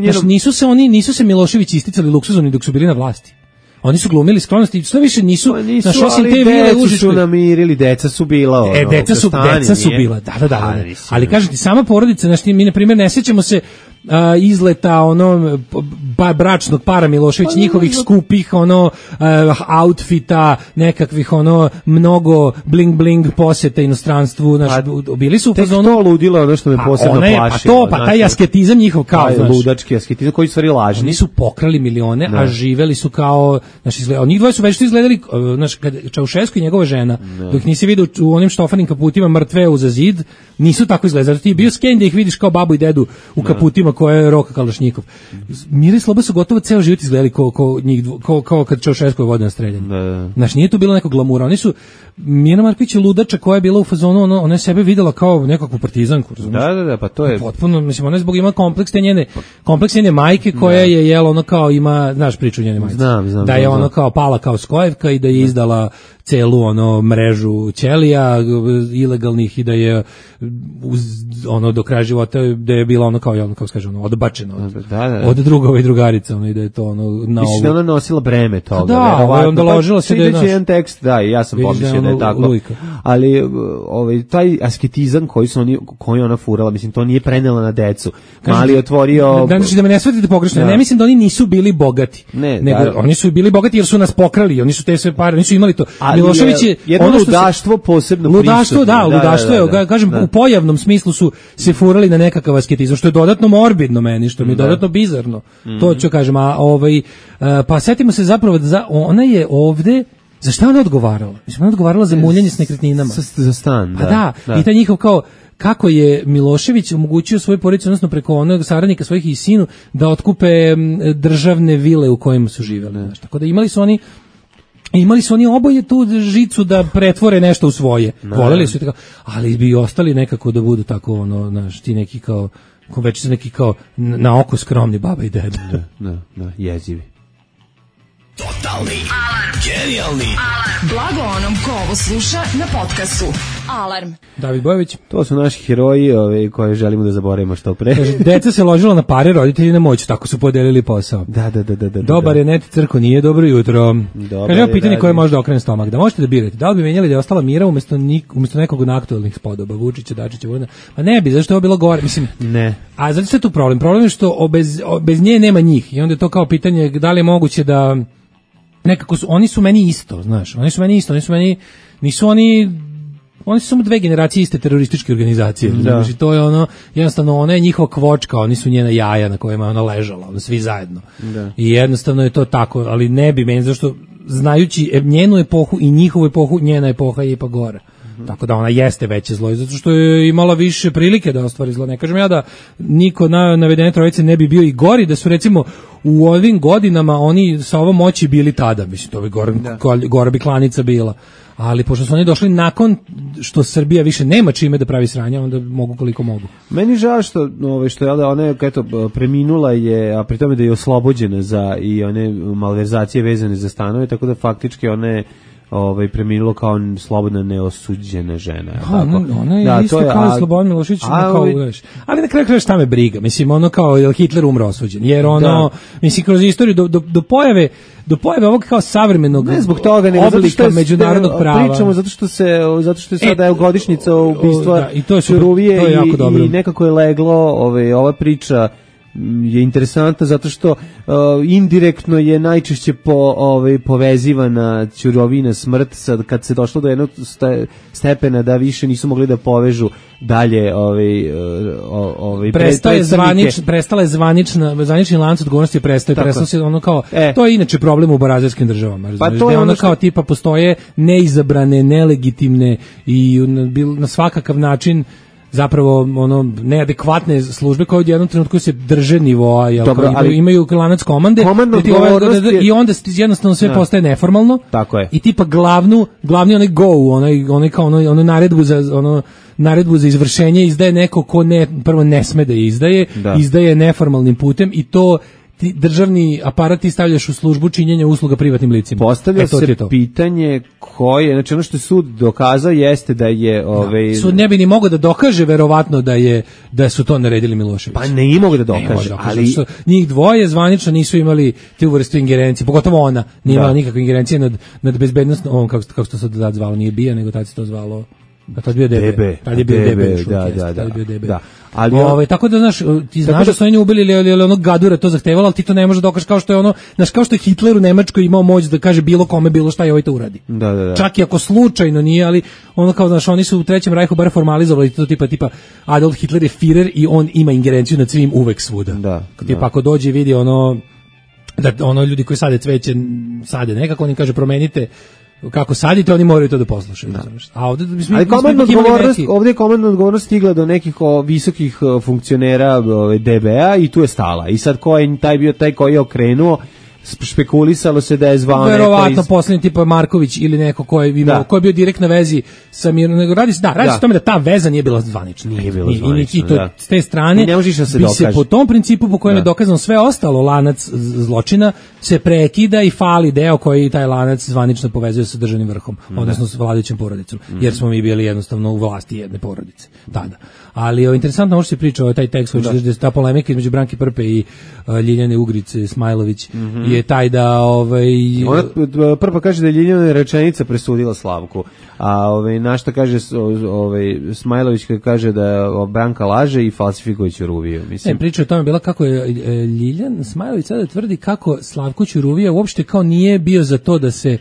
znači, nisu se oni nisu se Milošević isticali luksuzom ni dok su bili na vlasti. Oni su glumili skromnosti, što više nisu, pa nisu naš osim te vile užiške. Su namirili, deca su bila. Ono, e, deca su, stani, deca su bila, da, da, da. da. Ali kažem ti, sama porodica, znaš, mi na primjer ne sjećamo se uh, izleta ono ba, bračnog para Milošević, pa, njihovih no, skupih ono uh, outfita, nekakvih ono mnogo bling bling poseta inostranstvu, znaš, pa, bili su u fazonu. Tek to ludilo, ono što me posebno je, plašilo. Pa to, pa taj asketizam njihov kao, znaš. Ludački asketizam koji su stvari lažni. Oni su pokrali milione, no. a živeli su kao, znaš, izgleda, njih dvoje su već izgledali, znaš, kad Čaušesku i njegova žena, no. dok nisi vidio u onim štofanim kaputima mrtve uza zid, nisu tako izgledali. Zato ti je bio sken da ih vidiš kao babu i dedu u kaputima koje je Roka Kalašnjikov. Mira i Sloba su gotovo ceo život izgledali kao, kao, njih, kao, kao kad Čaušesku je vodio na streljanje. No. Znaš, nije to bilo neko glamura. Oni su, Mira Marković je ludača koja je bila u fazonu, ono, ona je sebe videla kao nekakvu partizanku. Razumiješ? Da, da, da, pa to je... Potpuno, mislim, ona je zbog ima kompleks te njene, kompleks njene majke koja no. je, jel, ono kao ima, znaš priču njene majke. Znam, znam. Da je ono kao pala kao skojevka i da je izdala celu ono mrežu ćelija ilegalnih i da je uz, ono do kraja života da je bila ono kao ono kako kaže ono odbačeno od, da, da, da. od drugova i drugarica ono i da je to ono na ovo. Da ona nosila breme toga. Da, verovatno. Onda ložila se da je naš jedan tekst, da, i ja sam pomislio da je tako. Lujka. Ali ovaj taj asketizam koji su oni koji ona furala, mislim to nije prenela na decu. Mali otvorio. Da, znači da me ne shvatite pogrešno. Da. Ne mislim da oni nisu bili bogati. Ne, nego da. Oni su bili bogati jer su nas pokrali, oni su te sve pare, nisu imali to. Ali Milošević je jedno ludaštvo se, posebno ludaštvo, da, ludaštvo je, da, da, da, kažem, da. U pojavnom smislu su se furali na nekakav asketizam, što je dodatno morbidno meni, što mi je da. dodatno bizarno. Mm-hmm. To ću kažem, a ovaj, pa setimo se zapravo da ona je ovde, za šta ona odgovarala? Mislim, ona odgovarala za muljanje s nekretninama. Za, za stan, da. Pa da, da. I taj njihov kao, kako je Milošević omogućio svoj porodici, odnosno preko onog saradnika svojih i sinu, da otkupe državne vile u kojima su živjeli. Znači, tako da imali su oni imali su oni oboje tu žicu da pretvore nešto u svoje. No. Voleli su tako, ali bi ostali nekako da budu tako ono, znaš, ti neki kao, ko već su neki kao na oko skromni baba i deda. Da, da, da, jezivi. Totalni alarm. Genijalni alarm. Blago onom ko ovo sluša na podcastu. Alarm. David Bojović. To su naši heroji, ove, koje želimo da zaboravimo što pre. Kaže, deca se ložila na pare, roditelji na moć, tako su podelili posao. Da, da, da, da, da. Dobar da. je net crko, nije dobro jutro. Kaže, evo pitanje koje može da okrene stomak. Da možete da birate, da li bi menjali da je ostala Mira umjesto, nik, umjesto nekog od aktualnih spodoba, Vučića, Dačića, Vulina? Pa ne bi, zašto je ovo bilo gore, mislim. Ne. A zato je tu problem. Problem je što obez, bez nje nema njih. I onda je to kao pitanje da li je moguće da nekako su, oni su meni isto, znaš, oni su meni isto, oni su meni, nisu oni, oni su samo dve generacije iste terorističke organizacije, da. Znači, to je ono, jednostavno, ona je njihova kvočka, oni su njena jaja na kojima je ona ležala, ono, svi zajedno. Da. I jednostavno je to tako, ali ne bi meni, zašto, znajući e, njenu epohu i njihovu epohu, njena epoha je ipak gora. Tako da ona jeste veće zlo, zato što je imala više prilike da ostvari zlo. Ne kažem ja da niko na navedene trojice ne bi bio i gori, da su recimo u ovim godinama oni sa ovom moći bili tada, mislim, to bi gora, gora bi klanica bila. Ali pošto su oni došli nakon što Srbija više nema čime da pravi sranja, onda mogu koliko mogu. Meni žao što, ove, što je da ona eto, preminula je, a pri tome da je oslobođena za i one malverzacije vezane za stanove, tako da faktički ona je ovaj preminulo kao slobodna neosuđena žena. A, tako. Ona, ona je da, isto je, kao a, Slobodan Milošević, a, kao, uveš. Ali na kraju kraja šta me briga, mislim, ono kao je Hitler umro osuđen, jer ono, da. mislim, kroz istoriju do, do, do pojave do pojave ovog kao savremenog ne zbog toga, nego zato što je, međunarodnog prava. Pričamo zato što se zato što je sada e, godišnjica ubistva da, i to je Ćuruvije to je jako dobro. I nekako je leglo, ovaj ova priča je interesantna zato što uh, indirektno je najčešće po ovaj povezivana Ćurovina smrt, sad kad se došlo do jednog stepena da više nisu mogli da povežu dalje ovaj ovaj prestaje zvanič prestala je zvanična zvanični lanac odgovornosti prestaje prestalo se ono kao e. to je inače problem u barazerskim državama, pa to je ono što... kao tipa postoje neizabrane, nelegitimne i na, na svakakav način zapravo ono neadekvatne službe koje u jednom trenutku se drže nivoa, jel, Dobro, imaju, imaju lanac komande ti ovaj, je... i onda jednostavno sve ja. postaje neformalno. Tako je. I tipa glavnu glavni onaj go, onaj onaj kao ono, ono naredbu za ono naredbu za izvršenje izdaje neko ko ne prvo ne sme da je izdaje, da. izdaje neformalnim putem i to ti državni aparat ti stavljaš u službu činjenja usluga privatnim licima. Postavlja e, se pitanje koje, znači ono što je sud dokazao jeste da je ovaj sud ne bi ni mogao da dokaže verovatno da je da su to naredili Milošević. Pa ne i mogu da dokaže, ali što njih dvoje zvanično nisu imali tu vrstu ingerencije, pogotovo ona nije imala nikakve ingerencije nad nad bezbednosnom, on kako kako se to tad zvalo, nije bija, nego tad se to zvalo a tad bio D B, tad je bio D B, da, da, da, bio da. Ali ovaj tako da znaš, ti znaš da su oni ubili ili ili onog Gadura to zahtevalo, al ti to ne možeš dokažeš kao što je ono, znaš kao što je Hitler u Nemačkoj imao moć da kaže bilo kome bilo šta i ovaj to uradi. Da, da, da. Čak i ako slučajno nije, ali ono kao znaš, oni su u Trećem rajhu bar formalizovali to tipa tipa Adolf Hitler je Führer i on ima ingerenciju nad svim uvek svuda. Da. Tipa ako dođe i vidi ono da ono ljudi koji sade cveće sade nekako oni kaže promenite kako sadite, oni moraju to da poslušaju. Da. A ovde mi smo Ali komandna odgovornost, neki... ovdje je komandna odgovornost stigla do nekih o, visokih o, funkcionera D B A i tu je stala. I sad ko je taj bio taj koji je okrenuo, špekulisalo se da je zvao neko verovatno iz... posljednji tipa Marković ili neko ko je imao, ko je bio direkt na vezi sa Mirom, nego radi se da, radi se o tome da ta veza nije bila zvanična. Nije bila zvanična, I, i to da. S te strane ne možeš da se bi dokaže. se po tom principu po kojem da. je dokazano sve ostalo lanac zločina se prekida i fali deo koji taj lanac zvanično povezuje sa državnim vrhom, da. odnosno sa vladajućom porodicom, mm. jer smo mi bili jednostavno u vlasti jedne porodice tada. Ali je interesantno ovo što se priča o taj tekst, da. ta polemika između Branke Prpe i uh, Ljiljane Ugrice Smajlović mm -hmm. je taj da ovaj ona Prpa kaže da je Ljiljana rečenica presudila Slavku, a ovaj na šta kaže ovaj Smajlović kaže da Branka laže i falsifikuje Ćuruviju. Mislim ne, priča o tome bila kako je Ljiljan Smajlović sada tvrdi kako Slavko Ćuruvija uopšte kao nije bio za to da se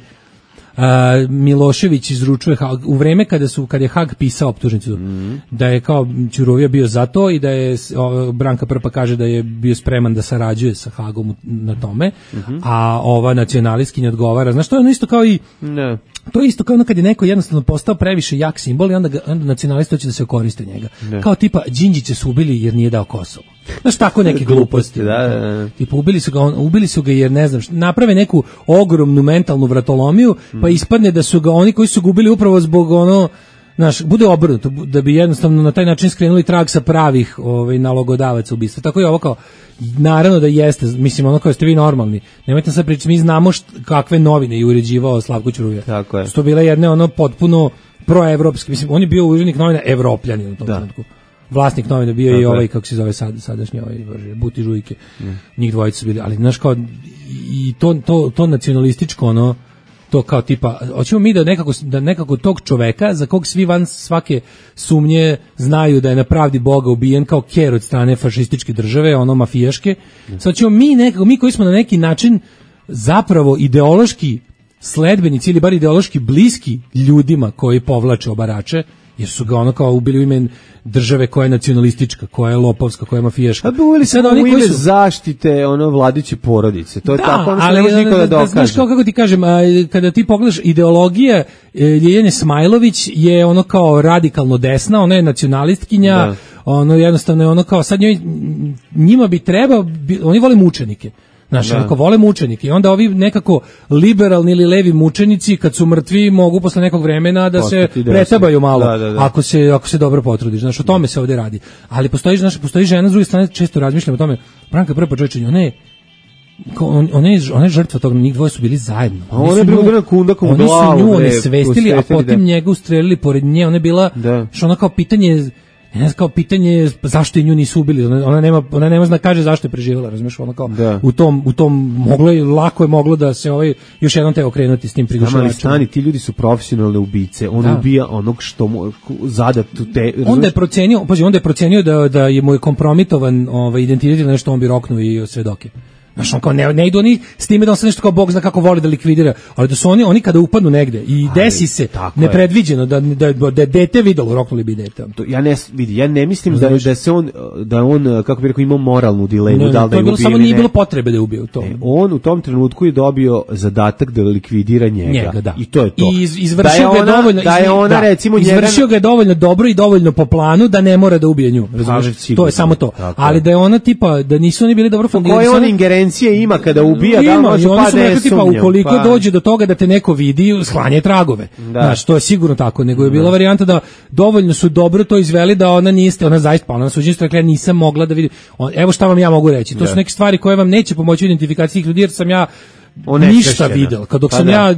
Uh, Milošević izručuje u vreme kada su kad je Hag pisao optužnicu mm. da je kao Ćuruvija bio za to i da je o, Branka Prpa kaže da je bio spreman da sarađuje sa Hagom na tome, mm-hmm. a ova nacionalistkinja odgovara, znaš, to je ono isto kao i ne. To je isto kao ono kad je neko jednostavno postao previše jak simbol i onda, ga, onda nacionalisti hoće da se koriste njega. Ne. Kao tipa Đinđiće su ubili jer nije dao Kosovo. Znaš, tako neke gluposti. Da, da, da. Tipa ubili su ga, on, ubili su ga jer ne znam, naprave neku ogromnu mentalnu vratolomiju, mm. pa ispadne da su ga oni koji su ga ubili upravo zbog ono, znaš, bude obrnuto, da bi jednostavno na taj način skrenuli trag sa pravih ovaj, nalogodavaca ubistva. Tako je ovo kao, naravno da jeste, mislim, ono kao ste vi normalni. Nemojte sad pričati, mi znamo št, kakve novine je uređivao Slavko Ćuruvija. Tako je. Su to bile jedne ono potpuno proevropske, mislim, on je bio urednik novina Evropljani u tom trenutku. Vlasnik novina bio tako i ovaj, kako se zove sad, sadašnji ovaj, Buti Žujke. Mm. Njih dvojica su bili, ali znaš kao, i to, to, to nacionalističko, ono, to kao tipa, hoćemo mi da nekako, da nekako tog čoveka, za kog svi van svake sumnje znaju da je na pravdi Boga ubijen kao ker od strane fašističke države, ono mafijaške, mm. sad ćemo mi nekako, mi koji smo na neki način zapravo ideološki sledbenici ili bar ideološki bliski ljudima koji povlače obarače, jer su ga ono kao ubili u ime države koja je nacionalistička, koja je lopovska, koja je mafijaška. A bi uveli sad oni u ime koji su zaštite ono vladiće porodice. To je da, tako, ono se ali, ne može niko da da, dokaže. Znaš kao, kako ti kažem, a, kada ti pogledaš ideologija e, Ljiljane Smajlović je ono kao radikalno desna, ona je nacionalistkinja, da. Ono jednostavno je ono kao, sad njoj, njima bi trebao, bi, oni vole mučenike. Znaš, onako, vole mučenike i onda ovi nekako liberalni ili levi mučenici kad su mrtvi mogu posle nekog vremena da se pretabaju malo, da, da, da. Ako, se, ako se dobro potrudiš, znaš, o tome se ovde radi. Ali postoji, znaš, postoji žena s druge strane, često razmišljam o tome, Branka Prpa Čovječanj, ona je On, one, one žrtva toga, njih dvoje su bili zajedno. A one su nju, kundakom oni glavu, su nju onesvestili, a potim njega ustrelili pored nje. Ona je bila, što ona kao pitanje, ne znam, kao pitanje zašto je nju nisu ubili. Ona, ona nema, ona nema zna kaže zašto je preživjela, razumiješ, ona kao da. u tom, u tom moglo je, lako je moglo da se ovaj još jednom te okrenuti s tim prigušivačem. Stani, ti ljudi su profesionalne ubice. On da. ubija onog što mu zadat te. Onda je procenio, pazi, onda je procenio da da je mu je kompromitovan ovaj identitet ili nešto, on bi roknuo i svedoke. Znaš, on kao ne, ne idu oni s time da on se nešto kao Bog zna kako voli da likvidira, ali da su oni, oni kada upadnu negde i desi ali, se nepredviđeno da, da, da dete videlo, roknuli bi dete. To, ja, ne, vidi, ja ne mislim da, da se on, da on, kako bi rekao, imao moralnu dilemu, ne, da li da je ubio. Samo nije bilo potrebe da je ubio to. Ne, on u tom trenutku je dobio zadatak da likvidira njega. njega da. I to je to. I iz, izvršio ga je dovoljno, da je ona, da, recimo, izvršio njega... ga je dovoljno dobro i dovoljno po planu da ne mora da ubije nju. Razumiješ? To je samo to. Ali da je ona tipa, da nisu oni bili dobro funkcionirali. Koje on ingerencije ima kada ubija, ima, da može pa ne tipa, sumnjam, ukoliko pa. dođe do toga da te neko vidi, sklanje tragove. Da. Znaš, to je sigurno tako, nego je bila da. varijanta da dovoljno su dobro to izveli da ona niste, ona zaista, pa ona na suđenju rekla, ja nisam mogla da vidim. On, evo šta vam ja mogu reći, to da. su neke stvari koje vam neće pomoći u identifikaciji ljudi, jer sam ja ništa videl. Kad dok pa sam da. ja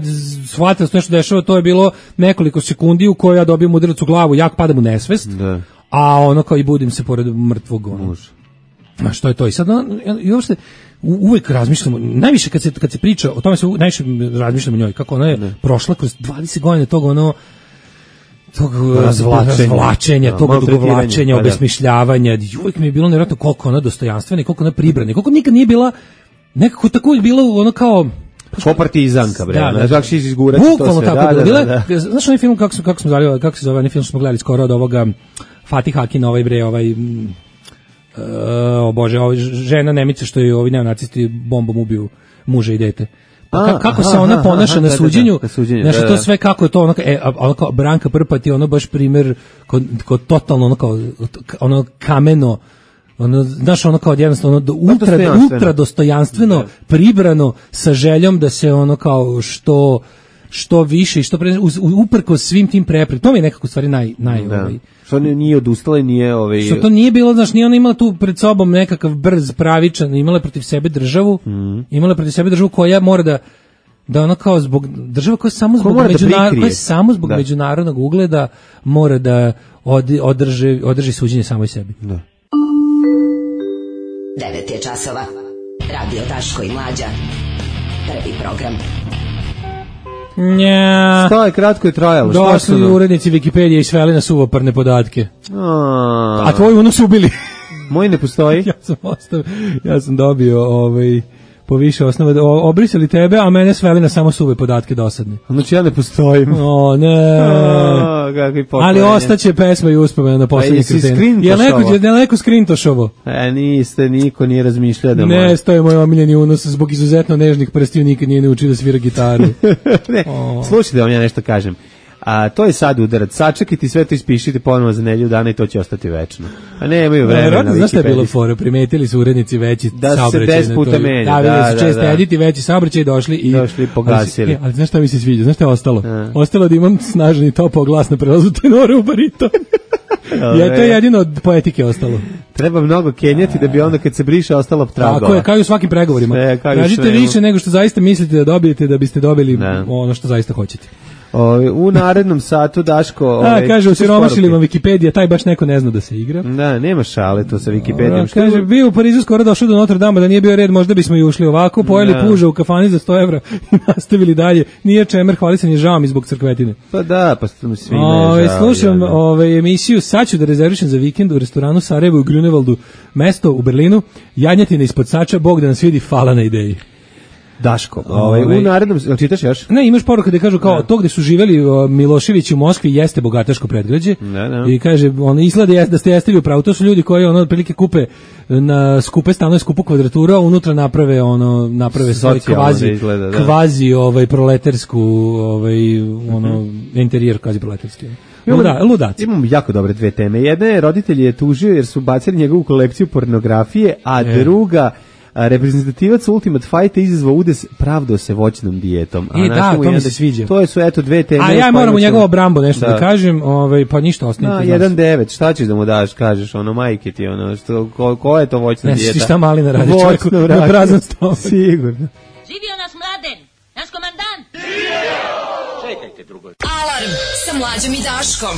shvatio da se nešto dešava, to je bilo nekoliko sekundi u kojoj ja dobijem udarac u glavu, jak padam u nesvest, da. a ono kao i budim se pored mrtvog ono. A što je to? I sad, i uopšte, uvek razmišljamo, najviše kad se, kad se priča, o tome se najviše razmišljamo o njoj, kako ona je ne. prošla kroz dvadeset godina tog ono, tog razvlačenja, razvlačenja tog odugovlačenja, obesmišljavanja, uvek mi je bilo nevjerojatno koliko ona dostojanstvena i koliko ona pribrana, koliko nikad nije bila, nekako tako je bilo ono kao, ko partizanka, bre, da, da, kako će izgurati to sve. Tako da, da, da, da. Znaš onaj film, kako, smo, kako, smo zvali, kako se zove, onaj film što smo gledali skoro od ovoga Fatih Akin, ovaj bre, ovaj... Uh, o Bože, ovo žena Nemica što je ovi neonacisti bombom ubiju muža i dete. Pa ka, kako aha, se ona ponaša aha, na suđenju, da, da, da, znači to sve kako je to, ono, e, ono kao Branka Prpa ti ono baš primjer kod, kod totalno ono kao ono kameno, ono, znaš, ono kao jednostavno do, ultra, ultra dostojanstveno, pribrano sa željom da se ono kao što što više i što pre, uprko svim tim preprekama. To mi je nekako stvari naj naj da. ovaj. Što nije odustala i nije ovaj što to nije bilo, znaš, nije ona imala tu pred sobom nekakav brz, pravičan, imala je protiv sebe državu, mm. imala je protiv sebe državu koja mora da da ona kao zbog država koja samo zbog međunarodnog koja samo zbog da. međunarodnog ugleda mora da od, održi održi suđenje samoj sebi. Da. devet je časova. Radio Daško i Mlađa. Prvi program. Nja. Šta je, kratko je trajalo? Došli urednici Wikipedije i sveli na suvoparne podatke. A, A tvoju onu su ubili. Moj ne postoji. ja sam ostav, ja sam dobio ovaj po više osnova, obrisali tebe, a mene sveli na samo suve podatke dosadne. Znači ja ne postojim. O, ne. O, kakvi ali ostaće pesma i uspomena na poslednji kreten. Je neko, je neko skrintošovo? E, niste, niko nije razmišljao da ne, to je moj omiljeni unos, zbog izuzetno nežnih prstiju nikad nije naučio da svira gitaru. ne, slušajte da vam ja nešto kažem. A to je sad udarac. Sačekajte, sve to ispišite ponovo za nedelju dana i to će ostati večno. A nemaju vremena. Ne, znaš šta je bilo fora? Primetili su urednici veći da saobraćaj. Da se deset puta menja. Da, da, su često da, editi veći saobraćaj došli i... Došli i pogasili. Ali, ali znaš šta mi se sviđa? Znaš šta je ostalo? A. Ostalo da imam snažan i topao glas na prelazu tenore u bariton. Ja, to je jedino od poetike ostalo. Treba mnogo kenjati da bi onda kad se briše ostalo tragova. Tako je, kao i u svakim pregovorima. Tražite više nego što zaista mislite da dobijete da biste dobili ne. ono što zaista hoćete. O, u narednom satu Daško... A, kaže, u siromašilima Wikipedija, taj baš neko ne zna da se igra. Da, nema šale to sa Wikipedijom. O, kaže, bio u Parizu skoro došao do Notre Dame, da nije bio red, možda bismo i ušli ovako, pojeli da. puža u kafani za sto evra i nastavili dalje. Nije čemer, hvalisan je žao mi zbog crkvetine. Pa da, pa svima je žao. Slušam ove, emisiju, sad ću da rezervišem za vikend u restoranu Sarajevo u Grunewaldu, mesto u Berlinu, janjatina ispod sača, Bog da nas vidi, hvala na ideji. Daško, ovaj, u narednom, čitaš još? Ne, imaš poruku gde kažu kao da. To gde su živeli uh, Milošević u Moskvi jeste bogataško predgrađe. Da, da. I kaže, ono izgleda jest, da ste jeste u pravu. To su ljudi koji ono otprilike kupe na skupe stanove, skupu kvadratura, a unutra naprave ono naprave svoj kvazi izgleda, da. kvazi ovaj proletersku ovaj ono mm-hmm. interijer kvazi proleterski. Luda, ludaci. Imamo jako dobre dve teme. Jedna je roditelj je tužio jer su bacili njegovu kolekciju pornografije, a e. druga a, reprezentativac Ultimate Fighta izazvao udes, pravdao se voćnom dijetom. A I da, to mi se sviđa. To su eto dve teme. A ja moram u njegovo Brambo nešto da, da kažem, ovaj pa ništa ostanite. Na jedan devet, šta ćeš da mu daš, kažeš, ono majke ti, ono što ko, ko je to voćna dijeta? Ne, šta Malina radi čovjeku na prazan stomak. Sigurno. Živio nas Mladen, naš komandant. Čekajte drugo. Alarm sa Mlađom i Daškom.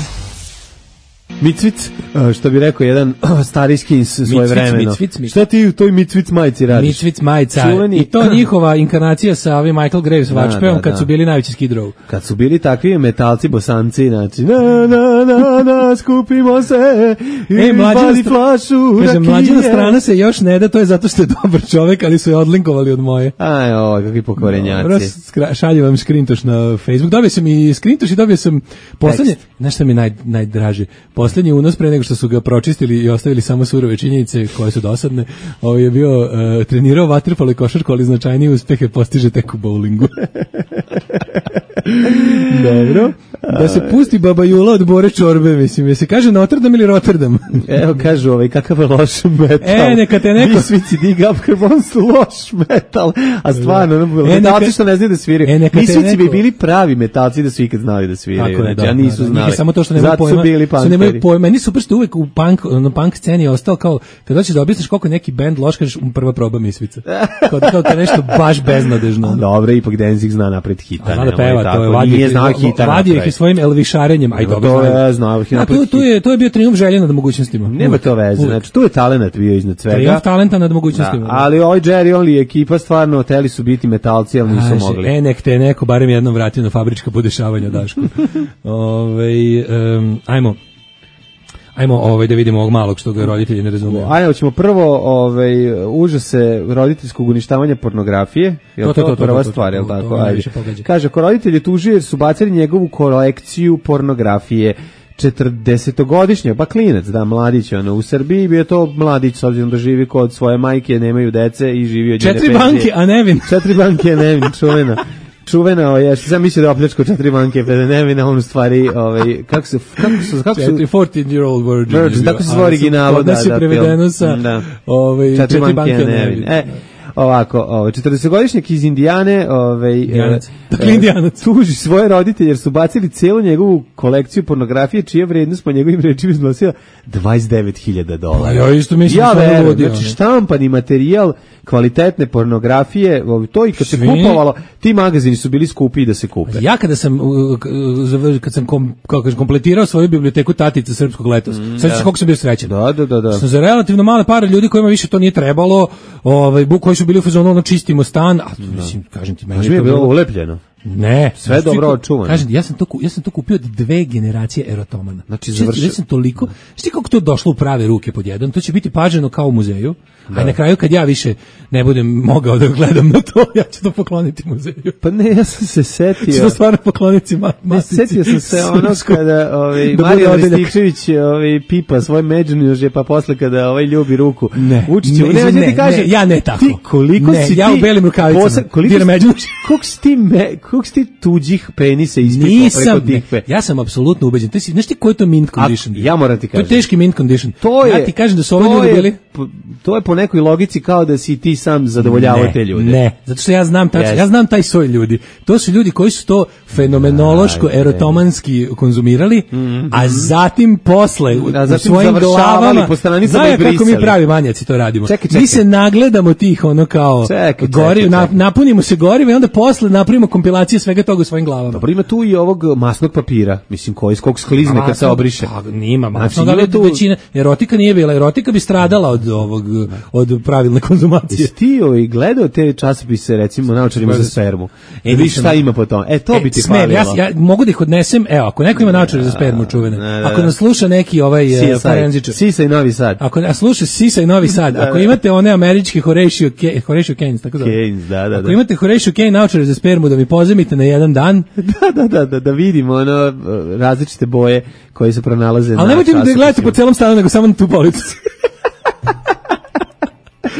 Micvic, što bi rekao jedan starijski iz svoje vremeno. Micvic, Micvic. Šta ti u toj Micvic majici radiš? Micvic majica. Čuveni. I to njihova inkarnacija sa ovim Michael Graves da, Watchpeom da, kad da. su bili najveći Skid Row. Kad su bili takvi metalci, bosanci, znači na na na na skupimo se i e, bali flašu rakije. Mlađina strana se još ne da, to je zato što je dobar čovek, ali su je odlinkovali od moje. Aj, o, kakvi pokvarenjaci. Šaljem vam skrintoš na Facebook. Dobio sam i skrintoš i dobio sam poslednje, znaš šta mi naj, najdraže? Poslednji unos pre nego što su ga pročistili i ostavili samo surove činjenice koje su dosadne, ovo je bio uh, trenirao vaterpolo i košarku, ali značajnije uspehe postiže tek u bowlingu. Dobro. Da se pusti Baba Jula od Bore Čorbe, mislim, je se kaže Notre Dame ili Rotterdam? Evo, kažu ovaj, kakav je loš metal. E, neka te neko... Misvici dig up, on su loš metal. A stvarno, e, metalci neka... što ne znaju da sviraju. E, Misvici neko... bi bili pravi metalci da su ikad znali da sviraju. Tako je, znači, da, a nisu da, znali. Nije samo to što nemaju pojma. Su nemaju pojma. Meni super što uvek u punk, na punk sceni je ostao kao, kad hoćeš da objasniš koliko je neki bend loš, kažeš prva proba Misvica. Kao da kao nešto baš beznadežno. Dobro, ipak Danzig zna napred hita. Zna da peva, to je vadio ih i svojim elvišarenjem, aj dobro znaju. A to, to, je, to je bio trijumf želje nad mogućnostima. Nema to veze, znači tu je talenat bio iznad svega. Trijumf talenta nad mogućnostima. Da, ali ovaj Jerry Only ekipa stvarno hteli su biti metalci, ali nisu Aže, mogli. E, nek te neko barem jednom vratio na fabrička podešavanja, Daško. Ove, um, ajmo. Ajmo ovaj da vidimo ovog malog što ga roditelji ne razumiju. Ajmo, ćemo prvo ovaj užase roditeljskog uništavanja pornografije. Je to, to, to, to prva to, to, stvar, je li tako? Ajde. Kaže, ko roditelji tužio jer su bacili njegovu kolekciju pornografije. četrdesetogodišnjak, pa klinac, da, mladić, ono, u Srbiji bio to mladić, s obzirom da živi kod svoje majke, nemaju dece i živi od njene Četiri banke, a nevin. Četiri banke, a nevin, čuvena. Čuvena, ja što sam mislio da opljačko četiri banke, pa da nevina, on u stvari, ovaj, kako se, kako su, kako su... Četiri, fourteen year old virgin. Virgin, tako se zove originalo, da, da. Kod nas je prevedeno sa, ovaj, četiri banke, a nevin. E, ovako, ovaj četrdesetogodišnjak iz Indijane, ovaj Indijanac, dakle Indijanac, tuži svoje roditelje jer su bacili celu njegovu kolekciju pornografije čija vrednost po njegovim rečima iznosila dvadeset devet hiljada dolara. Pa ja isto mislim ja verujem, znači štampani materijal kvalitetne pornografije, to i kad se kupovalo, ti magazini su bili skupi da se kupe. Ja kada sam kad sam kom, kako kažem, kompletirao svoju biblioteku Tatica srpskog letos, mm, sad da. Kako sam bio srećan. Da, da, da, da. Sam za relativno male pare ljudi kojima više to nije trebalo, ovaj buk koji su bili u fazonu ono čistimo stan, a mislim kažem ti meni je bilo ulepljeno. Ne, sve dobro očuvano. Kažem, ja sam to ja sam to kupio od dve generacije erotomana. Znači završio sam toliko, šti kako to došlo u prave ruke pod jedan, to će biti paženo kao u muzeju. Da. A na kraju kad ja više ne budem mogao da gledam na to, ja ću to pokloniti muzeju. Pa ne, ja sam se setio. Ću to stvarno pokloniti matici. Ne, setio sam se ono kada ovaj, Marijan Rističević ovaj, pipa svoj međunožje, pa posle kada ovaj ljubi ruku Vučiću. Ne, ne, ne, ti kaže, ne, ja ne tako. Ti koliko ne, si ja ti... Ja u belim rukavicama. Posa, koliko si, međunožje. Koliko si ti, me, koliko si ti tuđih penisa ispipao preko tih pe... Ja sam apsolutno ubeđen. Ti si, znaš ti koji je to mint condition? A, ja moram ti kažem. To je teški mint condition. To je, ja ti kažem da su ovi ljudi bili... To je po nekoj logici kao da si ti sam zadovoljavao te ljude. Ne, zato što ja znam tačno, yes. ja znam taj svoj ljudi. To su ljudi koji su to fenomenološko erotomanski konzumirali, mm-hmm. a zatim posle a zatim u svojim glavama po stranicama i brisali. Kako mi pravi manjaci to radimo. Čekaj, čekaj. Mi se nagledamo tih ono kao čekaj, gori, čekaj, na, napunimo se goriva i onda posle napravimo kompilacije svega toga u svojim glavama. Dobro, ima tu i ovog masnog papira, mislim koji skog sklizne kad se obriše. Pa, nima masnog, znači, ali tu... većina erotika nije bila, erotika bi stradala od ovog od pravilne konzumacije. Jesi ti ovaj gledao te časopise, recimo, naočarima za spermu? E, viš šta ima po tom? E, to bi ti falilo. Ja, ja mogu da ih odnesem, evo, ako neko ima naočare za spermu čuvene, ako nas sluša neki ovaj forenzičar. Sisa i Novi Sad. Ako nas sluša Sisa i Novi Sad, ako imate one američke Horatio Horatio Keynes, tako da. Keynes, da, da. Ako imate Horatio Keynes naočare za spermu da mi pozajmite na jedan dan. Da, da, da, da, da vidimo ono različite boje koje se pronalaze. Ali nemojte da gledate po celom stanu, nego samo na tu policu.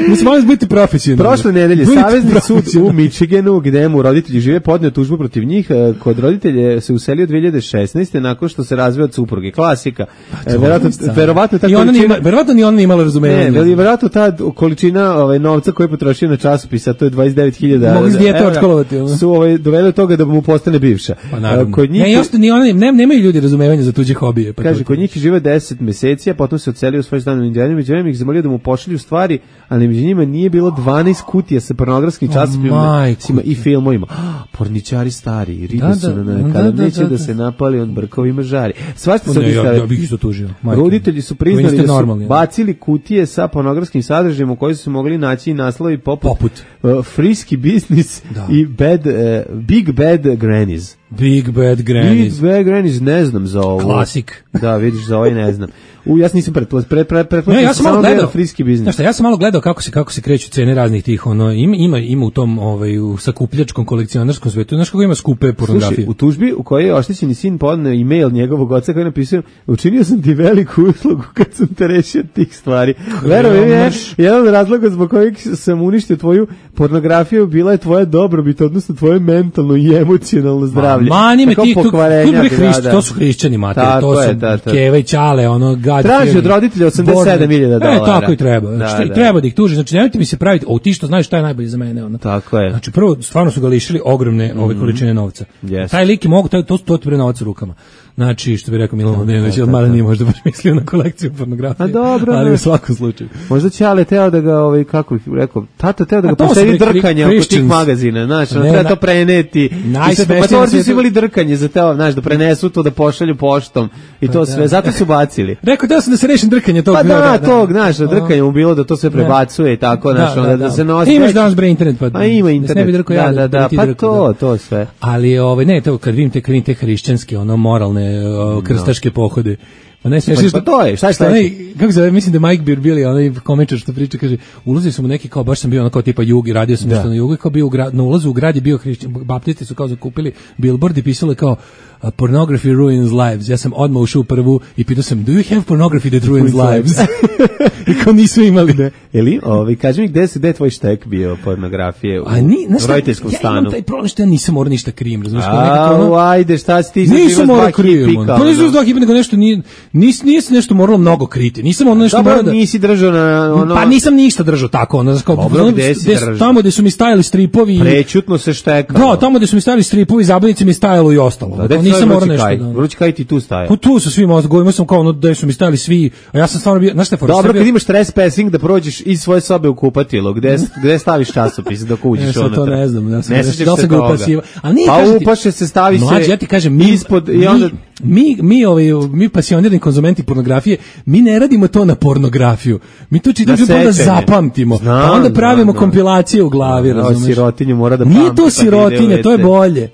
Mislim, molim biti profesionalni. Prošle nedelje Savezni sud u Michiganu, gde mu roditelji žive, podneo tužbu protiv njih. Kod roditelje se uselio dve hiljade šesnaeste nakon što se razveo od supruge. Klasika. E, verovatno, verovatno ta količina... Verovatno ni ona nije imala razumevanja. Ne, verovatno ta količina ovaj, novca koju je potrošio na časopisa, to je dvadeset devet hiljada Mogli s dijete odškolovati. Su ovaj, doveli od toga da mu postane bivša. Pa naravno. Kod njih... Ne, još, ni ona, ne, nemaju ljudi razumevanja za tuđe hobije. Pa kaže, kod njih žive deset meseci, a potom se odselio u svoj stan u Indijanu. Među vremena ih zamolio da mu pošalju stvari, ali među njima nije bilo dvanaest kutija sa pornografskim časopisima i filmovima. Porničari stari, ribe su na kada neće da se napali, on brkovima žari. Svašta se ja, ja bih isto tužio. Roditelji su priznali da su bacili kutije sa pornografskim sadržajima u kojoj su se mogli naći i naslovi poput, poput. Uh, Frisky Business da. i bad, uh, Big Bad Grannies. Big Bad Grannies. Big Bad Grannies, ne znam za ovo. Klasik. Da, vidiš, za ovaj ne znam. U, ja nisam pretpostavio, pre, pre, pre, pre, ne, ja sam malo gledao Frisky Business. Znaš šta, ja sam malo gledao kako se kako se kreću cene raznih tih, ono, ima ima ima u tom ovaj u sakupljačkom kolekcionarskom svetu, znaš kako ima skupe pornografije. Slušaj, u tužbi u kojoj je oštećeni sin podneo email njegovog oca koji je napisao: učinio sam ti veliku uslugu kad sam te rešio tih stvari. Verujem mi, jedan od razloga zbog kojeg sam uništio tvoju pornografiju bila je tvoja dobrobit, odnosno tvoje mentalno i emocionalno zdravlje. Mani me ti tu, to su hrišćani mater, to su Keva i Ćale, ono traži od roditelja osamdeset sedam hiljada dolara. E, tako i treba. Da, što, da. Treba da ih tuži. Znači, nemojte mi se praviti, o ti što znaš šta je najbolje za mene. Ono. Tako je. Znači, prvo, stvarno su ga lišili ogromne ove količine novca. Yes. Taj lik je mogu, to, to, to bre novac u rukama. Znači, što bi rekao Milan Mladenović, od mada nije možda baš mislio na kolekciju pornografije. A dobro, ali u svakom slučaju. Možda će ale teo da ga, ovaj, kako bih rekao, tata teo da ga posedi drkanje oko tih magazina, znaš, ono, treba to preneti. Matorci su imali drkanje za teo, znaš, da prenesu to, da pošalju poštom i to sve, zato su bacili. Rekao da sam da se rešim drkanje tog. Pa da, tog, znaš, drkanje mu bilo da to sve prebacuje i tako, znaš, onda da se nosi. Imaš danas bre internet, pa. A ima internet. Da, da, da, pa to, to sve. Ali ovaj ne, to kad vidim te kad vidim te hrišćanske, ono moralne krstaške pohode. Pa ne smiješ pa to je, šta je šta je? Kako se mislim da Mike Birbili, onaj komičar što priča, kaže, ulazili su mu neki kao, baš sam bio ono kao tipa jug i radio sam nešto na jugu, kao bio u grad, na ulazu u grad je bio hrišćan, baptisti su kao zakupili billboard i pisalo kao pornography ruins lives. Ja sam odmah ušao u prvu i pitao sam, do you have pornography that ruins lives? I kao nisu imali. Ne. Eli, ovi, kaži mi gde se, gde je tvoj štek bio pornografije u roditeljskom stanu? Ja imam taj problem što ja nisam morao ništa krijem, razumiješ? A, ajde, šta si ti za nisam morao krijem, pa nisam za dva hipa, nego nešto nije, nis, nije se nešto moralo mnogo kriti. Nisam ono nešto morao da... nisi držao na ono... Pa nisam ništa držao tako, ono, kao... Dobro, gde si držao? Tamo gde su mi stajali stripovi... Prećutno se štekalo. Da, tamo gde su mi stajali stripovi, zabavnici mi stajalo i ostalo. Nisam morao nešto da... Vruć kaj ti tu staje. Pa tu su svi mozgovi, imao sam kao ono da su mi stajali svi, a ja sam stvarno bio, znaš šta je fora? Dobro, kad imaš trespassing da prođeš iz svoje sobe u kupatilo, gde gde staviš časopis dok uđeš unutra. To ne znam, ja sam ne da sam ga upasiva. Al nije pa upaše se stavi se. Mlađi, ja ti kažem, mi ispod i onda mi mi ovaj mi pasionirani konzumenti pornografije, mi ne radimo to na pornografiju. Mi to čitamo da zapamtimo. Pa onda pravimo kompilacije u glavi, razumeš? Sirotinju mora da pamti. Nije to sirotinja, to je bolje.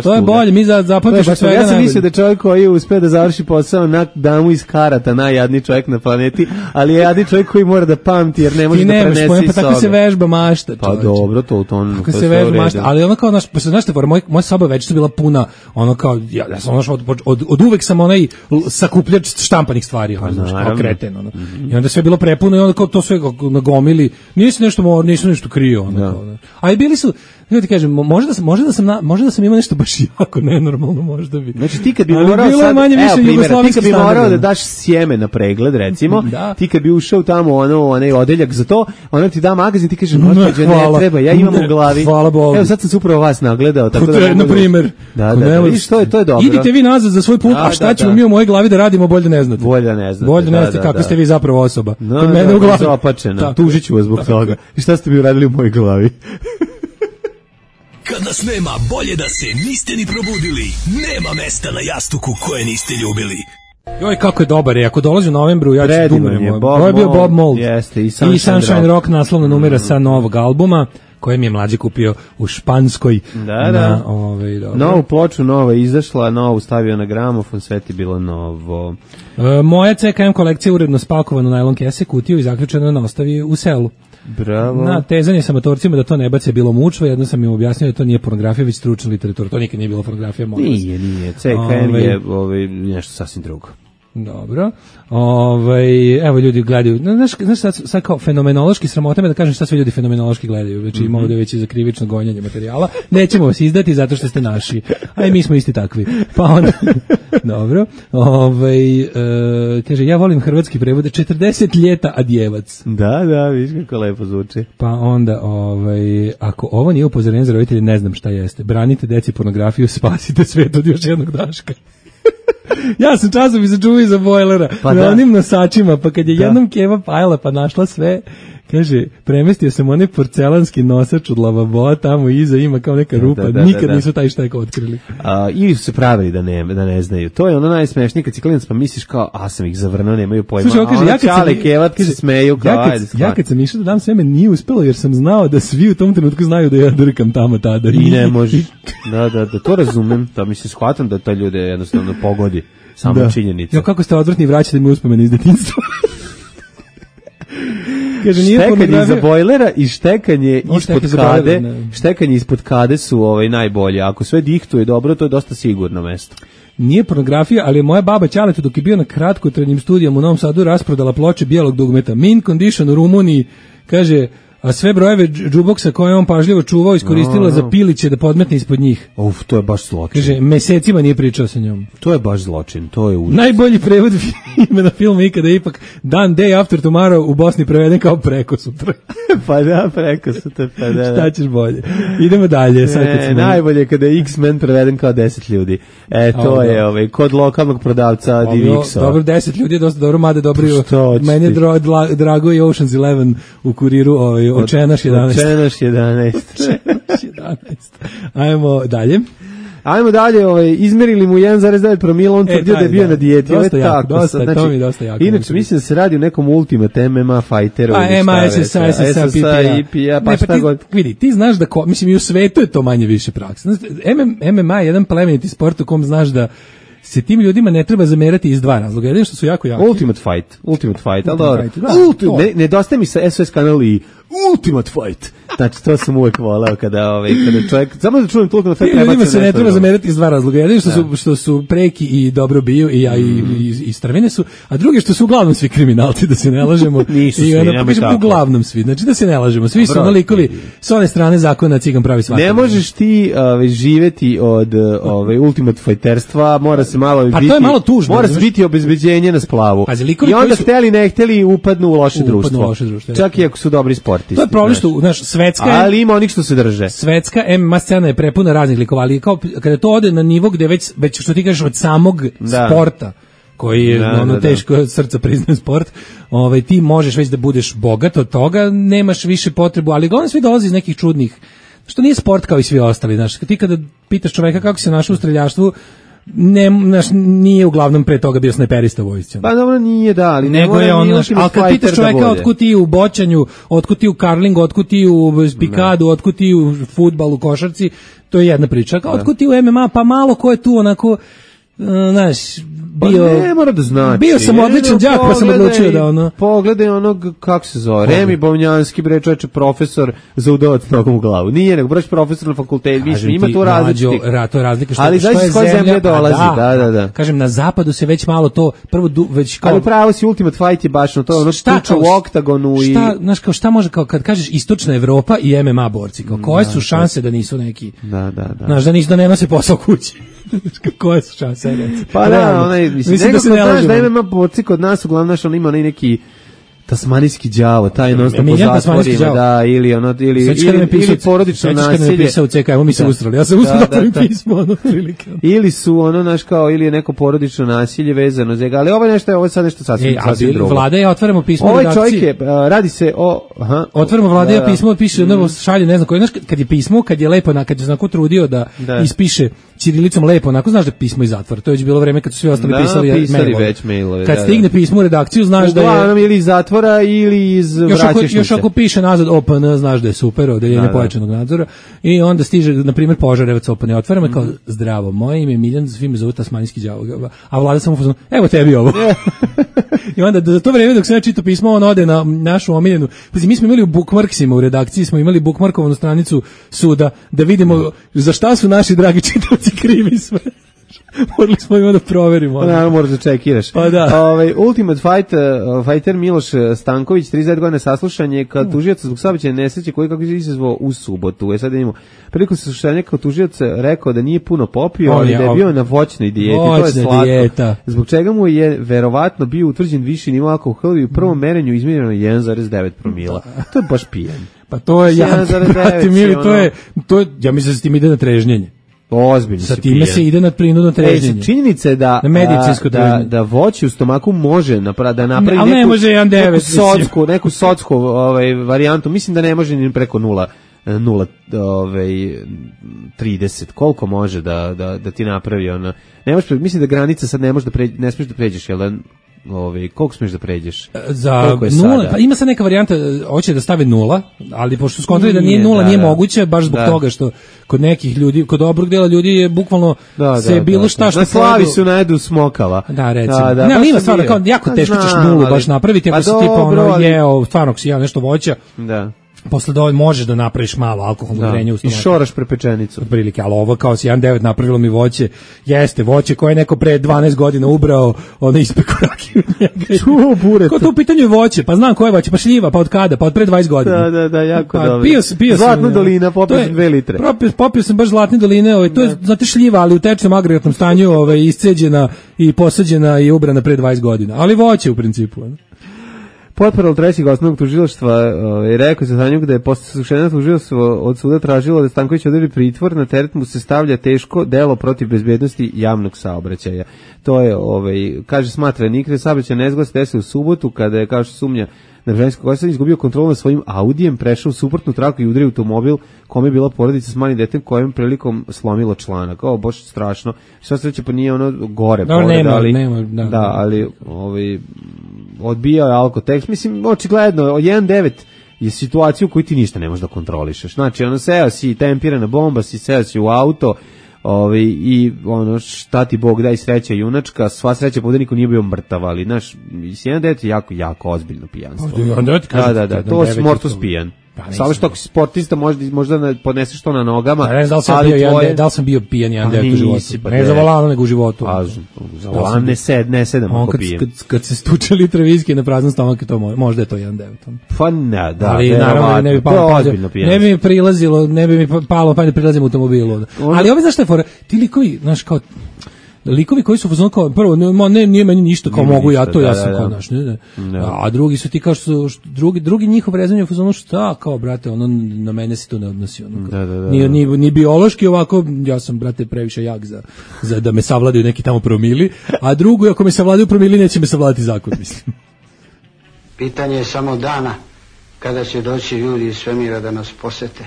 To je bolje, mi zapamtimo sve. Ja sam mislio da čovjek koji uspe da završi posao na damu iz karata, najjadniji čovjek na planeti, ali je jadni čovjek koji mora da pamti jer ne može da prenese iz sobe. Pa tako se vežba mašta. Pa dobro, to u tom. Kako se vežba mašta, ali ono kao naš, pa se znaš te, moj moja soba već su bila puna, ono kao ja, ja sam ono od, od, od uvek sam onaj sakupljač štampanih stvari, ono, znaš, kao kreten, ono. Mm-hmm. I onda sve bilo prepuno i onda kao to sve nagomili. Nisi nešto, nisi nešto krio, ono. Da. Kao, a i bili su, ja ti kažem, možda da sam, možda da sam, na, možda da sam imao nešto baš jako nenormalno, možda bi. Znači ti kad bi morao sad, manje više evo primjer, ti kad bi morao da daš sjeme na pregled, recimo, da. Ti kad bi ušao tamo ono, onaj odeljak za to, ona ti da magazin, ti kažeš, gospođo, ne treba, ja imam ne, u glavi. Hvala Bogu. Evo sad sam se upravo vas nagledao, tako da mogu, na primjer. Da, da, da, što je, to je dobro. Idite vi nazad za svoj pult, da, a šta da, ćemo da. mi u mojoj glavi da radimo, bolje ne znate. Bolje da ne znate. Bolje ne znate kako ste vi zapravo osoba. No, Kod mene da, u glavi. Zapačena. Tužiću vas zbog toga. I šta ste mi uradili u mojoj glavi? Kad nas nema, bolje da se niste ni probudili. Nema mesta na jastuku koje niste ljubili. Joj, kako je dobar je, ako dolazi u novembru, ja ću Predivan dumrem. je, Bob Ovo je bio Mould, Bob Mould. jeste, i I Sunshine Sunshine Rock. Rock, naslovna numera sa novog albuma, koje mi je mlađi kupio u Španskoj. Da, na, da. ovaj, dobro. Novu ploču, nova je izašla, novu stavio na gramofon, sve ti bilo novo. E, moja C K M kolekcija uredno spakovana u najlon kese, kutiju i zaključeno na ostavi u selu. Bravo. Na tezanje sa motorcima da to ne bace bilo mučvo, jedno sam im objasnio da to nije pornografija, već stručna literatura. To nikad nije bilo pornografija, molim vas. Nije, nije. C K M Ovaj, je ovaj, nešto sasvim drugo. Dobro. Ovaj, evo ljudi gledaju. Znaš, znaš sad, sad kao fenomenološki sramota me da kažem šta sve ljudi fenomenološki gledaju. Znači mm-hmm. ima ovdje već i za krivično gonjanje materijala. Nećemo vas izdati zato što ste naši. A i mi smo isti takvi. Pa onda dobro. Ovaj e, kaže ja volim hrvatski prevod četrdeset ljeta adjevac. Da, da, vidiš kako lepo zvuči. Pa onda ovaj ako ovo nije upozorenje za roditelje, ne znam šta jeste. Branite deci pornografiju, spasite svet od još jednog Daška. Ja sam časopis sačuvao iza bojlera pa na da. onim nosačima, pa kad je Da. jednom Keva pajala pa našla sve, kaže, premestio sam onaj porcelanski nosač od lavaboa, tamo iza ima kao neka rupa, Da, da, da, nikad da. nisu taj štek otkrili. A, ili su se pravili da ne, da ne znaju. To je ono najsmešnije kad si klinac pa misliš kao, a sam ih zavrnuo, nemaju pojma. Slušaj, on kaže, a ja kad sam, čale, kevat se smeju kao, ja kad, ajde, ja kad sam išao da dam seme, nije uspelo jer sam znao da svi u tom trenutku znaju da ja drkam tamo tada. I ne možeš. Da, da, da, to razumem. To mislim, shvatam da to ljude jednostavno pogodi. Samo Da. činjenica. Jo, kako ste odvrtni, vraćate mi uspomene iz detinjstva. Kaže, nije štekanje pornografija- iza bojlera i štekanje On ispod šteka za kade, bojler, ne. štekanje ispod kade su ovaj najbolje. Ako sve dihtuje dobro, to je dosta sigurno mesto. Nije pornografija, ali je moja baba Ćaletu dok je bio na kratkotrajnim studijama u Novom Sadu rasprodala ploče bijelog dugmeta. Mint Condition u Rumuniji, kaže, a sve brojeve džuboksa koje je on pažljivo čuvao iskoristila No, no. za piliće da podmetne ispod njih. Uf, to je baš zločin. Kaže, mesecima nije pričao sa njom. To je baš zločin, to je užas. Najbolji prevod imena filma ikada je ipak Dan Day After Tomorrow u Bosni preveden kao preko sutra. Pa da, preko su te, pa da, da. Šta ćeš bolje? Idemo dalje. Sad kad Ne, smo... najbolje je kada je X-Men preveden kao deset ljudi. E, to A, je da. ovaj, kod lokalnog prodavca Dobro, Divixova. dobro, deset ljudi je dosta dobro, mada dobro. Šta hoćeš Meni je ti? dra, dla- drago i Ocean's Eleven u kuriru, ovaj, očenaš jedanaest. Očenaš jedanaest. Očenaš jedanaest. Ajmo dalje. Ajmo dalje, ovaj, izmerili mu jedan zarez devet promila, on E, tvrdio da je taj, bio da. na dijeti. Ovo je Dosta jako, tako, dosta, sad, to mi je dosta jako. Inače, mislim da se radi o nekom Ultimate M M A fighteru. A ili M šta A, već, S S A, S S A, S S A, I P A, pa Ne, šta ti, god. vidi, ti znaš da, ko, mislim, i u svetu je to manje više praksa. Znaš, M M A je jedan plemeniti sport u kom znaš da se tim ljudima ne treba zamerati iz dva razloga. Jedino što su jako jaki. Ultimate fight, Ultimate fight, ali dobro. Fight, da, Ulti- to. ne, nedostaje mi sa S O S kanal i Ultimate fight. Znači, to sam uvek voleo kada, ovaj, kada čovjek, samo da čujem tu Ultimate Tim fight, treba ljudima se se ne nešto treba drugo. zamerati iz dva razloga. Jedino što su, što su preki i dobro biju i, ja, i, i, i strvine su, a drugi što su uglavnom svi kriminalci, da se ne lažemo. Nisu I svi, ono, nemoj kažem, tako. uglavnom svi, znači da se ne lažemo. Svi su Dobro, nalikovi vidi. s one strane zakona cigan pravi svaki. Ne možeš ti ovaj, živeti od ovaj, Ultimate fighterstva, mora se malo Pa to biti, je malo tužno, mora se razumeš? biti obezbeđenje na splavu. Pazi, likovi I onda koji su- hteli ne hteli upadnu u loše Upadnu u društvo. loše društvo, Čak i ako su dobri sportisti. To je problem znaš. što, znaš, svetska je, Ali ima onih što se drže. svetska M M A scena je prepuna raznih likova, ali kao kada to ode na nivo gde već, već što ti kažeš od samog Da. sporta, koji je Da, ono da, da. teško od srca priznaje sport, ovaj, ti možeš već da budeš bogat od toga, nemaš više potrebu, ali uglavnom svi dolazi iz nekih čudnih, što nije sport kao i svi ostali, znaš, ti kada pitaš čoveka kako se našao u streljaštvu, ne, znaš, nije uglavnom pre toga bio snajperista u vojsci. Pa dobro nije da, ali ne Nego mora je on, ni znaš, Ultimate ali kad Fighter pitaš da čoveka bude. otkud ti u boćanju, otkud ti u karlingu, otkud ti u pikadu, otkud ti u fudbalu, košarci, to je jedna priča. Kao otkud ti u M M A, pa malo ko je tu onako, uh, znaš, Pa bio... ne mora da znači. Bio sam Ne, odličan ne, đak, pa sam pogledaj- odlučio da ono... Pogledaj onog, kako se zove, Remi Bovnjanski, bre čoveče, profesor za udavac nogom u glavu. Nije, nego brać profesor na fakultetu, Kažem mislim, ima ti, tu različitih. mlađo, ra, to je razlika što, Ali što znaš je iz koje zemlje pa dolazi, da, da, da. Kažem, na zapadu se već malo to, prvo du, već kao... Ali pravo si, Ultimate Fight je baš no to, ono Šta tuča kao- u oktagonu i... Šta, znaš, kao šta može, kao kad kažeš istočna Evropa i M M A borci, kao koje su šanse da nisu neki, Da, da, da. znaš, da nisu, da ne nose posao kući. Koje su šanse, ajde, reci. Pa da, Realno. onaj, mislim, Mislim nego da se kod ne znaš da lažemo. M M A borci kod nas uglavnom naš on ima onaj neki tasmanijski đavo, taj non stop po Miljan tasmanijski zatvorima, đavo. da, ili ono, ili, Sećaš kada ili, me pisao, ili porodično sećaš kada me nasilje. pisao u C K, evo mi se Da. ustrali. Ja sam Da, ustrali da da, otvorim da. pismo, ono, prilike. Ili su ono, naš kao, ili je neko porodično nasilje vezano za ga, ali ovo je nešto, ovo je sad nešto sasvim, E, a sasvim drugo. vlada je, otvaramo pismo Ovaj redakciji. čovjek je, a, radi se o... Aha, Otvorimo vlade, da, ja da. pismo, piše, ono šalje, ne znam koji, znaš, kad je pismo, kad je lepo, na, kad je znako trudio da, Da. ispiše ćirilicom lepo, onako znaš da je pismo iz zatvora. To je već bilo vreme kad su svi ostali da, pisali, pisali mailove. već mailove. Kad da, stigne da. pismo u redakciju, znaš da je... Uglavnom ili iz zatvora ili iz vraćašnice. Još ako piše nazad O P N, znaš da je super, odeljenje da, pojačanog nadzora. I onda stiže, na primjer, Požarevac O P N. Otvaramo mm. kao, zdravo, moje ime je Miljan, svi me zovu tasmanijski đavo. A Vlada samo fuzon, evo tebi ovo. I onda za to vreme dok se ja čitao pismo, on ode na našu omiljenu. Pazi, mi smo imali u bookmarksima u redakciji, smo imali bookmarkovanu stranicu suda da vidimo za šta su naši dragi čitaoci krivi sve. Morali smo ima da proverimo. Pa naravno moraš da čekiraš. Pa da. Ovaj Ultimate Fight, uh, fighter Miloš Stanković, trideset devet godina saslušanje kad tužilac zbog saobraćajne nesreće koji kako je izazvao u subotu. E sad idemo. Prilikom saslušanja kao tužilac rekao da nije puno popio, ali da je bio na voćnoj dijeti. To je slatko. Dijeta. Zbog čega mu je verovatno bio utvrđen viši nivo alkohola i u prvom merenju izmjereno jedan zarez devet promila. To je baš pijen. Pa to je ja, brate mili, to je to je ja mislim da se tim ide na trežnjenje. Ozbiljno sa time se ide na prinudno trežnjenje. E, činjenica je da, na da, da voće u stomaku može napra, da napravi ne, neku, ne može jedan devet, neku socku, neku socku ovaj, varijantu. Mislim da ne može ni preko nula, nula ovaj, trideset. Koliko može da, da, da ti napravi ona. Ne može, mislim da granica sad ne može da pređe, ne smiješ da pređeš, jel da... Ovaj koliko smeš da pređeš? Za nula, pa ima sad neka varijanta, hoće da stave nula, ali pošto skontroli da nije nula, da, nije da. moguće baš zbog da. toga što kod nekih ljudi, kod dobrog dela ljudi je bukvalno da, se da, bilo da, šta što na slavi su najedu smokava. Da, recimo. Da, da, ne, ali ima stvarno kao jako teško ćeš nulu baš napraviti ako pa si tipa ono ali... jeo, stvarno si jeo nešto voća. Da. Posle dovoljno možeš da napraviš malo alkoholnog vrenja u stomaku. I šoraš prepečenicu. Od prilike, ali ovo kao si jedan devet napravilo mi voće, jeste voće koje je neko pre dvanaest godina ubrao, ono ispeku rakiju od njega. Čuo bureta. Ko to u pitanju je voće? Pa znam koje voće, pa šljiva, pa od kada? Pa od pre dvadeset godina. Da, da, da, jako pa, dobro. Pio, pio Zlatna sam, dolina, popio sam dve litre. Popio, popio sam baš Zlatne doline, ovaj, to je, znate, šljiva, ali u tečnom agregatnom stanju ovaj, isceđena i posađena i ubrana pre dvadeset godina. Ali voće u principu. Ono. Potporal trećeg osnovnog tužilaštva je rekao za tanju da je posle saslušanja tužilaštvo od suda tražilo da Stanković odredi pritvor, na teret mu se stavlja teško delo protiv bezbednosti javnog saobraćaja. To je, ovaj, kaže, smatra nikre saobraćaj nezgoda se desio u subotu kada je, kao što sumnja, na Bržanskog kosa izgubio kontrolu nad svojim Audijem, prešao u suprotnu traku i udario automobil kome je bila porodica s malim detetom kojem prilikom slomilo članak. Ovo baš strašno. Sva sreća pa nije ono gore. No, pored, nema, ali, nema, da, da, ali ovaj, odbijao je alkotekst. Mislim, očigledno, jedan devet je situacija u kojoj ti ništa ne možeš da kontrolišeš. Znači, ono, seo si tempirana bomba, si seo si u auto, Ovi, i ono šta ti Bog daj sreća junačka, sva sreća pa da niko nije bio mrtav, ali naš jedan devet je jako, jako ozbiljno pijanstvo. Da, da, da, to je mortos pijan. Pa, samo što ako si sportista možda, možda podneseš to na nogama. A ne znam da li sam, bio, tvoje... jedan, da li sam bio pijan jedan devet u životu. Pa ne za volanom nego u životu. A, za volanom ne, sed, ne sedam ako kad, pijem. Kad, kad se stuče litre viski na praznom stomaku, to možda je to jedan devet. Pa ne, da. Ali naravno ne bi palo, ne bi mi prilazilo, ne bi mi palo pa ne prilazim u automobilu. Ali ovi znaš šta je fora, ti likovi, znaš kao, likovi koji su fazon kao prvo ne, ne nije meni ništa kao nije mogu ništa, ja to da, ja sam da, kao naš ne, ne. Da. A drugi su ti kao što, što drugi drugi njihov rezanje u fazonu šta kao brate ono na mene se to ne odnosi ono da, da, da, ni, ni, ni biološki ovako ja sam brate previše jak za, za da me savladaju neki tamo promili, a drugo ako me savladaju promili neće me savladati zakon mislim. Pitanje je samo dana kada će doći ljudi iz svemira da nas posete.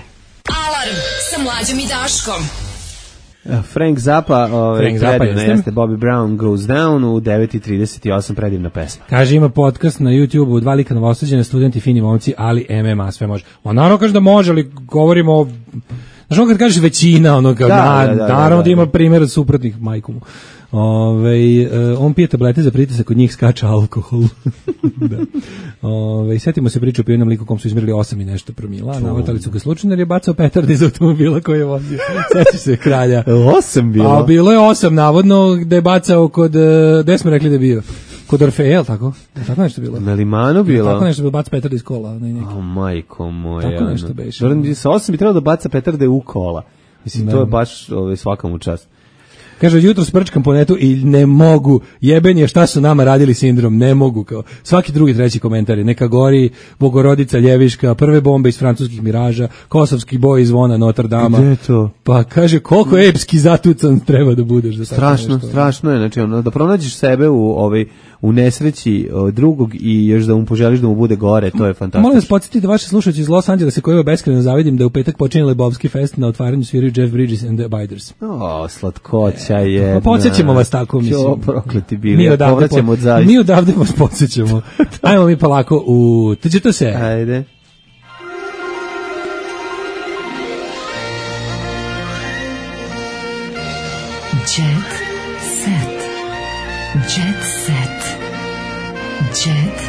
Alarm sa Mlađom i Daškom. Frank Zappa, ovaj, Frank Zappa predivna jeste, Bobby Brown Goes Down u devet i trideset osam, predivna pesma. Kaže, ima podcast na YouTubeu, dva lika novosađene, studenti, fini momci, ali M M A sve može. On naravno kaže da može, ali govorimo o... Znaš ono kad kažeš većina, ono kao, da, na, da, da, naravno da, da, da ima primjer od suprotnih majkomu. Ove, on pije tablete za pritisak, kod njih skača alkohol. Da. Ove, setimo se priču o pijenom liku kom su izmjerili osam i nešto promila, navatali su ga slučajno jer je bacao petarde iz automobila koji je vozio. Sećaš se kralja. osam bilo? A bilo je osam, navodno, gde je bacao kod, gde smo rekli da je bio? Kod Orfeja, je li tako? Tako nešto bilo? Na Limanu bilo? Tako nešto bilo, baca petarde iz kola. O, majko moja. Tako nešto beše. Sa osam bi trebalo da baca petarde u kola. Mislim, ne. To je baš ove, svakam u čast. Kaže, jutro sprčkam po netu i ne mogu, jeben je šta su nama radili sindrom, ne mogu, kao svaki drugi treći komentar je, neka gori Bogorodica Ljeviška, prve bombe iz francuskih miraža, kosovski boj iz zvona Notre Dama. Gde je to? Pa kaže, koliko epski zatucan treba da budeš. Da strašno, strašno je, znači ono, da pronađeš sebe u, ovaj, u nesreći o, drugog i još da mu poželiš da mu bude gore, to je fantastično. Molim vas podsjetiti vaše slušajući iz Los Angelesa koji beskrajno zavidim da u petak počinje Lebowski fest na otvaranju sviraju Jeff Bridges and the Abiders. O, slatkoća je. Podsjećamo vas tako, mislim. Čo prokleti bili, povraćamo od zaista. Mi odavde vas podsjećamo. Ajmo mi polako u... Tuđe se. Ajde. Jet set. Jet set. Jet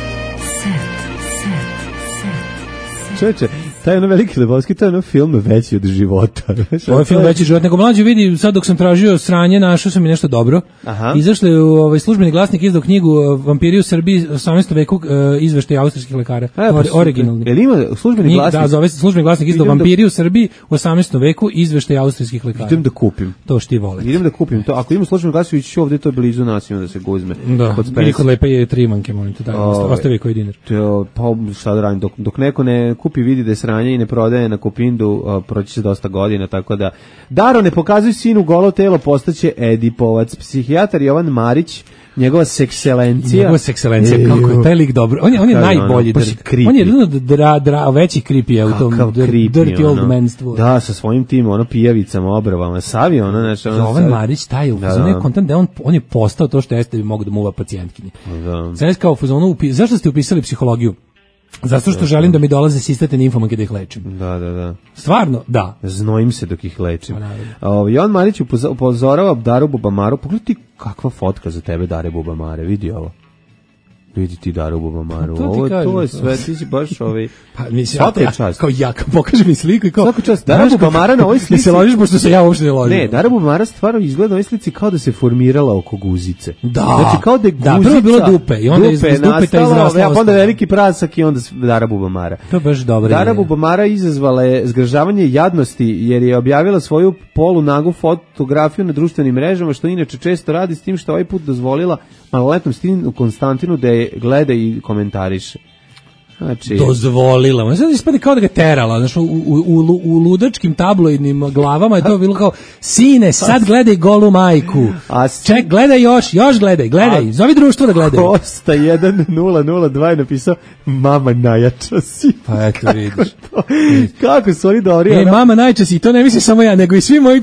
set. Set. Set. Čoveče, taj ono veliki Lebowski, to je ono film veći od života. Ovo je film veći od života. Nego mlađe vidi, sad dok sam tražio sranje, našao sam i nešto dobro. Aha. Izašli je ovaj službeni glasnik izdao knjigu Vampiri u Srbiji osamnaestom veku, uh, izveštaj austrijskih lekara. A, pa, originalni. Jel ima službeni glasnik? Da, zove se službeni glasnik izdao Vampiri da... u Srbiji u osamnaestom veku, izveštaj austrijskih lekara. Idem da kupim. To što ti vole. Idem da kupim to. Ako ima službeni glasnik, ću ovdje, to je blizu nas, ima da se guzme. Da, ili kod lepe je trimanke, molim te, da, ostavi koji dinar. To, pa šta da radim, dok, dok neko ne kupi, vidi da je sranje i ne prodaje na Kupindu, uh, proći se dosta godina, tako da Daro, ne pokazuj sinu golo telo, postaće Edipovac. Psihijatar Jovan Marić, njegova sekselencija. Njegova sekselencija, kako je taj lik dobro. On je, on je najbolji. Ono, dr, on je jedno dra, dra, veći creepy u tom creepy, dirty ono, old manstvu. Da, sa svojim tim, ono, pijavicama, obrvama, savi, ono, znači... Ono, Jovan Marić, taj u fazonu je kontent da on, on je postao to što jeste bi mogu da muva pacijentkinje. Da. Sad kao u fazonu, upi, zašto ste upisali psihologiju? Zato što želim da mi dolaze sistate ninfomanke da ih lečim. Da, da, da. Stvarno, da. Znojim se dok ih lečim. O, Jovan Marić upozorava Daru Bubamaru. Pogledaj ti kakva fotka za tebe Dare Bubamare. Vidi ovo. Vidi ti Daru Bubamaru. To, ovo, kažem, to je sve, ti si baš ovaj... Pa, mislim, svaka ja, čast. Kao ja, pokaži mi sliku i kao... Svaka čast. Dara Bubamara na ovoj slici... Ne se ložiš, pošto se ja uopšte ne ložim. Ne, Dara Bubamara stvarno izgleda na ovoj slici kao da se formirala oko guzice. Da. Znači kao da je guzica... Da, prvo je bilo dupe i onda dupe iz dupeta izrasla. Ja, onda veliki prasak i onda Dara Bubamara. To je baš dobro. Dara Bubamara izazvala je zgražavanje jadnosti jer je objavila svoju polunagu fotografiju na društvenim mrežama, što inače često radi, s tim što ovaj put dozvolila maloletnom Stinu Konstantinu da je gleda i komentariše. Znači... Dozvolila. Ma sad ispade kao da ga terala. Znači, u, u, u, u ludačkim tabloidnim glavama je to bilo kao sine, sad gledaj golu majku. A si... Ček, gledaj još, još gledaj, gledaj. A... Zovi društvo da gledaj. Kosta jedan nula nula dva je napisao mama najjača si. Pa eto vidiš. Kako su oni dobri. E, mama najjača si, to ne mislim samo ja, nego i svi moji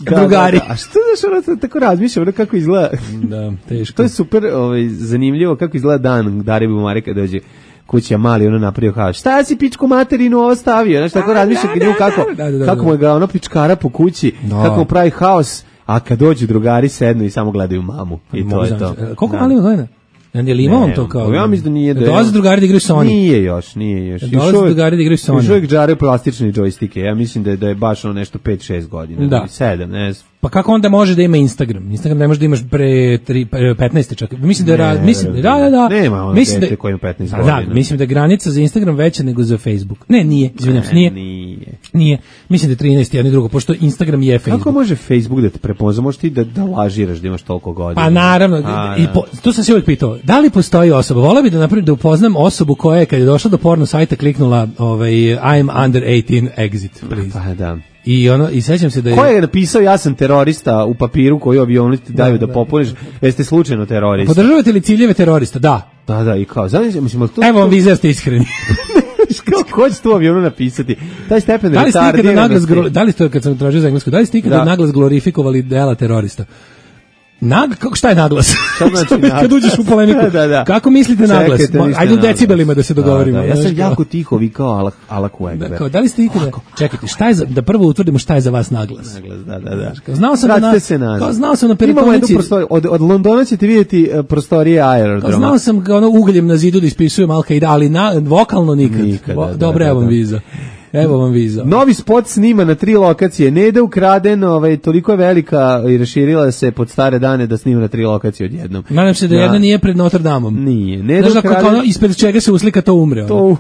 da, drugari. Da, da. A što znaš, ono tako razmišljam, ono kako izgleda. Da, teško. To je super ovaj, zanimljivo kako izgleda dan Dare Bubamare kad dođe kuća mali, ono napravio haos. Šta si pičku materinu ostavio? Znaš, tako razmišlja da, kako, da, da, da, kako mu je ga ono pičkara po kući, da. Kako mu pravi haos, a kad dođu drugari sednu i samo gledaju mamu. I to je to. Koliko mali ima godina? Ili ima on to kao? Ja mislim da nije da. Dolaze drugari da igraju Sony. Nije još, nije još. Dolaze drugari da igraju Sony. Još uvijek džaraju plastične džojstike. Ja mislim da je, da je baš ono nešto pet šest godina. Da. sedam, ne znam. Pa kako onda može da ima Instagram? Instagram ne može da imaš pre tri, pre petnaest čak. Mislim da je, mislim da da da. Nema ono mislim dete koji ima petnaest godina. Da, mislim da je granica za Instagram veća nego za Facebook. Ne, nije, izvinjavam se, nije. Nije. Nije. Mislim da je trinaest jedno i drugo, pošto Instagram je Facebook. Kako može Facebook da te prepozna? Možeš ti da, da lažiraš da imaš toliko godina? Pa naravno. A, i po, to sam se uvijek pitao. Da li postoji osoba? Voleo bih da napravim da upoznam osobu koja je kad je došla do porno sajta kliknula ovaj I'm under eighteen exit, please. Pa da. I ono i sećam se da je ko je napisao ja sam terorista u papiru koji avioni ti daju da, da, da popuniš, jeste slučajno terorista. Podržavate li ciljeve terorista? Da. Da, da, i kao, znači, mislim, to... Evo vam vi ste iskreni. Kako ko će tu avionu napisati? Taj stepen da li ste ikada naglas, da li ste, kad sam tražio za englesku, da li ste ikada da. naglas glorifikovali dela terorista? Nag, kako, šta je naglas? Šta znači naglas? Kad uđeš u polemiku. da, da. Kako mislite naglas? Ajde u decibelima da se dogovorimo. Da, da. Ja sam jako tiho vikao Allah, Allah Ekber. Da, kao, da li ste ikada... Čekajte, šta je za, da prvo utvrdimo šta je za vas naglas? Naglas, da, da, da. Kao, znao sam Vratite da na, se nazad. Kao, znao sam na peritonici... Od, od Londona ćete vidjeti uh, prostorije aerodroma. Znao sam kao ono ugljem na zidu da ispisujem Al-Qaida, ali na, vokalno nikad. nikad da, Dobro, da, evo vam da. viza. Evo vam viza. Novi spot snima na tri lokacije. Neda ukraden, ovaj, toliko je velika i raširila se pod stare dane da snima na tri lokacije odjednom. Nadam se da jedna nije pred Notre Damom. Nije. Neda Znaš, ukraden... kako ono, ispred čega se uslika to umre. To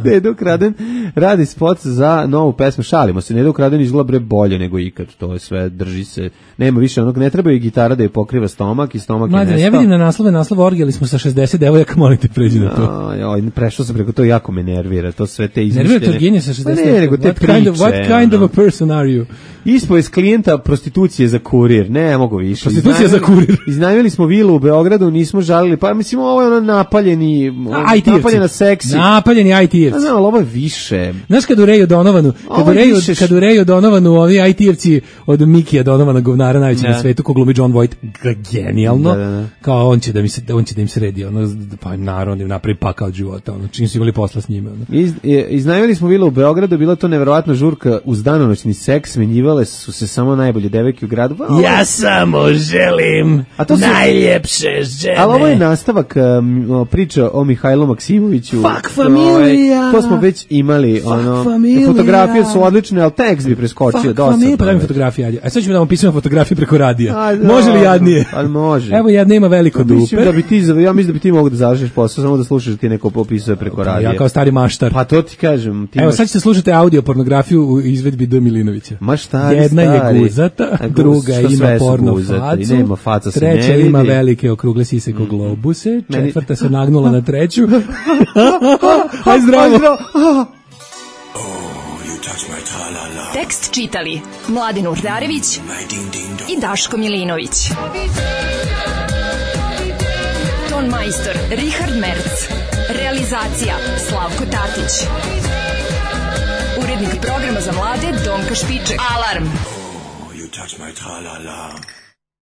Neda ukraden radi spot za novu pesmu. Šalimo se. Neda ukraden izgleda bre bolje nego ikad. To je sve, drži se. Nema više onog, ne treba i gitara da je pokriva stomak i stomak Mladen, je nestao. Ja vidim na naslove, naslov orgijali smo sa šezdeset devojaka, molim te pređi na to. Joj, prešao sam preko to, jako me nervira. To sve te izmišljene. Nervira to genije sa šezdeset. Ne, nego te what kind of, what kind of a person are you? Ispovest klijenta prostitucije za kurir. Ne mogu više. Prostitucija za kurir. Iznajmili smo vilu u Beogradu, nismo žalili. Pa mislim ovo je ono napaljeni, I T-evci. napaljena seksi. Napaljeni I T-evci. Znam, ali ovo je više. Znaš kad u Reju Donovanu, kad u Reju, više... kad u Reju Donovanu ovi I T-evci od Mikija Donovana, govnara najveći na svetu, ko glumi John Voight, genijalno. Da, da, da. Kao on će da mi se on će da im sredi, ono pa naravno im napravi pakao od života, ono čim su imali posla s njime. Ono. Iz, iznajmili smo vilu u Beogradu, bila to neverovatna žurka uz danonoćni seks, smenjivale su se samo najbolje devojke u gradu. Pa, ja samo želim a to najljepše žene. Ali ovo je nastavak um, priča o Mihajlu Maksimoviću. Fuck familija. To smo već imali. Fuck ono, familija. Fotografije su odlične, ali tekst bi preskočio. Fuck dosta. familija, pa daj mi fotografije. A sad ćemo da vam pisamo fotografije preko radija. A, može li jadnije? Ali može. Evo jedna ima veliko dupe. Mislim da bi ti, ja mislim da bi ti mogu da završiš posao, samo da slušaš ti neko popisuje preko radija. Ja kao stari maštar. Pa to ti kažem. Ti Evo imaš... sad ćete slušati audio pornografiju u izvedbi D. Milinovića. Ma stari, jedna stari. je guzata, a druga ima porno facu, nema faca se treća ne vidi. ima velike okrugle sise ko globuse, četvrta se nagnula na treću. Aj zdravo. Tekst čitali Mladin Urdarević i Daško Milinović. Ton majstor Richard Merc. Realizacija Slavko Tatić. Urednik programa za mlade Donka Špiček. Alarm! You touch my tra-la-la.